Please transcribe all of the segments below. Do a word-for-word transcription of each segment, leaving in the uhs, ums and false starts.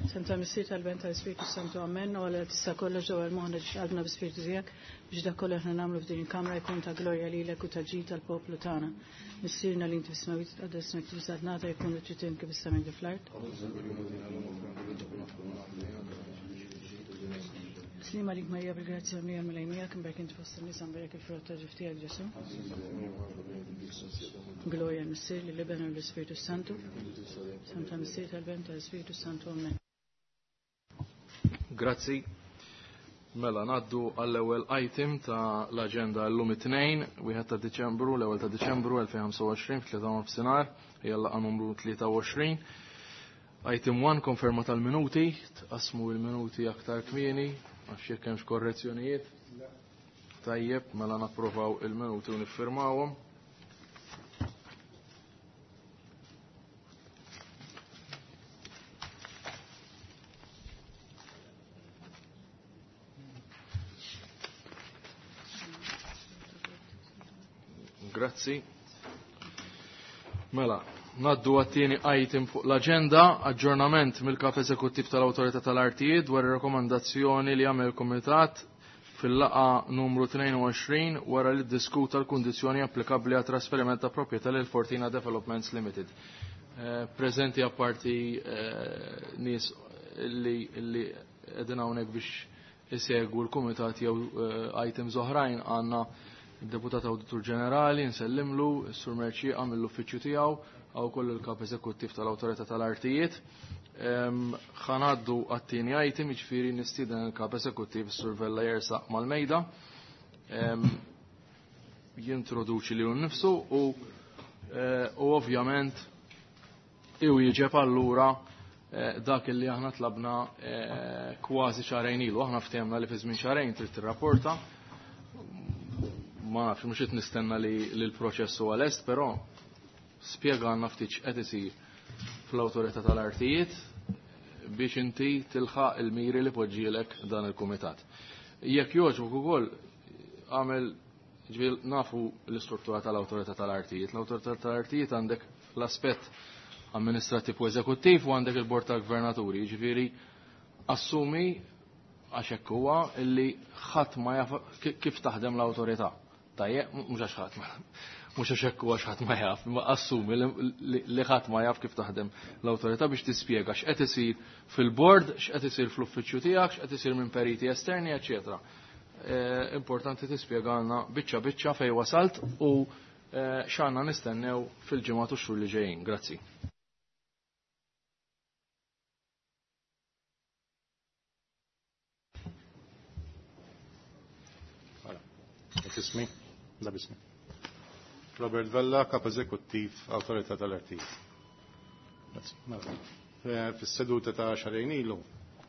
Santa Missier tal-Ben tal-Ispirtu Santu Amen, u għalla tista' kollox ġewwa l-moħħna ġiex qalbna bi-Spirtu tiegħek biex dak kollu aħna nagħmlu f'din il-kamra jkun ta' glorja lilek u ta' ġid tal-poplu tagħna. Missierna li inti fis-smewwiet tqaddes ismek tibżgħat nagħta jkun trid kif is-sema fl-art. Slima lik Marija bil-grazzja mija mill miegħek imberk inti fost in-nisa mberek il-frott ta' ġuf tiegħek Ġesu. Glorja l-Missier lill-Iben u l-Ispirtu Santu. Santa Missier tal-Ben tal-Ispirtu Santu Amen. Grazzi. Mela, naddu għall-ewwel item ta' l-aġenda llum it-tnejn, wieħed ta' Diċembru, l-ewwel ta' Diċembru elfejn u ħamsa u għoxrin f'tlieta nofsinhar, hija l-laqgħa numru tlieta u għoxrin. Item one, konferma tal-minuti, tqasmu l-minuti aktar kmieni, għax jekk hemmx korrezzjonijiet. Tajjeb, mela napprovaw il-minuti u niffirmawhom. Grazzi. Mela, naddu għat-tieni item fuq l-aġenda, aġġornament mill-Kap Eżekuttiv tal-Awtorità tal-Artijiet dwar ir-rakkomandazzjoni li għamel il-Kumitat fil-laqgħa numru tnejn u għoxrin wara li ddiskuta l-kundizzjoni applikabbli għat trasferiment ta' proprjetà lil Fortina Developments Limited. Eh, preżenti apparti eh, nies li li qegħdin hawnhekk biex isegwu l-Kumitat jew eh, items oħrajn għandna il-Deputat Awditur Ġenerali, nsellimlu, is-Sur Merċieqa mill-uffiċċju tiegħu, għaw kollu l-Kap Eżekuttiv tal-Awtorità tal-Artijiet. Ħanaddu għat-tieni item, jiġifieri nistieden il-Kap Eżekuttiv is-Sur Vella jersaq mal-mejda. Jintroduċi lilu nnifsu u, eh, u ovvjament iwieġeb allura, eh, dak li aħna tlabna, eh, kważi xahrejn ilu. Aħna ftehemna li fi żmien xahrejn trid tirrapporta. Ma nafx, mhux qed nistenna li, li l-proċess huwa lest, però spjega għandna ftit x'qed isir fl-Awtorità tal-Artijiet biex inti tilħaq il-miri li poġġielek dan il-kumitat. Jekk jogħġbok ukoll għamel ġifieri nafu l-istruttura tal-Awtorità tal-Artijiet. L-Awtorità tal-Artijiet għandek l-aspett amministrattiv u eżekuttiv u għandek il-Bord tal-Gvernaturi, jiġifieri assumi għax hekk huwa illi ħadd ma jaf kif taħdem l-awtorità. Tajjeb, mhux għax ħadd ma, mhux għax hekk huwa ħadd ma jaf, imma assumi li, li, li ħadd ma jaf kif taħdem l-awtorità biex tispjega x'qed isir fil-bord, x'qed isir fl-uffiċċju tiegħek, x'qed isir minn periti esterni, eċċetera. Eh, importanti tispjegana biċċa biċċa fejn wasalt u, eh, x'għandna nistennew fil-ġimgħat u x-xhur li ġejjin. Grazzi. Ismi, da bismi. Robert Vella, Kap Eżekuttiv, Awtorità tal-Artijiet. Grazzi. Mela, eh, fis-seduta ta' xahrejn ilu,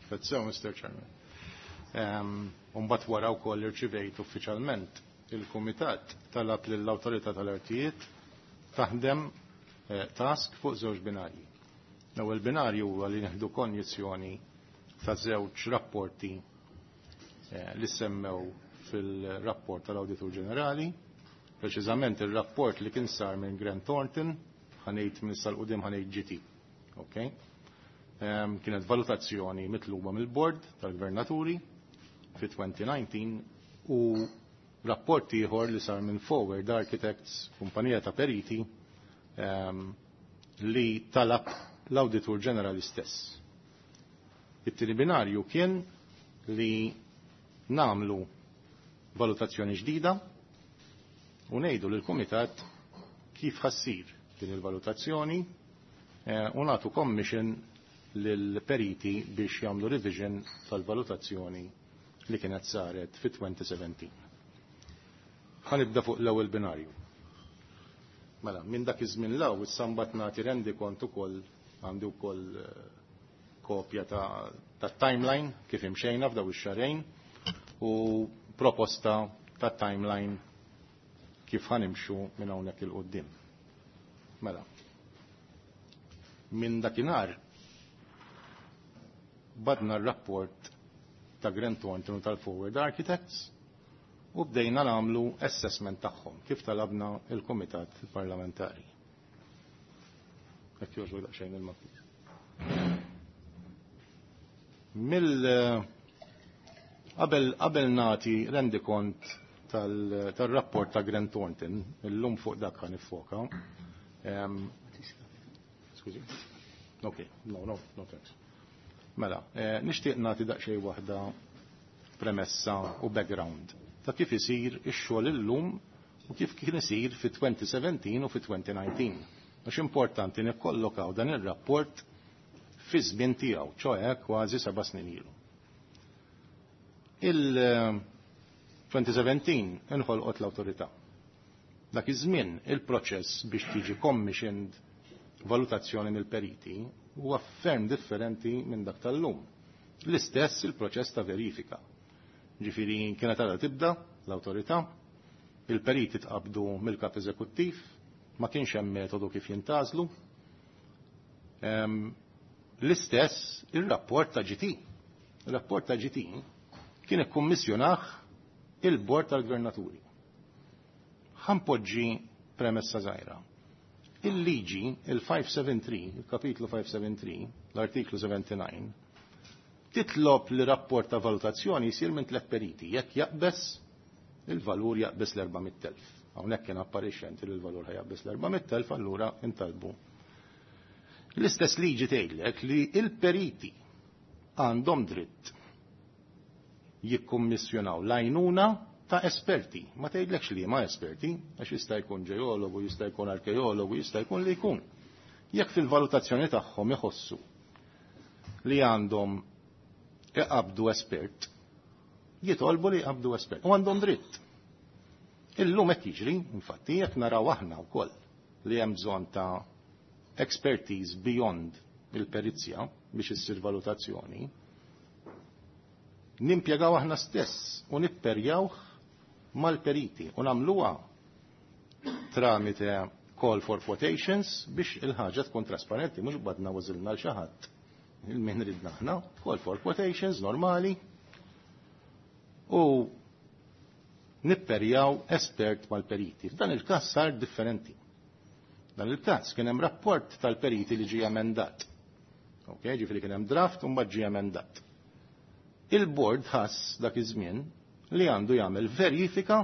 kif sew, Mister Chairman. Ehm, u mbagħad wara wkoll irċivejt uffiċjalment il-Kumitat talab lill-Awtorità tal-Artijiet taħdem, eh, task fuq żewġ binarji. L-ewwel binarju huwa li nieħdu konjizzjoni ta' żewġ rapporti, eh, li semmew fil-rapport tal-Awditur Ġenerali, preċiżament il-rapport li kien sar minn Grant Thornton, ħanejt minn sal-qudiem ħanejt G T. Ok? Ehm, kienet valutazzjoni mitluba mill-Bord tal-Gvernaturi fi twenty nineteen u rapport ieħor li sar minn Forward Architects, kumpanija ta' periti, ehm, li talab l-Awditur Ġenerali stess. It-tieni binarju kien li namlu valutazzjoni ġdida u ngħidu lill-Kumitat kif ħassir din il-valutazzjoni, eh, u nagħtu commission lill-periti biex jagħmlu revision tal-valutazzjoni li kienet saret fi twenty seventeen. Ħanibda fuq l-ewwel binarju. Mela, minn dak iż-żmien law issa mbagħad nagħti rendi kont ukoll għandi wkoll, eh, kopja ta', ta' timeline kif imxejna f'daw ix-xahrejn u proposta ta' timeline kif ħanimxu minn hawnhekk il quddiem. Mela, minn dakinhar badna r-rapport ta' Grant Thornton u tal-Forward Architects u bdejna nagħmlu assessment tagħhom kif talabna il-Kumitat Parlamentari. Jekk jogħġbu daqsxejn il-mappi. Mill qabel qabel nagħti rendikont tal-rapport ta' Grant Thornton, illum fuq dak ħa niffoka. Skużi. Ok, no, no, no thanks. Mela, eh, nixtieq nagħti daqsxejn waħda premessa u background ta' kif isir ix-xogħol illum u kif kien isir fi twenty seventeen u fi twenty nineteen. Għax importanti nikkollokaw dan ir-rapport fi żmien tiegħu, ċoè kważi seba' snin ilu. Il-twenty seventeen inħolqot l-awtorità. Dak iż-żmien il-proċess biex tiġi commissioned valutazzjoni mill-periti huwa ferm differenti minn dak tal-lum. L-istess il-proċess ta' verifika. Ġifieri kienet għadha tibda l-awtorità, il-periti tqabdu mill-kap eżekuttiv, ma kienx hemm metodu kif jintgħażlu. L-istess il-rapport ta' G T. Il-rapport ta' G T kien ikkummissjonah il-Bord tal-Gvernaturi. Ħa npoġġi premessa żgħira. Il-liġi, il-five seventy-three, il-kapitlu five seventy-three, l-artiklu sebgħa u sebgħin, titlob li rapport ta' valutazzjoni jisir minn tliet periti, jekk jaqbes il-valur jaqbes l-erba' mitt elf. Hawnhekk kien apparixxenti li l-valur ħa jaqbes l-erba' mitt elf, allura intalbu. L-istess liġi tgħidlek li il-periti għandhom dritt jikkummissjonaw l-għajnuna ta' esperti. Ma tgħidlekx li ma esperti, għax jista' jkun ġeologu, jista' jkun arkeologu, jista' jkun li jkun. Jekk fil-valutazzjoni tagħhom iħossu li għandhom iqabdu espert, jitolbu li jqabdu espert. U għandhom dritt. Illum qed jiġri, infatti, jekk naraw aħna wkoll li hemm bżonn ta' expertise beyond il-perizja biex issir valutazzjoni, nimpjegaw aħna stess u nipperjawh mal-periti u nagħmluha tramite call for quotations biex il-ħaġa tkun trasparenti, mhux badna għażilna lil xi ħadd. Il-min ridna aħna, call for quotations normali u nipperjaw espert mal-periti. F'dan il-każ sar differenti. Dan il-każ kien hemm rapport tal-periti li ġie emendat. Ok, ġifieri kien hemm draft u mbagħad ġie emendat. Il-board ħass dak iż-żmien li għandu jagħmel verifika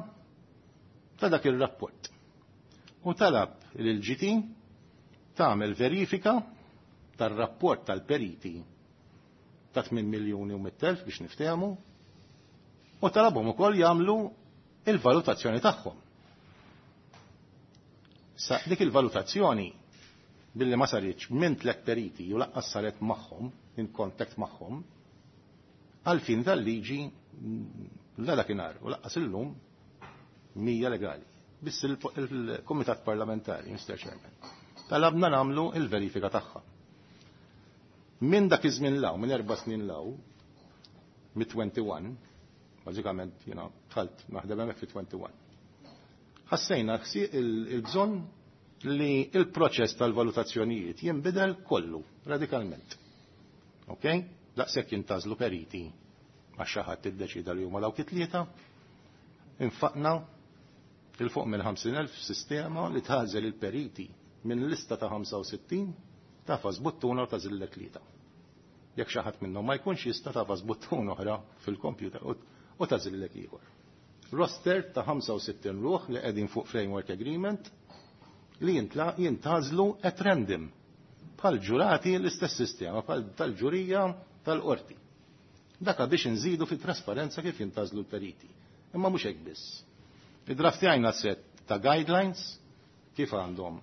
ta' dak ir-rapport. U talab lil G T tagħmel verifika tar-rapport tal-periti ta' tmien miljuni u mitt elf biex niftehmu u talabhom ukoll jagħmlu il-valutazzjoni tagħhom. Sa dik il-valutazzjoni billi ma saritx minn tliet periti u lanqas saret magħhom, in contact magħhom, għal-fin tal-liġi la dakinhar u lanqas illum mhija legali. Biss il-Kumitat Parlamentari, Mister Chairman, talabna nagħmlu il-verifika tagħha. Minn dak iż-żmien 'l hawn, minn erba' snin 'l hawn, mit-wieħed u għoxrin, bażikament jiena dħalt naħdem hemmhekk fi wieħed u għoxrin. Ħassejna il-bżonn li il-proċess tal-valutazzjonijiet jinbidel kollu, radikalment. Ok? Daqshekk jintgħażlu periti għax xi ħadd iddeċida li huma dawk it-tlieta, infaqna 'il fuq minn ħamsin elf sistema li tagħżel il-periti minn lista ta' ħamsa u sittin, tagħfas buttuna u tagħżillek tlieta. Jekk xi ħadd minnhom ma jkunx jista', tagħfas buttuna oħra fil-kompjuter u tagħżillek ieħor. Roster ta' ħamsa u sittin ruħ li qegħdin fuq framework agreement li jintgħażlu at random. Bħal ġurati, l-istess sistema, bħal tal-ġurija tal-qorti. Daka biex nżidu fit trasparenza kif jintgħażlu l-periti. Imma mhux hekk biss. Iddraftjajna set ta' guidelines kif għandhom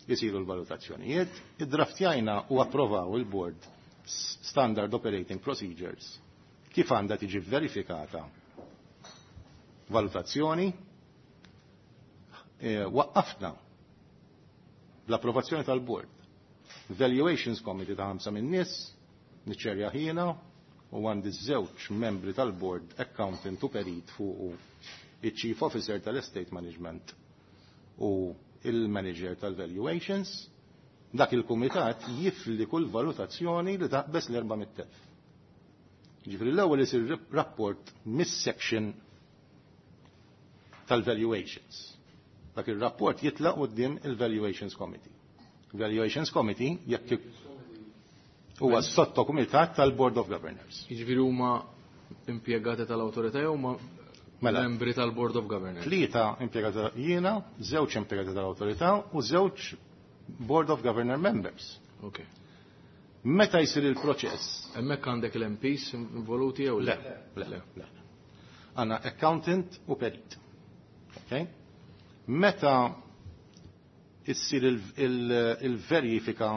jisiru l-valutazzjonijiet, iddraftjajna u approvaw il-board Standard Operating Procedures kif għandha tiġi verifikata valutazzjoni, e, waqqafna l-approvazzjoni tal-board Valuations Committee ta' ħamsa minn nies, niċċerja jiena u għandi żewġ membri tal-board, accountant u perit fuq il-Chief Officer tal-Estate Management u il-Manager tal-Valuations. Dak il-kumitat jifli kull valutazzjoni li taqbes l-erba' mitt elf. Ġifieri l-ewwel isir rapport mis-section tal-valuations. Dak il-rapport jitlaq quddiem il-Valuations Committee. Valuations Committee jekk Huwa sottokumitat tal-Board of Governors. Jiġifieri huma impjegati tal-awtorità jew huma Mela. membri tal-Board of Governors? Tlieta impjegati jiena, żewġ impjegati tal-awtorità u żewġ Board of Governor members. Ok. Meta jsir il-proċess? Hemmhekk għandek l-M Ps involuti jew Le, le, le. Għandna accountant u perit. Okay? Meta issir il-verifika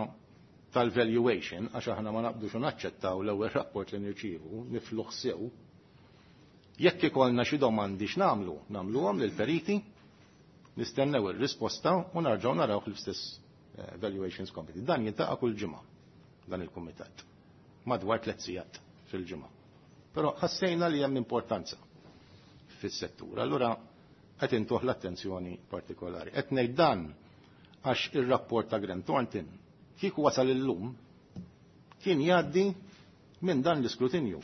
tal-valuation, għax aħna ma naqbdux u naċċettaw l-ewwel rapport li nirċievu, nifluh sew, jekk ikollna xi domandi x'nagħmlu, nagħmluhom lill-periti, nistennew ir-risposta u narġgħu naraw fl-istess eh, valuations committee. Dan jiltaqa' kull ġimgħa, dan il-kumitat. Madwar tliet sigħat fil-ġimgħa. Però ħassejna li hemm importanza fis-settur. Allura qed intuh l-attenzjoni partikolari. Qed ngħid dan għax ir-rapport ta' Grant Thornton kieku wasal illum kien jgħaddi minn dan l-iskrutinju.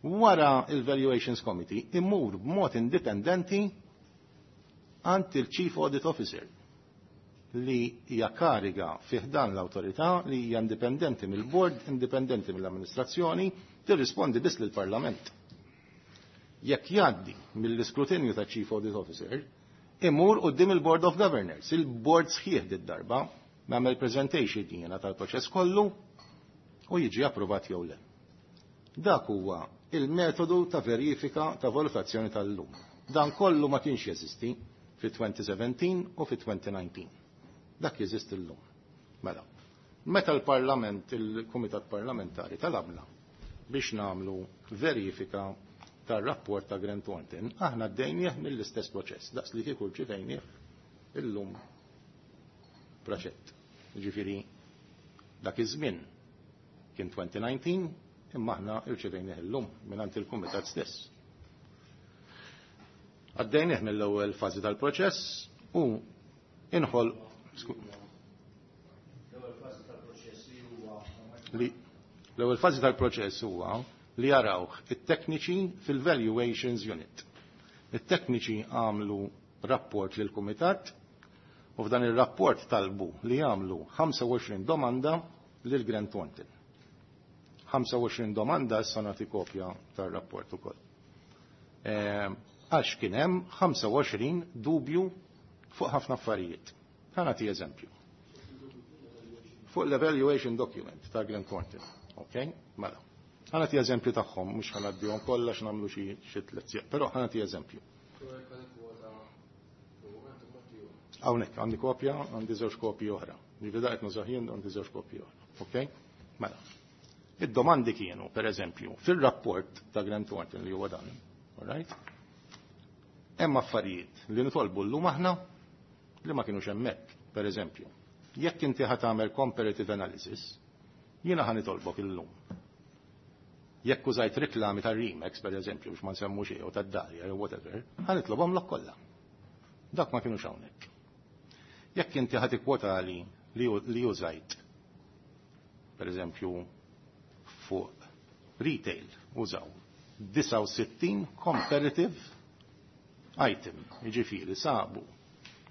Wara il-Valuations Committee immur b'mod indipendenti għand il-Chief Audit Officer, li hija kariga fi ħdan l-awtorità li hija indipendenti mill-board, indipendenti mill-amministrazzjoni, tirrispondi biss lill-Parlament. Jekk jgħaddi mill-iskrutinju ta' Chief Audit Officer, imur quddiem il-Board of Governors, il-board sħiħ did-darba, nagħmel presentation jiena tal-proċess kollu u jiġi approvat jew le. Dak huwa il-metodu ta' verifika ta' valutazzjoni tal-lum. Dan kollu ma kienx jeżisti fi elfejn u sbatax u fi elfejn u dsatax. Dak jeżisti l-lum. Mela, meta l-Parlament, il-Kumitat Parlamentari talabna biex nagħmlu verifika tar-rapport ta' Grant Thornton, aħna għaddejnieh mill-istess proċess, daqs li kieku rċivejnieh illum proċett. Ġifieri, dak iż-żmien kien elfejn u dsatax, imma aħna rċivejnieh illum mingħand il-Kumitat stess. Għaddejnieh mill-ewwel fażi tal-proċess u inħol li l-ewwel fażi tal-proċess huwa li jarawh it-tekniċi fil-Valuations Unit. It-tekniċi għamlu rapport lil kumitat u f'dan ir-rapport talbu li jagħmlu ħamsa u għoxrin domanda lil Grant Thornton. ħamsa u għoxrin domanda, issa nagħti kopja tar-rapport ukoll. Eh, għax kien hemm ħamsa u għoxrin dubju fuq ħafna affarijiet. Ħa nagħti eżempju. Fuq l-evaluation document ta' Grant Thornton. Ok? Mela. Ħa nagħti eżempju tagħhom, mhux ħa ngħaddihom kollha x'nagħmlu xi xi tliet sigħat, però ħa nagħti eżempju. Hawnhekk għandi kopja, għandi żewġ kopji oħra. Ġifieri daqt nużaħin għandi żewġ kopji oħra. Ok? Mela. Id-domandi kienu, per eżempju, fil-rapport ta' Grant Thornton li huwa dan, all right? Hemm affarijiet li nitolbu llum aħna li ma kienux hemmhekk, per eżempju. Jekk inti ħa tagħmel comparative analysis, jiena ħa nitolbok illum. Jekk użajt riklami ta' Remax, per eżempju, biex ma nsemmu xejn, jew tad-Dalja jew whatever, ħa nitlobhom lok kollha. Dak ma kienux hawnhekk. Jekk inti ħa tikkwotali li li użajt, per eżempju, fuq retail użaw disgħa u sittin comparative item, jiġifieri sabu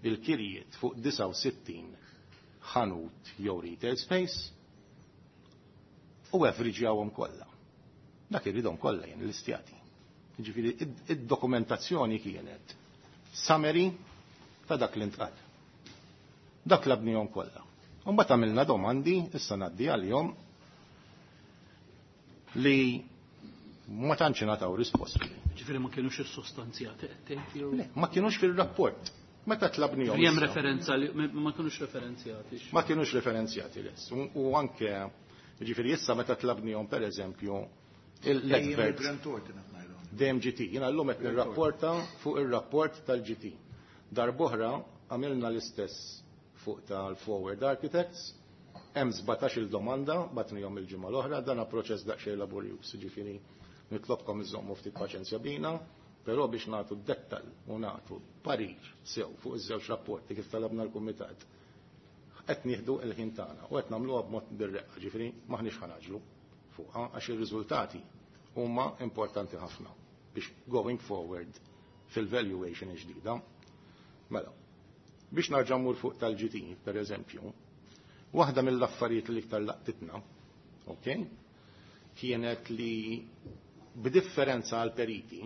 il-kirjiet fuq disgħa u sittin ħanut jew retail space u averaġjawhom kollha. Dak irridhom kollha jien l-istjati. Jiġifieri id-dokumentazzjoni kienet summary ta' dak li ntqal. Dak tlabnihom kollha. Mbagħad għamilna domandi, issa ngħaddi għalihom, li ma tantx ingħataw risposti. Ġifieri ma kienux issostanzjati qed tgħid jew? Le, ma kienux fil-rapport. Meta tlabnihom. Hemm referenza li ma kienux referenzjati. Ma kienux referenzjati les. U u anke, ġifieri issa meta tlabnihom, per eżempju, l-advert Grant Thornton qed ngħidu. D M G T. Jiena llum qed nirrapporta fuq ir-rapport tal-G T. Darb'oħra għamilna l-istess fuq tal-Forward Architects, hemm sbatax il domanda bgħatnihom il-ġimgħa l-oħra, dan proċess daqsxejn laborjuż, ġifieri nitlobkom iżommu ftit paċenzja bina, però biex nagħtu dettal u nagħtu parir sew fuq iż-żewġ rapporti kif talabna l-kumitat. Qed nieħdu l-ħin tagħna u qed nagħmluha b'mod bir-reqqa, ġifieri m'aħniex ħa ngħaġġlu fuqha għax ir-riżultati huma importanti ħafna biex going forward fil-valuation ġdida. Mela, biex narġa' mmur fuq tal-G T, per eżempju, waħda mill-affarijiet li iktar laqtitna ok, kienet li b'differenza għal periti,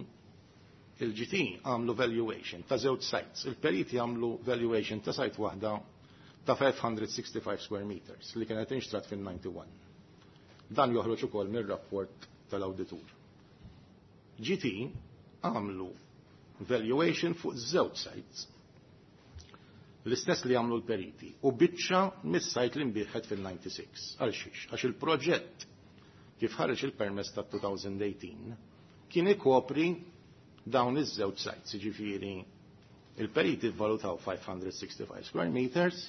il-G T għamlu valuation ta' żewġ sites. Il-periti għamlu valuation ta' site waħda ta' five hundred sixty-five square meters li kienet inxtrat fin-disgħa u disgħin. Dan joħroġ ukoll mir-rapport tal-awditur. G T għamlu valuation fuq żewġ sites, l-istess li għamlu l-periti, u biċċa mis-site li nbiegħet fil-disgħa u disgħin. Għal xiex? Għax il-proġett kif ħareġ il-permess ta' elfejn u tmintax kien ikopri dawn iż-żewġ sites, jiġifieri il-periti vvalutaw five hundred sixty-five square meters,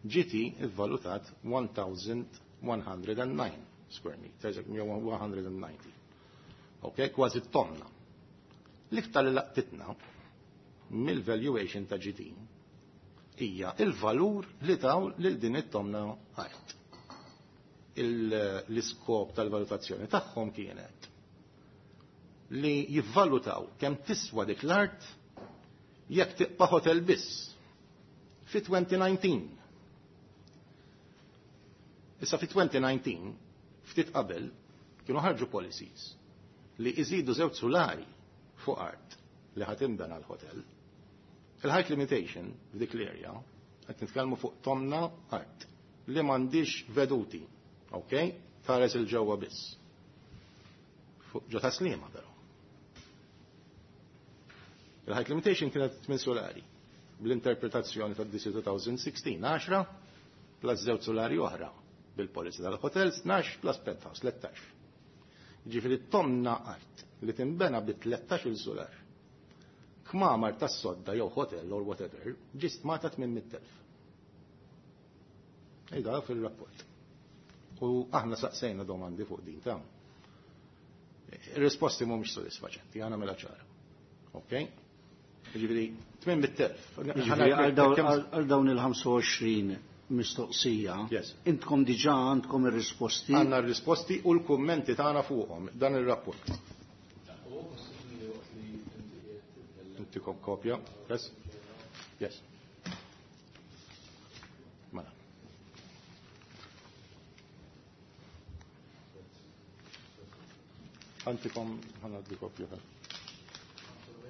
G T vvalutat one thousand one hundred nine square meters, jew one hundred ninety. Ok, kważi tomna. L-iktar li laqtitna mill-valuation ta' G T hija il-valur li taw lil din it-tomna art. L-iskop tal-valutazzjoni tagħhom kienet li jivvalutaw kemm tiswa dik l-art jekk tibqa' hotel biss fi elfejn u dsatax. Issa fi elfejn u dsatax, ftit qabel, kienu ħarġu policies li iżidu żewġ sulari fuq art li ħa tinbena l-hotel. Il-height limitation f'dik l-area, qed nitkellmu fuq tomna art li m'għandix veduti, ok? Tħares 'il ġewwa biss. Fuq ġo Tas-Sliema però. Il-height limitation kienet tmien sulari bl-interpretazzjoni tad D C twenty sixteen, għaxra plus żewġ sulari oħra bil-policy tal-hotels, tnax plus penthouse, tlettax. Ġifieri tomna art li timbena bi tlettax il-sular. Kmamar tas-sodda jew hotel or whatever, ġie stmata tmien mitt elf. Ejda fil-rapport. U aħna saqsejna domandi fuq din ta' risposti mhumiex sodisfaċenti, għana mela ċara. Ok? Ġifieri, tmien mitt elf. Ġifieri, għal dawn il-ħamsa u għoxrin mistoqsija, Yes. intkom diġà għandkom ir-risposti. Għandna r-risposti u l-kummenti tagħna fuqhom dan ir-rapport. Intikom kopja. Yes? Yes. Mela. Għantikom ħanaddi kopja.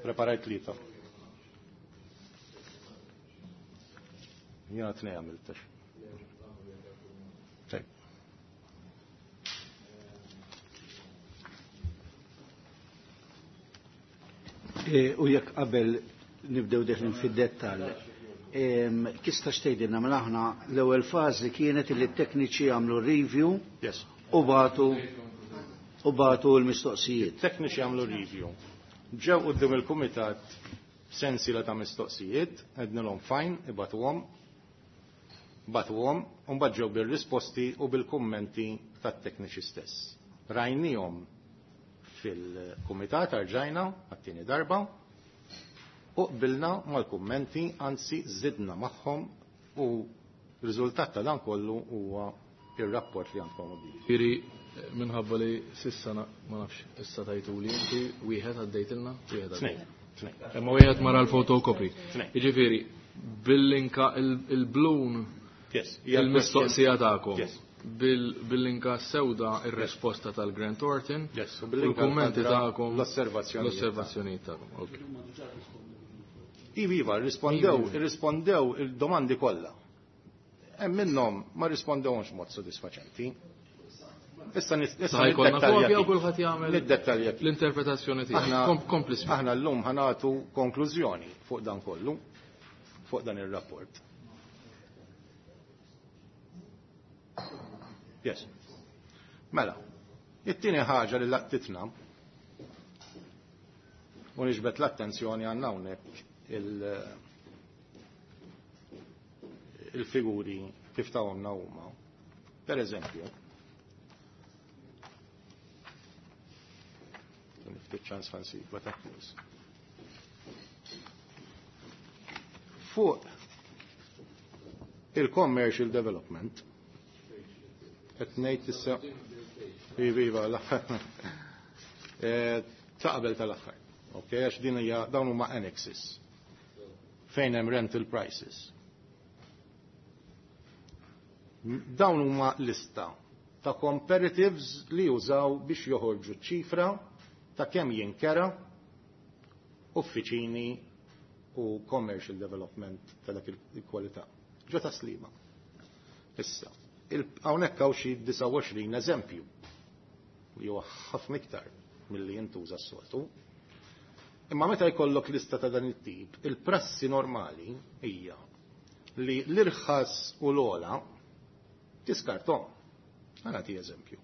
Preparajt tlieta. Jena tnej għamiltax. Tajb. E, U jekk qabel nibdew deħlin fid-dettall, em, tista' tgħidilna, mela aħna l-ewwel fażi kienet li t-tekniċi għamlu review Yes. u bagħtu u bagħtu l-mistoqsijiet. Tekniċi għamlu review. Ġew quddiem il-kumitat sensiela ta' mistoqsijiet, għednilhom fine, ibagħtuhom, bagħtuhom, u mbagħad ġew bil-risposti u bil-kummenti tat-tekniċi stess. Rajnihom fil-kumitat arġajna għat-tieni darba u qbilna mal-kummenti, anzi żidna magħhom, u riżultat ta' dan kollu huwa ir-rapport li għandkom quddiem. Ġifieri, minħabba li s'issa na- ma nafx, issa tajtuli inti, wieħed għaddejtilna, wieħed Tnejn. għaddejt. Tnejn. Imma wieħed mara l-photocopy. Tnejn. Jiġifieri, bil-linka il-blun Yes. il-mistoqsija tagħkom. Yes. Bil-linka sewda ir-risposta tal-Grant Thornton. Yes, u u bil-linka l-kummenti l-ħadra tagħkom. l-osservazzjonijiet. L-osservazzjonijiet tagħkom. Ok. Iva, iva, rispondew, rispondew il-domandi kollha. Hemm minnhom ma rispondewx mod sodisfaċenti. Issa nis- issa Ħa jkollna niddettalja kopja u kif. kulħadd jagħmel Niddettalja kif. l-interpretazzjoni tiegħu. Aħna Kom- Kompli spjega. aħna llum ħa nagħtu konklużjoni fuq dan kollu, fuq dan ir-rapport. Yes. Mela, it-tieni ħaġa li laqtitna u niġbet l-attenzjoni għandna hawnhekk il- il-figuri kif tawhomna huma. Per eżempju, niftit ċans fansi, ta' Fuq il-commercial development, qed ngħid issa, iva, iva, l-aħħar. Eh, ta' qabel tal-aħħar. Ok, għax din hija, dawn huma annexes. Fejn hemm rental prices. Dawn huma lista ta' comparatives li jużaw biex joħorġu ċifra ta' kemm jinkera uffiċini u commercial development ta' dak il-kwalità. Ġo ta' Sliema. Issa, hawnhekk hawn xi disgħa u għoxrin eżempju li huwa ħafna iktar milli jintuża s-soltu. Imma meta jkollok lista ta' dan it-tip, il-prassi normali hija li l-irħas u l-ola tiskartom. Ħa nagħti eżempju.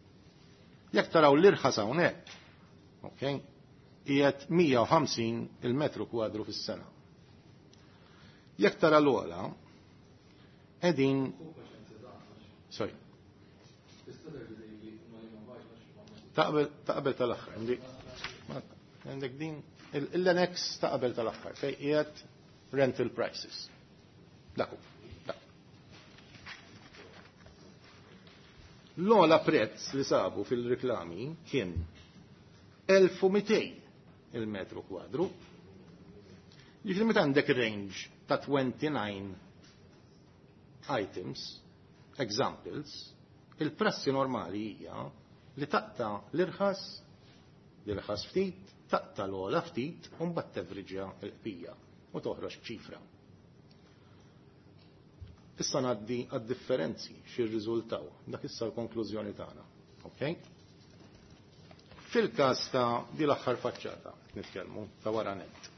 Jekk taraw l-irħas hawnhekk, okay, qiegħed mija u ħamsin il-metru kwadru fis-sena. Jekk tara l-ola, qegħdin Sorry. Taqbel, taqbel tal-aħħar. Għandek din l-annex taqbel tal-aħħar fejn qiegħed rental prices. Dak hu. L-ola prezz li sabu fil-reklami kien elf u mitejn il-metru kwadru. Jiġifieri meta għandek range ta' twenty-nine items, examples, il-prassi normali hija li taqta l-irħas, l-irħas ftit, taqta l-ola ftit, u mbagħad tevriġja l-qbija u toħroġ ċifra. Issa ngħaddi għad-differenzi x'irriżultaw, dak issa l-konklużjoni tagħna. Okay? Fil-każ ta' di l-aħħar faċċata qed nitkellmu ta' wara net.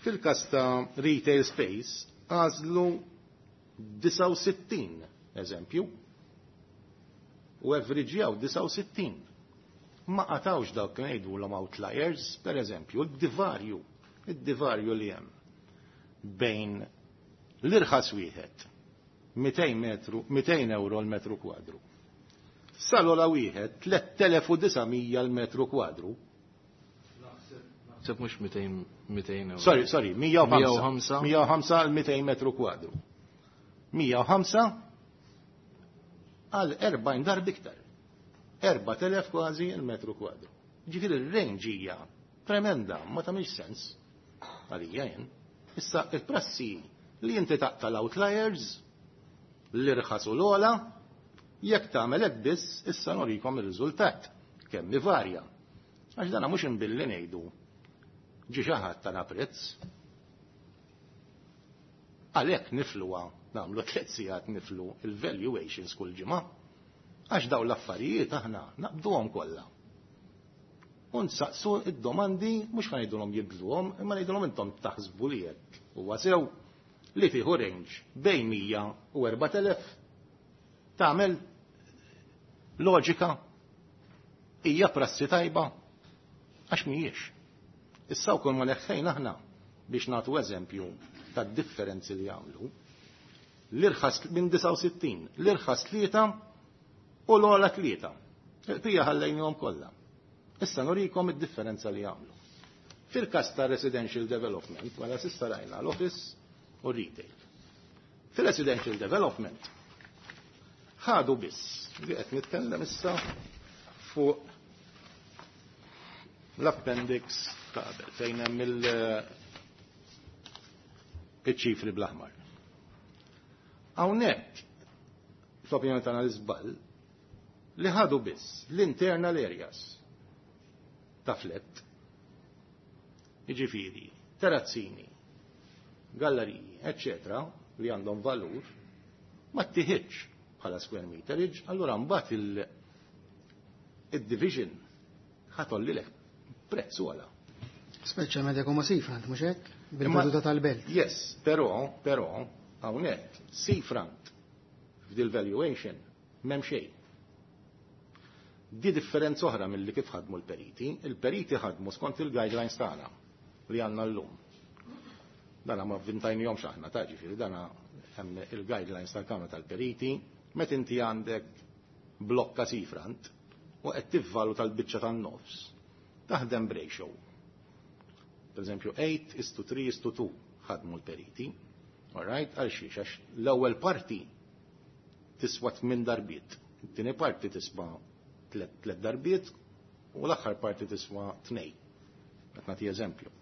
Fil-każ ta' retail space għażlu disgħa u sittin eżempju u averaġġjaw disgħa u sittin. Ma qatawx dawk li ngħidulhom outliers, per eżempju, id-divarju, id-divarju li hemm bejn l-irħas wieħed mitejn metru, mitejn euro l-metru kwadru. Salola wieħed tliet elef u disa' mija l-metru kwadru. Naħseb mhux mitejn, mitejn euro. Sorry, sorry, mija u Mija u ħamsa. Mija u ħamsa għal mitejn metru kwadru. Mija u ħamsa għal erbgħin darba iktar. Erba' telef kważi l-metru kwadru. Ġifieri r-range hija tremenda, ma tagħmilx sens għalija jien. Issa il-prassi li inti taqta l-outliers, l-irħas u l-ola, jekk tagħmel hekk biss, issa norikom ir-riżultat kemm ivarja. Għax dana mhux imbilli ngħidu ġi xi ħadd tana prezz. Għalhekk nifluha, nagħmlu tliet sigħat niflu il-valuations kull ġimgħa. Għax dawn l-affarijiet aħna naqbduhom kollha. U nsaqsu id-domandi mhux ħa ngħidulhom jibdluhom, imma ngħidulhom intom taħsbu li hekk huwa sew li tieħu range bejn mija u erba' telef tagħmel loġika hija prassi tajba għax mhijiex. Issa wkoll ma neħħejna aħna biex nagħtu eżempju tad-differenzi li jagħmlu. L-irħas minn disgħa u sittin, l-irħas tlieta u l-ogħla tlieta. Il-qija ħallejnihom kollha. Issa nurikom id-differenza li jagħmlu. Fil-każ ta' residential development, wara s'issa rajna l-office u retail. Fil-residential development ħadu biss, li qed nitkellem issa fuq l-appendix ta' qabel fejn hemm il-, iċ-ċifri bl-aħmar. Hawnhekk, fl-opinjoni tagħna l-iżball, li ħadu biss l-internal areas ta' flet, jiġifieri, terrazzini, galleriji, eccetera, li għandhom valur, ma ttiħidx bħala square meterage, allura mbagħad il-, il-division ħatollilek prezz għala. Speċjalment jekk huma seafront, mhux hekk? Bil-veduta tal-belt. Yes, però, però, hawnhekk seafront f'dil valuation m'hemm xejn. Di differenza oħra milli kif ħadmu l-periti, il-periti ħadmu skont il-guidelines tagħna li għandna llum. Dana ma vvintajnihomx aħna, ta' ġifieri, dana hemm il-guidelines tal-Kamra tal-Periti, meta inti għandek blokka seafront u qed tivvalu tal-biċċa tan-nofs, taħdem b'ratio. Per eżempju, eight is to three is to two ħadmu l-periti. All right, għal xiex, għax l-ewwel parti tiswa tmien darbiet, it-tieni parti tiswa tlet, tlet darbiet u l-aħħar parti tiswa tnej. Qed nagħti eżempju.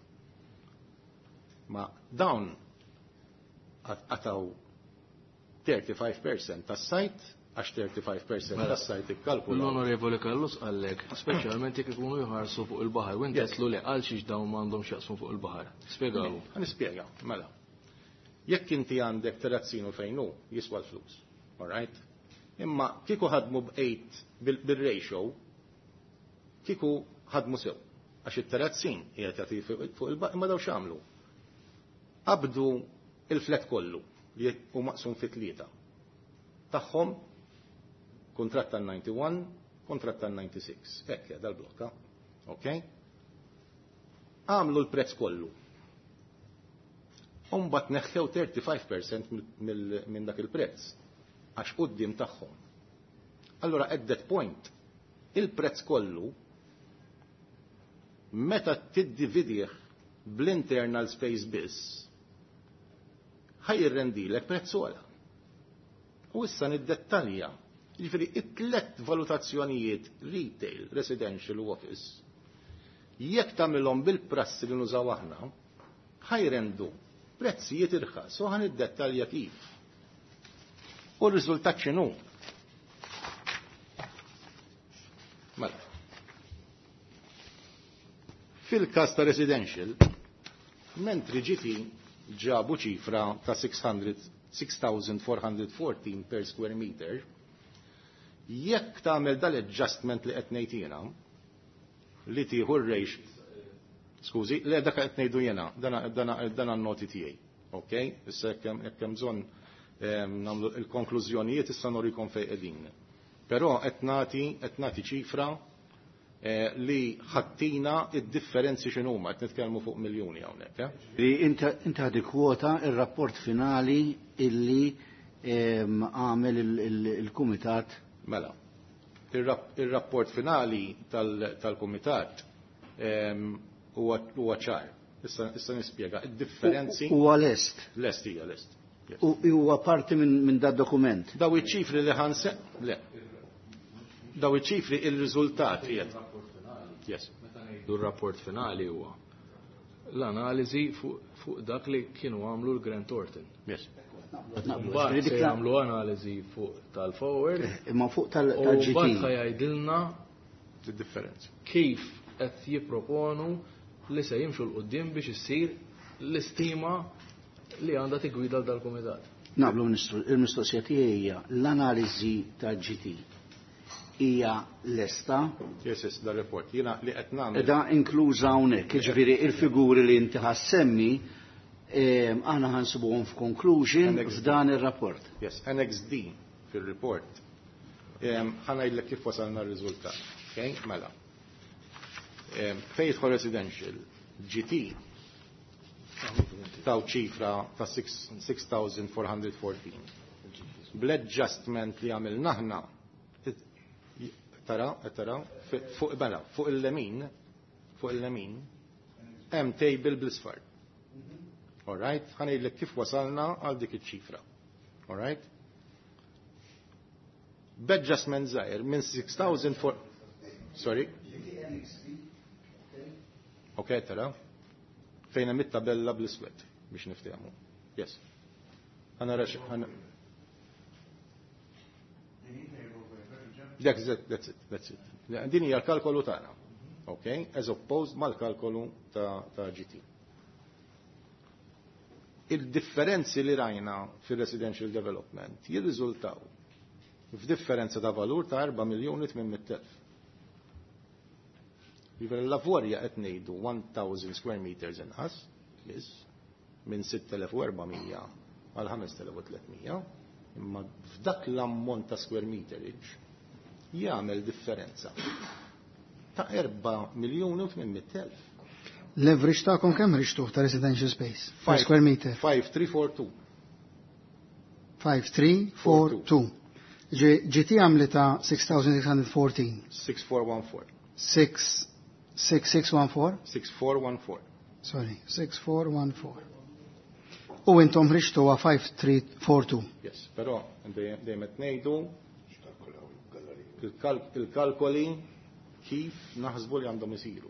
Ma dawn qataw thirty-five percent tas-sajt Għax thirty-five percent tas-site ikkalkula. L-Onorevoli Callus qallek, speċjalment jekk ikunu jħarsu fuq il-baħar, u inti għedtlu li għal xiex dawn m'għandhom x'jaqsmu fuq il-baħar. Spjegalu. Ħa nispjega, mela. Jekk inti għandek terrazzinu fejn hu, jiswa l-flus. All right? Imma kieku ħadmu b'eight bil-ratio, kieku ħadmu sew. Għax it-terrazzin qiegħed jagħti fuq il-baħar, imma daw x'għamlu? Qabdu il-flat kollu li hu maqsum fi tlieta. Tagħhom kuntratt tal-disgħa u disgħin, kuntratt tal-disgħa u disgħin. Hekk dal-blokka. Ok? Għamlu l-prezz kollu. Umbat neħħew thirty-five percent minn dak il-prezz għax quddiem tagħhom. Allora, at that point, il-prezz kollu meta tiddividih bl-internal space biss, ħa jirrendilek prezz ogħla. U issa niddettalja. Jiġifieri it-tlet valutazzjonijiet, retail, residential u office, jekk tagħmilhom bil-prassi li nużaw aħna, ħa jrendu prezzijiet irħas u ħa niddettalja kif. U r-riżultat x'inhu? Mela. Fil-każ ta' residential, mentri G T ġabu ċifra ta' six hundred six thousand four hundred fourteen per square meter, jekk tagħmel dal-adjustment li qed ngħid jiena, li tieħu r-ratio, skużi, le, dak qed ngħidu jiena, dana n-noti tiegħi. Ok? Issa jekk hemm bżonn nagħmlu il-konklużjonijiet, issa norikom fejn qegħdin. Però qed nagħti qed nagħti ċifra eh, li ħattina id-differenzi x'inhuma, qed nitkellmu fuq miljuni hawnhekk. Eh? Li inta ħa tikkwota ir-rapport finali illi għamel il-kumitat. Mela, il-rapport finali tal-kumitat huwa ċar. Issa nispjega id-differenzi. Huwa lest. Lest hija lest. U huwa parti minn da dokument. Daw iċ-ċifri li ħanse le. Daw iċ-ċifri, il-riżultat qiegħed. Yes. Du rapport finali huwa l-analiżi fuq dak li kienu għamlu l-Grant Thornton. Yes. Mbagħad se jagħmlu analiżi fuq tal-forward. Imma fuq tal-G T. U mbagħad jgħidilna differenzi. Kif qed jipproponu li se jimxu 'l quddiem biex issir l-istima li għandha tigwida dal-kumitat. Naqblu, Ministru, il-mistoqsija tiegħi hija l-analiżi tal-G T hija lesta? Yes, yes, da report. Jiena li qed nagħmel. Da inkluża hawnhekk, jiġifieri il-figuri li inti ħa ssemmi aħna ħa nsibuhom f'conclusion f'dan ir-rapport. Yes, Annex D fil-report. Ħa ngħidlek kif wasalna r-riżultat. Okay, mela. Fejn jidħol residential, G T taw ċifra ta' six thousand four hundred fourteen. Bl-adjustment li għamilna aħna, tara, tara, fuq, mela, fuq il-lemin, fuq il-lemin, hemm table bl-isfar. All right? Ħa ngħidlek kif wasalna għal dik iċ-ċifra. All right? B'adjustment żgħir minn six thousand four. Sorry? Ok, tara. Fejn hemm it-tabella bl-iswed biex niftehmu. Yes. Ħa nara ħana. That's it, that's it, that's it. Din hija l-kalkolu tagħna. Ok? As opposed mal-kalkolu ta', ta G T. Il-differenzi li rajna fil-residential development jirriżultaw f'differenza ta' valur ta' erba' miljoni tmien mitt elf. Jiġifieri l-lavorja qed ngħidu elf square meters inqas, biss, minn sitt elef u erba' mija għal ħamest elef u tliet mija, imma f'dak l-ammont ta' square meterage jagħmel differenza ta' erba' miljoni u tmien mitt elf. L-average tagħkom kemm ħriġtuh ta' residential space? Per square meter? five three four two. five three four two. G T għamlita six thousand six hundred fourteen. six four one four. six six six one four? six four one four. Sorry, six four one four. U intom ħriġtuha five three four two. Yes, però dejjem qed ngħidu il-kalkoli kif naħsbu li għandhom isiru.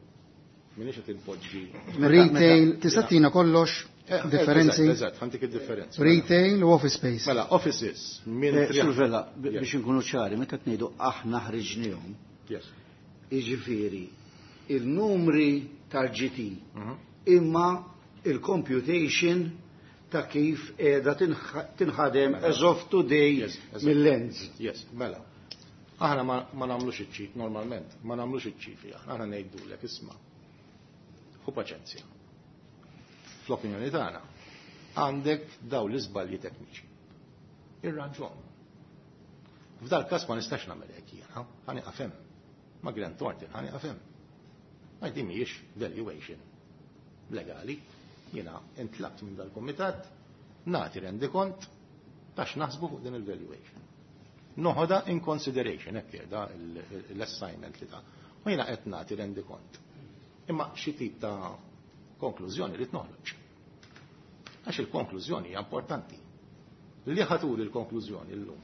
Minix qed inpoġġi. Retail, tista' tina kollox? Differenzi? Eżatt, ħa ntik id-differenzi. Retail u office space. Mela, offices minn Eh, Sur Vella, biex inkunu ċari, meta tgħidu aħna ħriġnihom, Yes. jiġifieri il-numri tal-G T imma il-computation ta' kif qiegħda tinħadem as of today Yes, eżatt. mill-Lands. Yes, mela. Aħna ma, ma nagħmlux iċ-ċif, normalment, ma nagħmlux iċ-ċifri, aħna aħna ngħidulek isma'. Ħu paċenzja. Fl-opinjoni tagħna għandek daw l-iżbalji tekniċi. Irranġhom. F'dal każ ma nistax nagħmel hekk jiena, ħa nieqaf hemm. Ma' Grant Thornton ħa nieqaf hemm. Ma din mhijiex valuation legali. Jiena intlabt minn dal-kumitat nagħti rendikont tax naħsbu fuq din il-valuation. Noħodha in consideration, hekk qiegħda l-assignment li ta'. U jiena qed nagħti rendikont. Imma xi tip ta' konklużjoni li noħroġ. Għax il-konklużjoni hija importanti. Li ħa turi il-konklużjoni llum,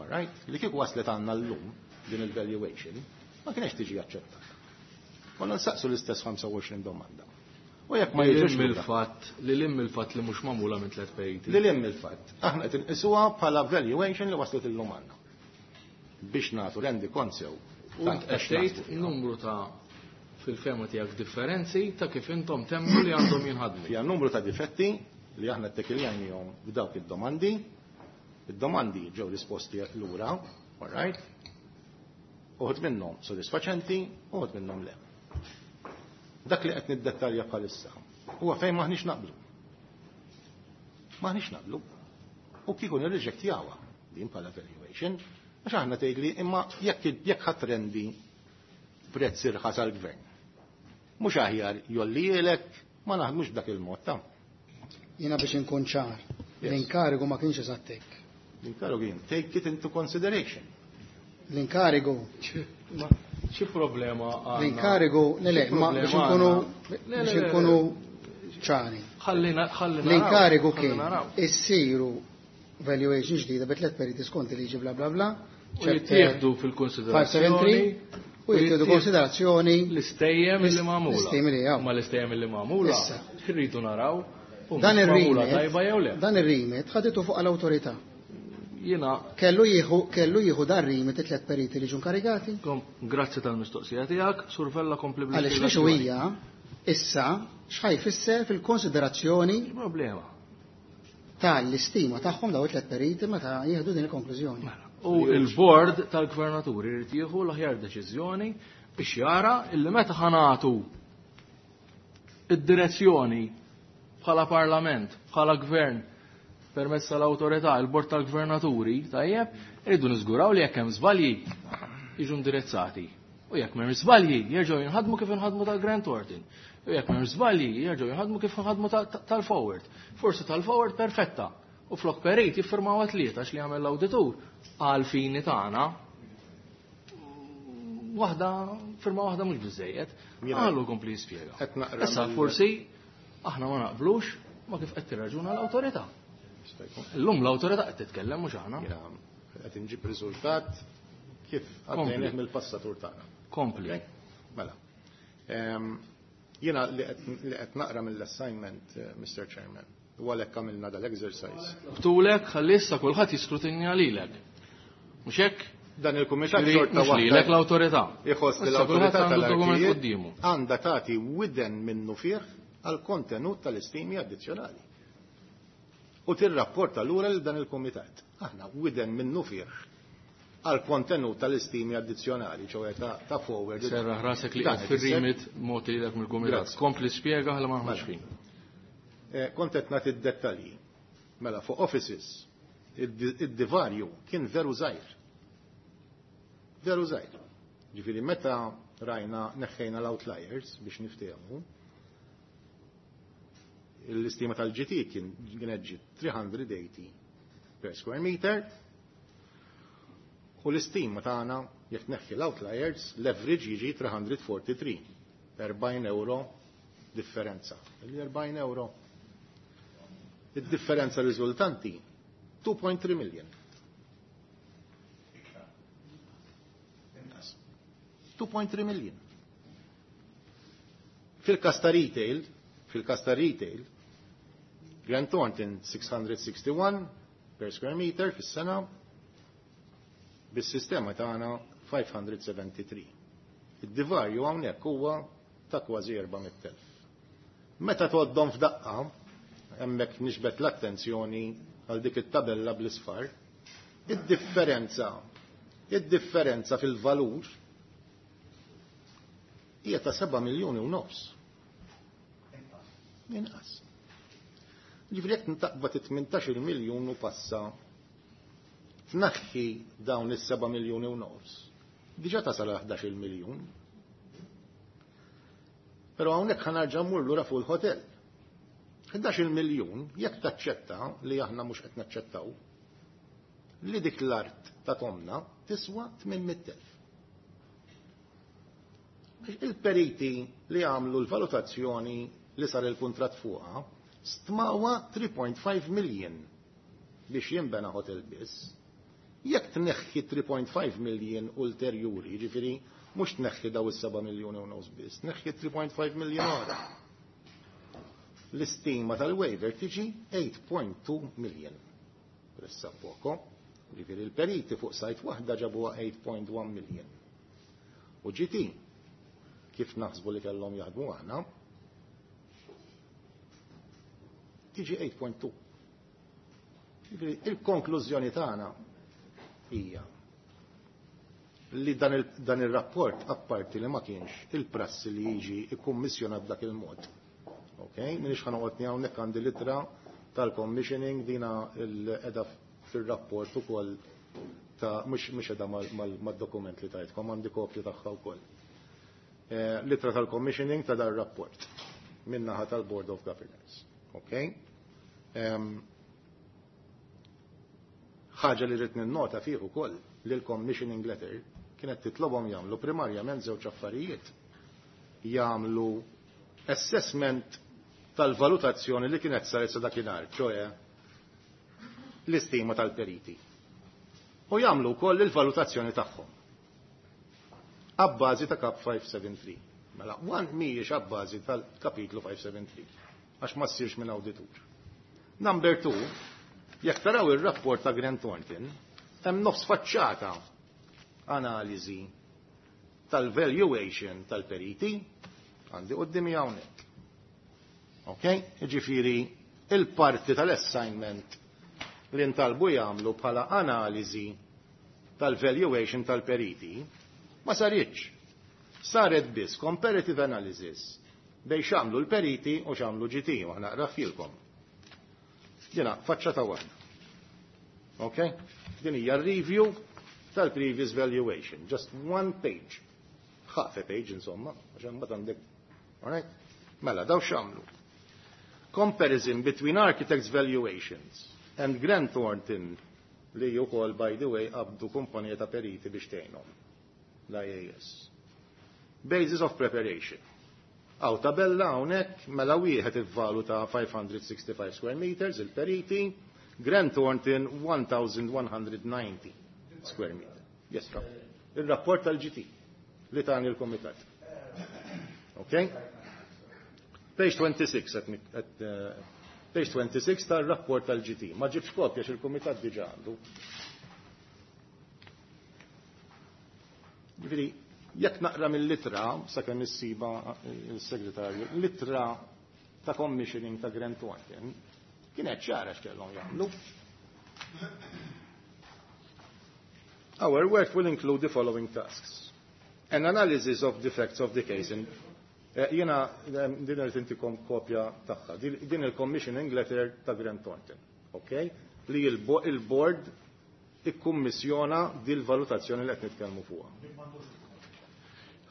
all right? Li kieku waslet għandna llum din il-valuation, ma kienx tiġi aċċettata. Konna nsaqsu l-istess ħamsa u għoxrin domanda. U jekk ma Li jiġux lim il-fatt li lim il-fatt li mhux magħmula minn tliet periti. Li lim il-fatt. Aħna qed inqisuha bħala valuation li waslet illum għandna. Biex nagħtu rendikont sew. U int qed tgħid numru ta' fil-fehma tiegħek differenzi ta' kif intom temmu li għandhom jinħadmu. Fija numru ta' difetti li aħna ttekiljajnihom b'dawk id-domandi. Id-domandi ġew risposti lura, all right? Uħud minnhom sodisfaċenti, uħud minnhom le. Dak li qed niddettalja bħalissa huwa fejn maħniex naqblu. Maħniex naqblu. U kieku nirriġektjawha din bħala valuation, għax aħna tgħidli imma jekk jekk ħa trendi prezz irħas għall-gvern. Mhux aħjar jollielek ma naħdmux b'dak il-mod ta' Jiena biex inkun ċar, Yes. l-inkarigu ma kienx eżatt hekk. L-inkarigu kien take it into consideration. L-inkarigu, Ma xi problema għandna? L-inkarigu, le le, Xi ma biex problema inkunu għandna? Le, biex le, le, inkunu ċari. Ħallina ħallina L-inkarigu naraw, kien ħallina naraw. issiru valuation ġdida bi tliet periti skont il-liġi bla bla bla. U jittieħdu fil-konsiderazzjoni five seven three u jittieħdu konsiderazzjoni l-istejjem li magħmula. L-istejjem li hawn. Ma l-istejjem li magħmula. Issa. Irridu naraw. U Dan mhux magħmula ir-remit tajba jew le. Dan ir-remit ħaditu fuq l-awtorità. Jiena Kellu jieħu kellu jieħu dan remit it-tliet periti li ġu inkarigati. kom- grazzi tal-mistoqsija tiegħek, Sur Vella, kompli Għaliex li hija issa x'ħa jfisser fil-konsiderazzjoni Problema. tal-istima tagħhom daw it-tliet periti meta jieħdu din il-konklużjoni. Mela. U il-board tal-gvernaturi jrid jieħu l-aħjar deċiżjoni biex jara illi meta ħa nagħtu id-direzzjoni bħala parlament, bħala gvern, permezz tal-awtorità, il-bord tal-gvernaturi, tajjeb, irridu niżguraw li jekk hemm żbalji jiġu indirizzati. U jekk m'hemm żbalji jerġgħu jinħadmu kif inħadmu tal-Grant Thornton. U jekk m'hemm żbalji jerġgħu jinħadmu kif inħadmu tal-Forward. Forsi tal-Forward perfetta. U flok perit jiffirmaw tlieta għax li jagħmel l-awditur għal fini tagħna waħda firma waħda mhux biżejjed. Għallu kompli jispjega. Qed naqra Issa mill- forsi aħna ma naqblux ma kif qed tirraġuna l-awtorità. Illum l-awtorità qed titkellem, mhux aħna. Jiena qed inġib riżultat kif Kompli. għaddejnieh mill-passatur tagħna. Kompli. Ok? Mela. Em, Jiena li qed li qed naqra mill-assignment, eh, Mister Chairman, u għalhekk għamilna dal-exercise. Btulek ħalli issa kulħadd jiskrutinja lilek. Mhux hekk? Dan il-kumitat Ġifieri, xorta mhux lilek, waħda l-awtorità. iħoss li Issa kulħadd l-awtorità għandu dokument tal-artijiet quddiemu. għandha tagħti widen minnu fih għal kontenut tal-istimi addizzjonali. U tirrapporta lura lil dan il-kumitat. Aħna widen minnu fih għal kontenut tal-istimi addizzjonali, ċoħe ta', ta' Forward. Serraħ rasek li Dan qed ifisser- fir-remit mogħti lilek mill-kumitat. Grazzi. Kompli spjega ħalli ma naħux Mela. fin. Eh, Kont qed nagħti d-dettalji. Mela fuq offices, id- id-divarju kien veru żgħir. Veru żgħir. Ġifieri meta rajna neħħejna l-outliers biex niftehmu, l-istima tal-G T kien kienet ġiet tliet mija u tmenin per square meter u l-istima tagħna jekk neħħi l-outliers l-average jiġi tliet mija u tlieta u erbgħin, erbgħin euro differenza. Il-erbgħin euro. Id-differenza riżultanti two point three million. Inqas. two point three million. Fil-kas ta' retail, fil-kas ta' retail, Grant Thornton six hundred sixty-one per square meter fis-sena, bis-sistema tagħna five hundred seventy-three. Id-divarju hawnhekk huwa ta' kważi erba' mitt elf. Meta tgħoddhom f'daqqa, hemmhekk niġbed l-attenzjoni għal dik it-tabella bl-isfar, id-differenza, id-differenza fil-valur hija ta' seba' miljuni u nofs. Inqas. Ġifieri jekk taqbad tmintax-il miljun u passa tnaħħi dawn is-seba' miljuni u nofs, diġà tasal ħdax-il miljun. Però hawnhekk ħa nerġa' mmur lura fuq il-hotel. ħdax-il miljun, jekk taċċetta li aħna mhux qed naċċettaw, li dik l-art ta' tomna tiswa tmien mitt elf. Il-periti li għamlu l-valutazzjoni li sar il-kontrat fuqha stmawa three point five million biex jinbena hotel biss. Jekk tneħħi three point five million ulterjuri, ġifieri mhux tneħħi daw is-seba' miljuni u nofs biss, tneħħi three point five million oħra. L-istima tal-waiver tiġi eight point two million. Pressa poco. Ġifieri il-periti fuq site waħda ġabuha eight point one million. U G T, kif naħsbu li kellhom jaħdmu aħna, tiġi eight point two. Ġifieri il-konklużjoni tagħna hija li dan il-rapport, apparti li ma kienx il-prassi li jiġi ikkummissjonat b'dak il-mod. Ok, minix ħa noqgħod hawnhekk, għandi l-ittra tal-commissioning, dina l-edha fil-rapport ukoll ta' mhux mhux edha mad-dokument li tajtkom, għandi kopju tagħha wkoll. Eh, l-ittra tal-commissioning ta' dar rapport minnaħa tal-Board of Governors. Ok? Ħaġa li rrid ninnota fih ukoll li l-commissioning letter kienet titlobhom jagħmlu primarjament żewġ affarijiet. Jagħmlu assessment tal-valutazzjoni li kienet saret sa dakinhar, ċoe l-istima tal-periti. U jagħmlu wkoll il-valutazzjoni tagħhom abbażi ta' Kap five seven three. Mela, one mhijiex abbażi tal-kapitlu five seven three, għax ma ssirx minn awditur. Number two, jekk taraw ir-rapport ta' Grant Thornton, hemm nofs faċċata analiżi tal-valuation tal-periti, għandi qudiemi hawnhekk. Ok? Ġifieri il-parti tal-assignment li ntalbu jagħmlu bħala analiżi tal-valuation tal-periti ma saritx. Saret biss comparative analysis bejn x'għamlu l-periti u x'għamlu G T, u ħa naqrahilkom. Jiena faċċata waħda. Ok? Din hija review tal-previous valuation. Just one page. Half a page, insomma, għax imbagħad għandek. Alright? Mela, daw x'għamlu. Comparison between architects' valuations and Grant Thornton, li wkoll, by the way, qabdu kumpanija ta' periti biex tgħinhom. L-I A S. Basis of preparation. Hawn tabella hawnhekk, mela wieħed ivvaluta five hundred sixty-five square meters il-periti, Grant Thornton one thousand one hundred ninety square meter. Yes, Rob. Il-rapport tal-G T li tani l-komitat. Okay? Page twenty-six at, at, uh, page twenty-six tal-rapport tal-G T. Ma ġibx kopja x'il-komitat diġa għandu. Ġifieri, jekk naqra mill-ittra, sakemm issiba il-segretarju, l-ittra ta' commissioning ta' Grant Thornton, kienet ċara x'kellhom jagħmlu. Our work will include the following tasks. An analysis of the facts of the case. In, eh, Jiena eh, din irrid intikom kopja tagħha. Din il-commissioning letter ta' Grant Thornton. Okay? Li il-board ikkummissjona dil valutazzjoni li qed nitkellmu fuqha.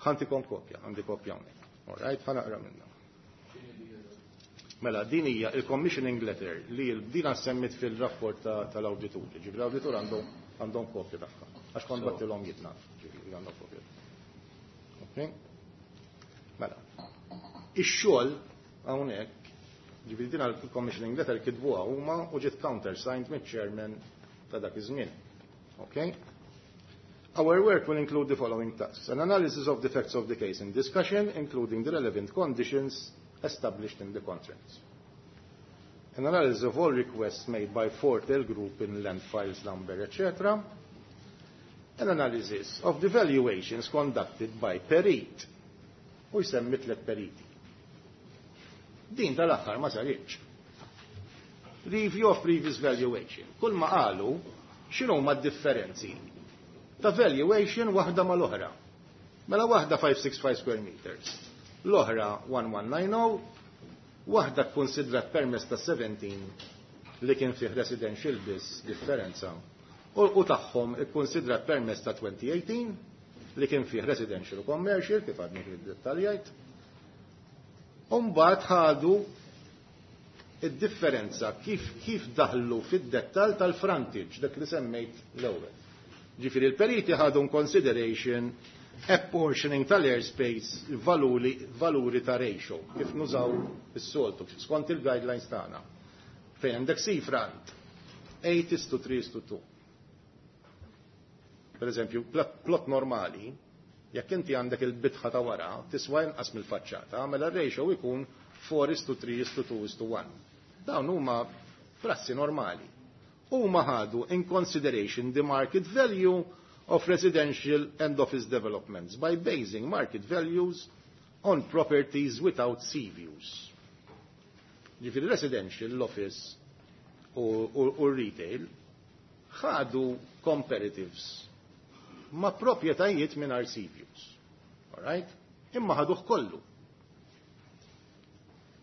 Ħa ntikom kopja, għandi kopja hawnhekk. All right, ħa naqra minnha. Mela, din hija il-commissioning letter li dina semmit fil-rapport tal-awditur. Ġifieri l-awditur għandhom għandhom kopja tagħha. Għax kont bgħattilhom jitna, ġifieri għandhom kopja. Okay? Mela. Ix-xogħol hawnhekk, ġifieri din il-commissioning letter kitbuha huma u ġiet countersigned mill-chairman ta' dak iż-żmien. Okay? Our work will include the following tasks. An analysis of the facts of the case in discussion, including the relevant conditions established in the contracts. An analysis of all requests made by Fortel Group in land files number, et cetera. An analysis of the valuations conducted by perit. U jsemmi tliet periti. Din tal-aħħar ma saritx. Review of previous valuation. Kull ma qalu x'inhu ma differenzi ta' valuation waħda mal-oħra. Mela waħda five six five square meters, l-oħra one one nine zero, waħda konsidrat permess ta' seventeen li kien fih residential biss differenza, u, u tagħhom ikkonsidrat permess ta' twenty eighteen li kien fih residential u commercial, kif għadni kif dettaljajt. Umbagħad ħadu id-differenza kif kif daħlu fid-dettal tal-frontage, dak li semmejt l-ewwel. Ġifieri il-periti ħadu in consideration apportioning tal-airspace, valuri, valuri ta' ratio, kif nużaw is-soltu, skont il-guidelines tagħna. Fejn għandek seafront, eight is to three is to two. Per eżempju, plot normali, jekk inti għandek il-bitħa ta' wara, tiswa inqas mill-faċċata, mela r-ratio jkun four is to three is to two is to one. Dawn huma prassi normali. Huma ħadu in consideration the market value of residential and office developments by basing market values on properties without sea views. Ġifieri residential, l-office u, u, u retail ħadu comparatives ma' proprjetajiet mingħajr sea views. All right? Imma ħaduh kollu.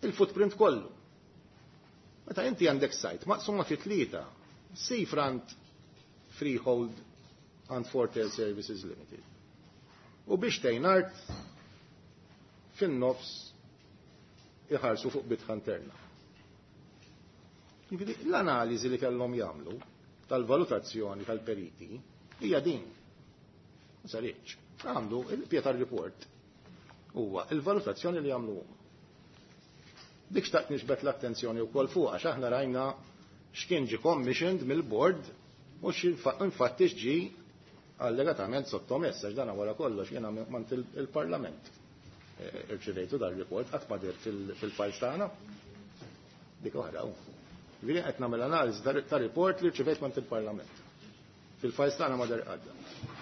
Il-footprint kollu. Meta inti għandek site maqsuma fi tlieta, seafront, freehold and Fortel Services Limited. U biex tgħin art fin-nofs iħarsu fuq bitħa interna. Jiġifieri, l-analiżi li kellhom jagħmlu tal-valutazzjoni tal-periti hija din. Ma saritx. Għamlu il-Pietar report huwa il-valutazzjoni li jagħmlu huma. Dik xtaqt nixbet l-attenzjoni wkoll fuq, għax aħna rajna x'kien ġi commissioned mill-board u x'infatti ġi allegatament sottomess, għax dana wara kollox jiena mant il-Parlament. Eh, irċivejtu dar-report, qatt ma dir fil-files tagħna. Dik oħra. Ġifieri qed nagħmel analiżi ta' report li rċivejt mant il-Parlament. Fil-files tagħna ma dar għadda.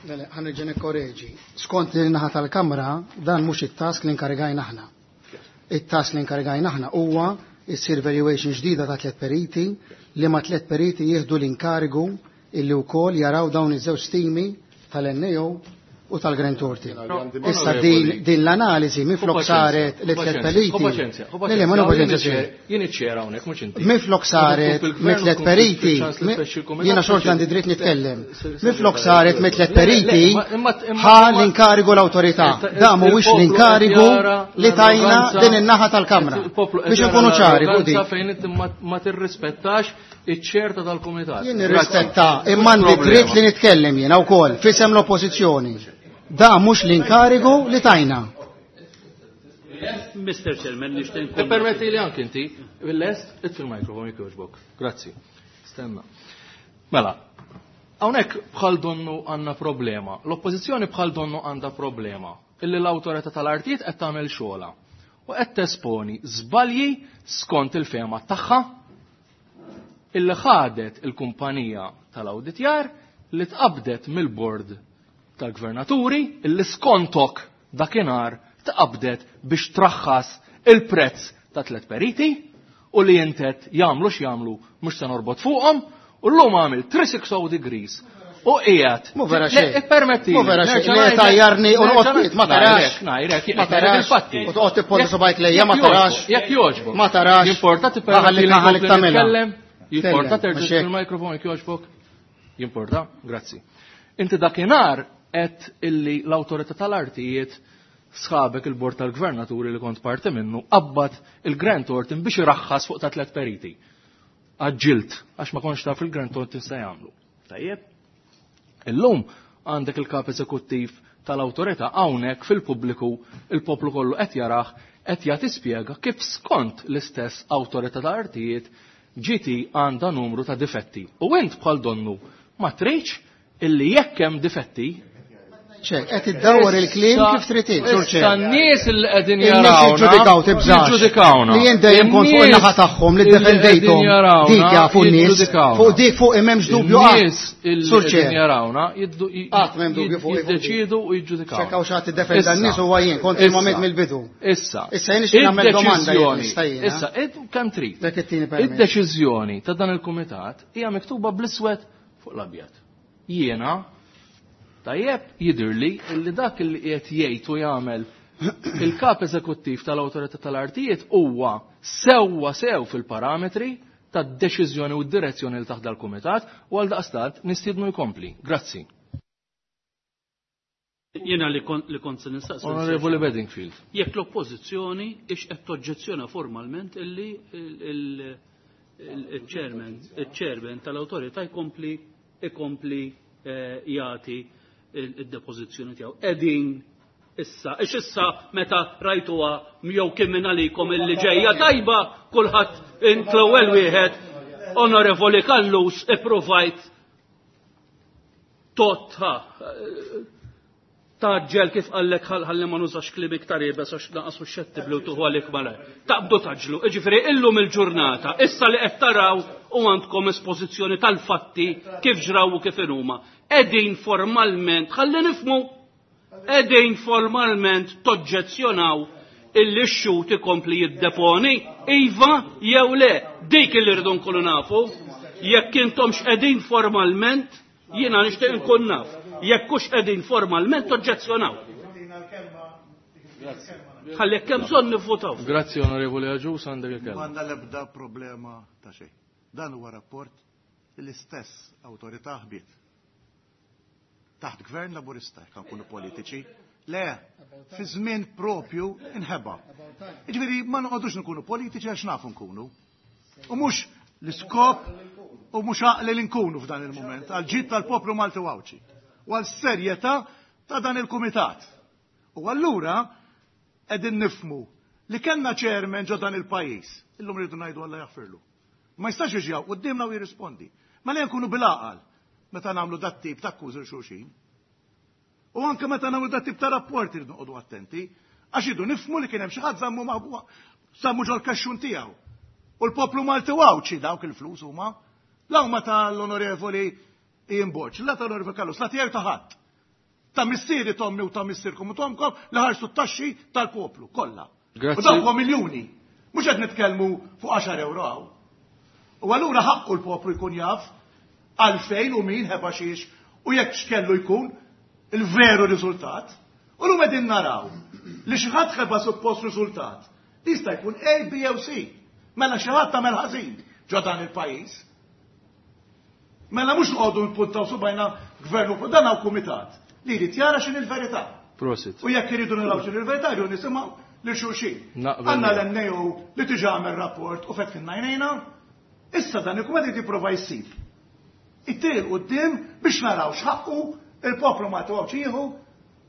Mela, ħa nerġa' nikkoreġi. Skont li naħa tal-Kamra, dan mhux it-task li nkarigajna aħna. It-task li nkarigajna aħna huwa issir valuation ġdida ta' tliet periti, li ma tliet periti jieħdu l-inkarigu illi wkoll jaraw dawn iż-żewġ stimi tal-N A O u tal-Grant Thornton. Issa din, din l-analiżi minflok saret li tliet periti. Le, le, ma paċenzja. Jien iċ-chair hawnhekk, mhux inti. Minflok saret mit tliet periti, jiena xorta għandi dritt nitkellem. Minflok saret mit tliet periti, ħa l-inkarigu l-awtorità. Da mhuwiex l-inkarigu li tajna din in-naħa tal-Kamra. Biex nkunu ċari fuq din. Fejn inti ma tirrispettax iċ-ċerta tal-kumitat. Jien nirrispetta, imma għandi dritt li nitkellem jiena wkoll fisem l-oppożizzjoni. Da mhux l-inkarigu li tajna. Mister Chairman, nixtieq nkun. Permetti li anki inti, bil-lest, itfi il-mikrofon jekk jogħġbok. Grazzi. Stenna. Mela, hawnhekk bħal donnu għandna problema. L-oppożizzjoni bħal donnu għandha problema illi l-awtorità tal-artijiet qed tagħmel xogħla u qed tesponi żbalji skont il-fema tagħha illi ħadet il-kumpanija tal-awditjar li tqabdet mill-bord tal-gvernaturi, illi skontok dakinhar tqabdet biex traħħas il-prezz ta' tlet periti u li jintet jagħmlu x'jagħmlu mhux se norbot fuqhom, u llum għamil three sixty degrees u qiegħed. Mu vera xejn. Ippermetti. Mu vera xejn. Li tajjarni u noqgħod ma tarax. Ngħidlek, Ma tarax. il-fatti. U toqgħod tipponta subgħajk lejja, ma tarax. Jekk jogħġbok. Ma tarax. Jimporta tippermetti Ħallik li ħallik nkompli tagħmilha. nitkellem? Jimporta Tkellem, terġa' mhux hekk. il-mikrofon jekk jogħġbok? Jimporta, grazzi. Inti dakinhar qed illi l-awtorità tal-artijiet, sħabek il-bord tal-gvernaturi li kont parti minnu, qabbad il-Grant Thornton biex iraħħas fuq ta' tlet periti. Għaġġilt, għax ma kontx taf il-Grant Thornton se jagħmlu. Tajjeb. Illum għandek il-kap eżekuttiv tal-awtorità hawnhekk fil-pubbliku, il-poplu kollu qed jarah qed jagħti spjega kif skont l-istess awtorità ta' artijiet G T għandha numru ta' difetti. U int bħal donnu ma tridx illi jekk hemm difetti Ċek, qed iddawwar il-kliem kif trid int, Sur Issa Chair. n-nies li qegħdin In-nies jarawna. jiġġudikaw tibżax. Jiġġudikawna. Li jien dejjem kont fuq In-nies in-naħa tagħhom li illi ddefendejthom. qegħdin jarawna Dik jafu n-nies. jiġġudikawna. Fuq dik fuq m'hemmx dubju qatt. In-nies illi Sur qegħdin Chair. jarawna jiddu- Qatt m'hemm dubju fuq jiddeċiedu u jiġġudikawna. Xekk hawn xi ħadd iddefenda n-nies Issa. huwa jien, kont Issa. il-moment mill-bidu. Issa. Issa jien nixtieq nagħmel domanda jekk Id-deċiżjoni- nista' jiena. Issa, id- kemm trid. Dak it-tieni permess. Id-deċiżjoni ta' dan il-kumitat hija miktuba bl-iswed fuq l-abjad. Jiena tajjeb jidhirli li dak li qiegħed jgħid u jagħmel il-kap eżekuttiv tal-Awtorità tal-Artijiet huwa sewwa sew fil-parametri tad-deċiżjoni u d-direzzjoni li taħdar l-kumitat u għal daqstant nistiednu jkompli. Grazzi. Jiena li kont li kont se nistaqsi. Onorevoli Bedingfield. Jekk l-oppożizzjoni ix qed toġġezzjona formalment illi il- il- il-chairman il-chairman tal-awtorità jkompli ikompli eh, jagħti id-depożizzjoni tiegħu. Qegħdin issa, ix issa meta rajtuha jew kien minn għalikom illi ġejja tajba kulħadd int l-ewwel wieħed Onorevoli Callus ipprovajt totha taġġel kif qallek ħalli ma nużax kliem iktar iebes għax naqas u xettibli u tuħu għalik malajr. Taqbdu taġlu, jiġifieri illum il-ġurnata, issa li qed taraw u għandkom espożizzjoni tal-fatti kif ġraw u kif inhuma. Qegħdin formalment, ħalli nifhmu, qegħdin formalment toġġezzjonaw illi x-xut ikompli jiddeponi, iva jew le, dik illi rridu nkunu nafu, jekk intom x'qegħdin formalment, jiena nixtieq nkun naf. Jekk hux qegħdin formalment toġġezzjonaw. Ħalli jekk hemm bżonn nivvutaw. Grazzi Onorevoli Agius, għandek il-kelma. M'għandna l-ebda problema ta' xejn. Dan huwa rapport li l-istess awtorità ħbiet. Taħt gvern laburista jekk nkunu politiċi. Le, fi żmien propju inħeba. Jiġifieri ma noqogħdux nkunu politiċi għax nafu nkunu. U mhux l-iskop u mhux għaqli li nkunu f'dan il-mument għal ġid tal-poplu Malti u Għawdxi. U għal serjetà ta' dan il-kumitat. U allura qegħdin nifhmu li kellna chairman ġo dan il-pajjiż. Illum rridu ngħidu Alla jaħfirlu. Ma jistax jiġi hawn quddiemna u jirrispondi. Ma li nkunu bil-għaqal meta nagħmlu dat tip ta' akkużi xulxin. U anke meta nagħmlu dat tip ta' rapporti rridu noqogħdu attenti, għax idu nifhmu li kien hemm xi ħadd żammu maħbuha, żammu ġol-kaxxun tiegħu. U l-poplu Malti u Għawdxi dawk il-flus huma. La huma tal-Onorevoli Ian Borg, la tal-Onorevoli Callus, la tiegħu ta' ħadd. Ta' missieri tommi u ta' missierkom u tomkom li ħarsu t-taxxi tal-poplu kollha. Grazzi. U dawk huwa miljuni. Mhux qed nitkellmu fuq għaxar euro hawn. U allura ħaqqu l-poplu jkun jaf għalfejn u min ħeba xiex u jekk x'kellu jkun il-veru riżultat. U llum qegħdin naraw li xi ħadd ħeba suppost riżultat. Jista' jkun A, B jew C. Mela xi ħadd tagħmel ħażin ġo dan il-pajjiż. Mela mhux noqogħdu npuntaw subajna gvern u dan hawn kumitat li jrid jara x'inhi l-verità. Prosit. U jekk iridu naraw x'inhi l-verità jridu nisimgħu lil xulxin. Naqbel Għandna miegħek. l-N A O li diġà għamel rapport u fetħilna għajnejna. Issa dan il-kumitat jrid jipprova jsib. It-triq quddiem biex naraw x'ħaqqu il-poplu Malti u Għawdxi jieħu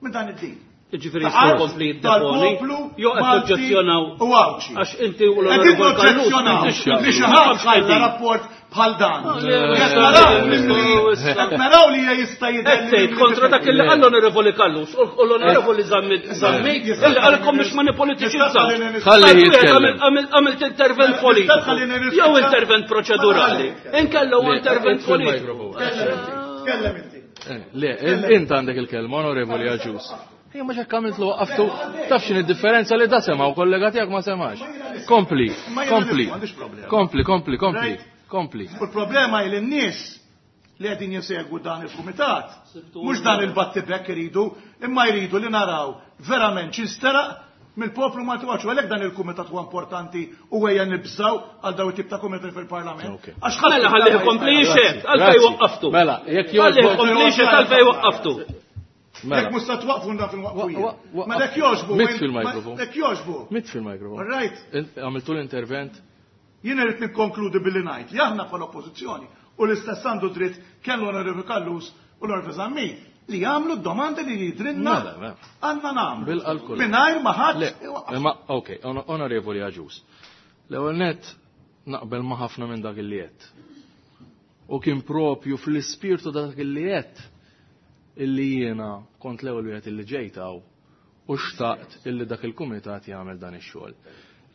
minn dan id-din. Jiġifieri Ta' jistgħu art jkompli jiddeponi, tal-poplu jew qed Malti toġġezzjonaw u Għawdxi. Għax inti u Qegħdin l-Onorevoli Callus noġġezzjonaw m'intix li xi ħadd ħalla rapport bħal dan. Le, le, Qed le, naraw le, li le, le, qed naraw li jista' jidher Qed tgħid kontra dak li qal l-Onorevoli Callus u l-Onorevoli Zammit Zammit illi qalilkom biex ma nipolitiċizzaw. Ħalli jitkellem. Għamilt intervent politiku. Jew intervent proċedurali. Inkella huwa Le, intervent itfi politiku. l-mikrofon. Tkellem inti. Eh, Le, int għandek il-kelma, Onorevoli Agius. Ejja, ma x'hekk għamilt lu waqqaftu, taf x'inhi d-differenza li da sema' u kollega tiegħek ma semax. Kompli, Ma jiena kompli, m'għandix problema. kompli, kompli, kompli, Right? kompli. U l-problema hi li n-nies li qegħdin jisegwu dan il-kumitat, mhux dan il-battibek iridu, imma jridu li naraw verament x'insteraq mill-poplu Malti u Għawdxi. Għalhekk dan il-kumitat huwa importanti u ejja nibżgħu għal dawn it-tip ta' kumitat fil-Parlament. Ok. Għax ħadd Mela ħalli jkompli jixhed, għalfejn Grazzi. waqqaftu. Mela, jekk Ħalli jogħġbok- jkompli jixhed għalfejn waqqaftu. Mela. Jekk mhux se twaqfu naf inwaqqfu Wa- jien. wa- wa- Ma jekk jogħġbu. Mit fil-mikrofon. Jekk jogħġbu. Mit fil-mikrofon. All right. Int għamiltu l-intervent. Jien irid nikkonkludi billi ngħid li aħna bħala oppożizzjoni u l-istess għandu dritt kemm l-Onorevoli Callus u l-Onorevoli Zammit li jagħmlu d-domandi li jidrinna Mela, mela. għandna nagħmlu. Bil-qalb kollha. Mingħajr ma ħadd Le, imma ok, ono- Onorevoli Agius. L-ewwel nett naqbel ma' ħafna minn dak li qed. U kien propju fl-ispirtu dak li qed illi jiena kont l-ewwel wieħed illi ġejt hawn u xtaqt illi dak il-kumitat jagħmel dan ix-xogħol.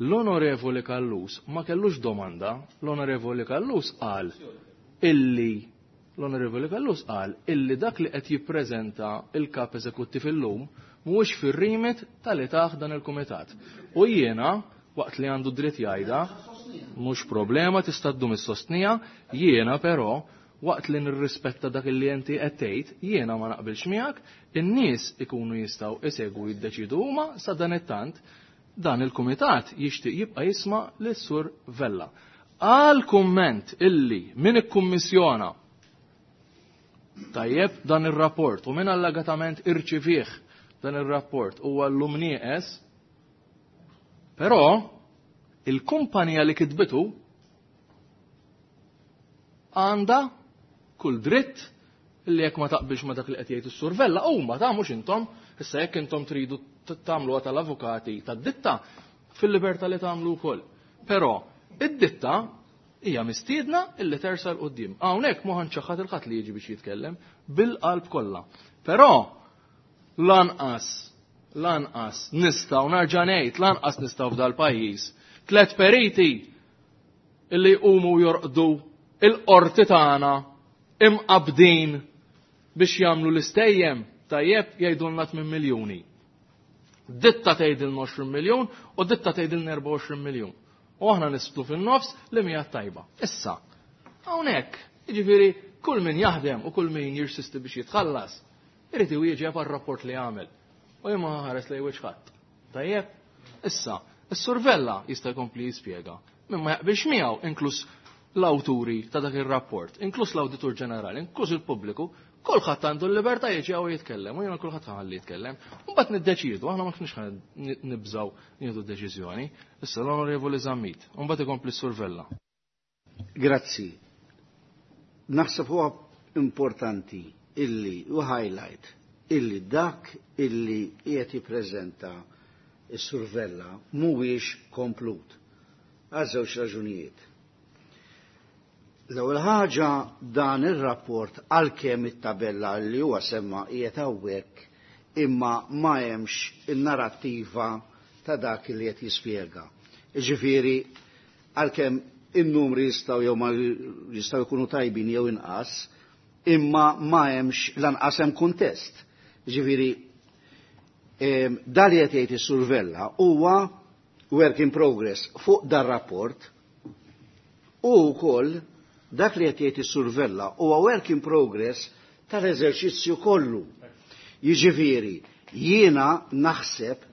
L-Onorevoli Callus ma kellux domanda, l-Onorevoli Callus qal illi l-Onorevoli Callus qal illi dak li qed jippreżenta il-kap eżekuttiv illum mhuwiex fir-rimit tal-li taħ dan il-kumitat. U jiena waqt li għandu dritt jgħidha, mhux problema tista' ddum is-sostnija, jiena però waqt li nirrispetta dak li inti qed tgħid, jiena ma naqbilx miegħek, in-nies ikunu jistgħu isegwu jiddeċidu huma sa dan it-tant dan il-kumitat jixtieq jibqa' jisma' lis-Sur Vella. Għal kumment illi min ikkummissjona tajjeb dan ir-rapport u min allegatament irċivih dan ir-rapport huwa llum nieqes, però il-kumpanija li kitbitu għandha kull dritt li jekk ma taqbilx ma dak li qed jgħid is-Sur Vella huma ta' mhux intom, issa jekk intom tridu tagħmluha tal-avukati tad-ditta fil-libertà li tagħmlu wkoll. Però id-ditta hija mistiedna illi tersa l quddiem. Hawnhekk ma ħanċaħħad il-ħadd li jiġi biex jitkellem bil-qalb kollha. Però lanqas lanqas nistgħu narġa' ngħid lanqas nistgħu f'dal-pajjiż tliet periti illi jqumu jorqdu il-qorti tagħna imqabdin biex jagħmlu l-istejjem tajjeb jgħidulna tmien miljuni. Ditta tgħidilna għoxrin miljun u ditta tgħidilna erbgħa u għoxrin miljun. U aħna nistlu fin-nofs li mija tajba. Issa, hawnhekk, jiġifieri kull min jaħdem u kull min jirsisti biex jitħallas, irid iwieġeb għar-rapport li għamel. U jien ma ħares lejn wiċċ ħadd. Tajjeb? Issa, is-Sur Vella jista' jkompli jispjega. Min ma jaqbilx miegħu, inkluż l-awturi ta' dak ir-rapport, inkluż l-Awditur Ġenerali, inkluż il-pubbliku, kulħadd għandu l-libertà jiġi hawn jitkellem, u jiena kulħadd ħalli jitkellem. U mbagħad niddeċiedu, aħna ma kienx ħa nibżgħu nieħdu deċiżjoni. Issa l-Onorevoli Zammit, u mbagħad ikompli s-Sur Vella. Grazzi. Naħseb huwa importanti illi u highlight illi dak illi qiegħed jippreżenta s-Sur Vella mhuwiex komplut. Għal żewġ raġunijiet. L-ewwel ħaġa dan ir-rapport għalkemm it-tabella li huwa semma qiegħed hawnhekk imma ma hemmx in-narrattiva ta' dak li qed jispjega. Jiġifieri għalkemm in-numri jistgħu jew ma jistgħu jkunu tajbin jew inqas, imma ma hemmx lanqas hemm kuntest. Jiġifieri dan li qed jgħid is-Sur Vella huwa work in progress fuq dar rapport u wkoll dak li qed jgħid is-Sur Vella huwa work in progress tal-eżerċizzju kollu. Jiġifieri jiena naħseb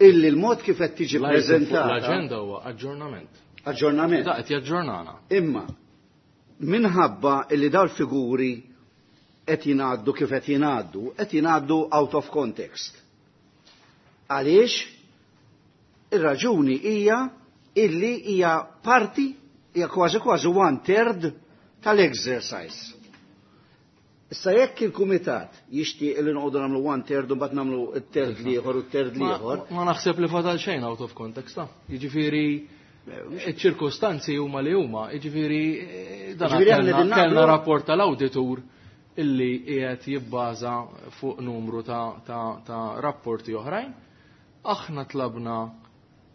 illi l-mod kif qed tiġi preżentata l-aġenda huwa aġġornament. Aġġornament. Da qed jaġġornana. Imma minħabba illi dawn figuri qed jingħaddu kif qed jingħaddu, qed jingħaddu out of context. Għaliex? Ir-raġuni hija illi hija parti, hija kważi kważi one third tal-exercise. Issa jekk il-kumitat jixtieq li noqogħdu nagħmlu one third u mbagħad nagħmlu t-third l-ieħor u t-third l-ieħor. Ma naħseb li fadal xejn out of context, ta. Jiġifieri iċ-ċirkostanzi huma li huma, jiġifieri dan kellna rapport tal-awditur illi qiegħed jibbaża fuq numru ta', ta, ta' rapporti oħrajn. Aħna tlabna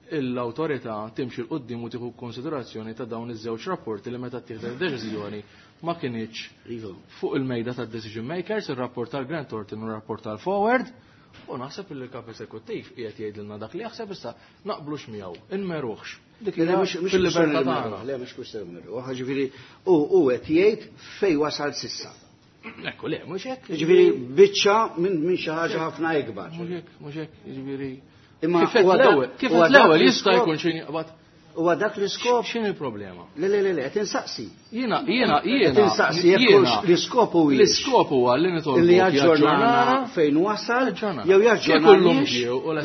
l-awtorità timxi l qudiem u tieħu konsiderazzjoni ta' dawn iż-żewġ rapporti li meta ttieħdet deċiżjoni ma kinitx fuq il-mejda tad decision makers, ir-rapport tal-Grant Thornton u r-rapport tal-Forward, u naħseb li l-kap eżekuttiv qiegħed jgħidilna dak li jaħseb issa naqblux miegħu, inmeruħx. Dik fil-libertà tagħna. Le mhux kwistjoni meruħ, ġifieri u qed jgħid fejn wasal sissa. Ekku, le, mhux hekk. Jiġifieri biċċa minn xi ħaġa ħafna ikbar. Mhux hekk, mhux hekk, jiġifieri. Imma kif l-ewwel, kif l-ewwel jista' jkun xi jaqbad. Huwa dak l-iskop. X'inhi il-problema? Le, le, le, le, qed insaqsi. Jiena, jiena, jiena. Qed insaqsi jekk l-iskop huwa. L-iskop huwa li nitolbu li jaġġornana fejn wasal jew jaġġornana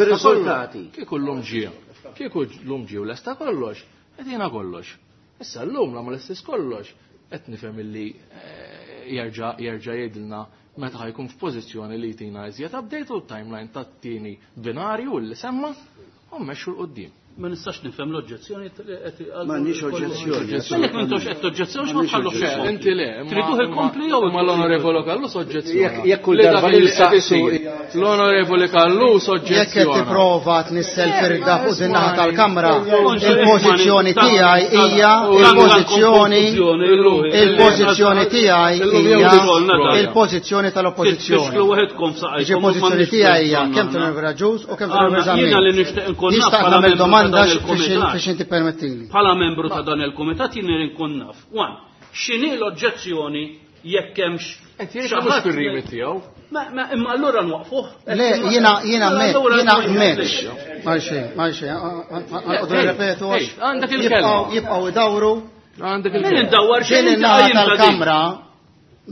bir-riżultati. Kieku llum ġie. Kieku llum ġie u lesta kollox, qed jiena kollox. Issa llum la ma lestix kollox, qed nifhem illi jerġa' jerġa' jgħidilna meta ħajkun f'pożizzjoni li jtina iżjed update u timeline tat-tieni binarju li semma u mmexxu l qudiem. Ma nistax nifhem l-oġġezzjoni. M'għandniex oġġezzjoni. Jekk m'intux qed toġġezzjoni ma tħallux. Inti le, triduh ikompli jew ma l-Onorevoli Callus oġġezzjoni. Jekk kull darba li saqsu l-Onorevoli Callus oġġezzjoni. Jekk qed tipprova tnissel firda fuq din naħa tal-Kamra, il-pożizzjoni tiegħi hija il-pożizzjoni il-pożizzjoni tiegħi hija il-pożizzjoni tal-oppożizzjoni. Il-pożizzjoni tiegħi hija kemm tal-Onorevoli Agius u kemm tal-Onorevoli Zammit. Jiena li nixtieq inkun naf domanda biex inti permettili. Bħala membru ta' dan il-kumitat jien irid nkun naf. One, x'inhi l-oġġezzjoni jekk hemmx Qed jgħid mhux fir-remit tiegħu. Ma imma allura nwaqfuh. Le, jiena jiena jiena m'hemmx. Ma xejn, ma xejn, għanqodu nirrepetu għax. Għandek il-kelma. Jibqgħu idawru. Għandek il-kelma. Indawar xejn in-naħa tal-Kamra.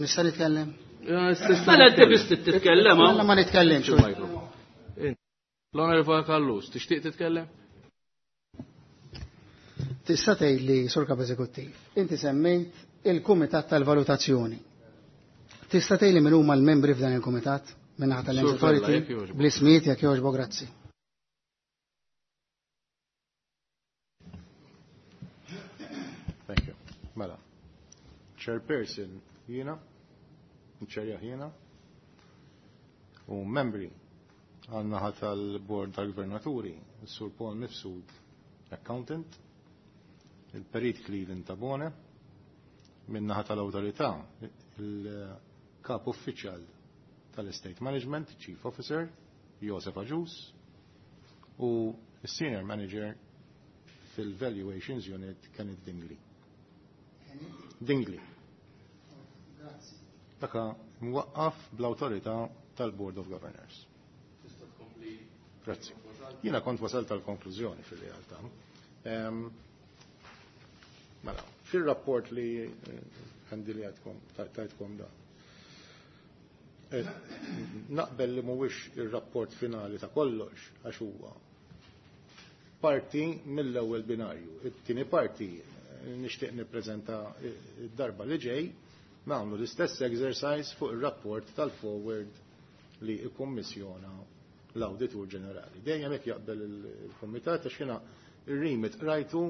Nista' nitkellem? Mela inti biss titkellem. Mela ma nitkellimx. L-Onorevoli Callus, tixtieq titkellem? Tista' tgħidli, Sur Kap Eżekuttiv, inti semmejt il-Kumitat tal-Valutazzjoni. Tista' tgħidli min huma l-membri f'dan il-Kumitat min-naħa tal-Land Authority? Bl-ismijiet jekk jogħġbok, grazzi. Thank you. Mela. Chairperson jiena, ċerja jiena, u membri għan-naħa tal-Bord tal-Gvernaturi, Sur Paul Mifsud, accountant, il-Perit Cleveland Tabone, min-naħa tal-awtorità, il-Kap Uffiċjal tal-Estate Management, Chief Officer, Josef Agius, u Senior Manager fil-Valuations Unit, Kenneth Dingley. Dingley. Daka mwaqqaf bl-awtorità tal-Board of Governors. Grazzi. Jiena kont wasalt tal-konklużjoni fil-realtà. Mela, fil-rapport li għandi li għadkom, tajtkom da. Naqbel li mhuwiex ir-rapport finali ta' kollox, għax huwa parti mill-ewwel binarju. It-tieni parti nixtieq nippreżenta d-darba li ġej, nagħmlu l-istess exercise fuq ir-rapport tal-forward li ikkummissjona l-Awditur Ġenerali. Dejjem hekk jaqbel il-Kumitat għax jiena ir-remit rajtu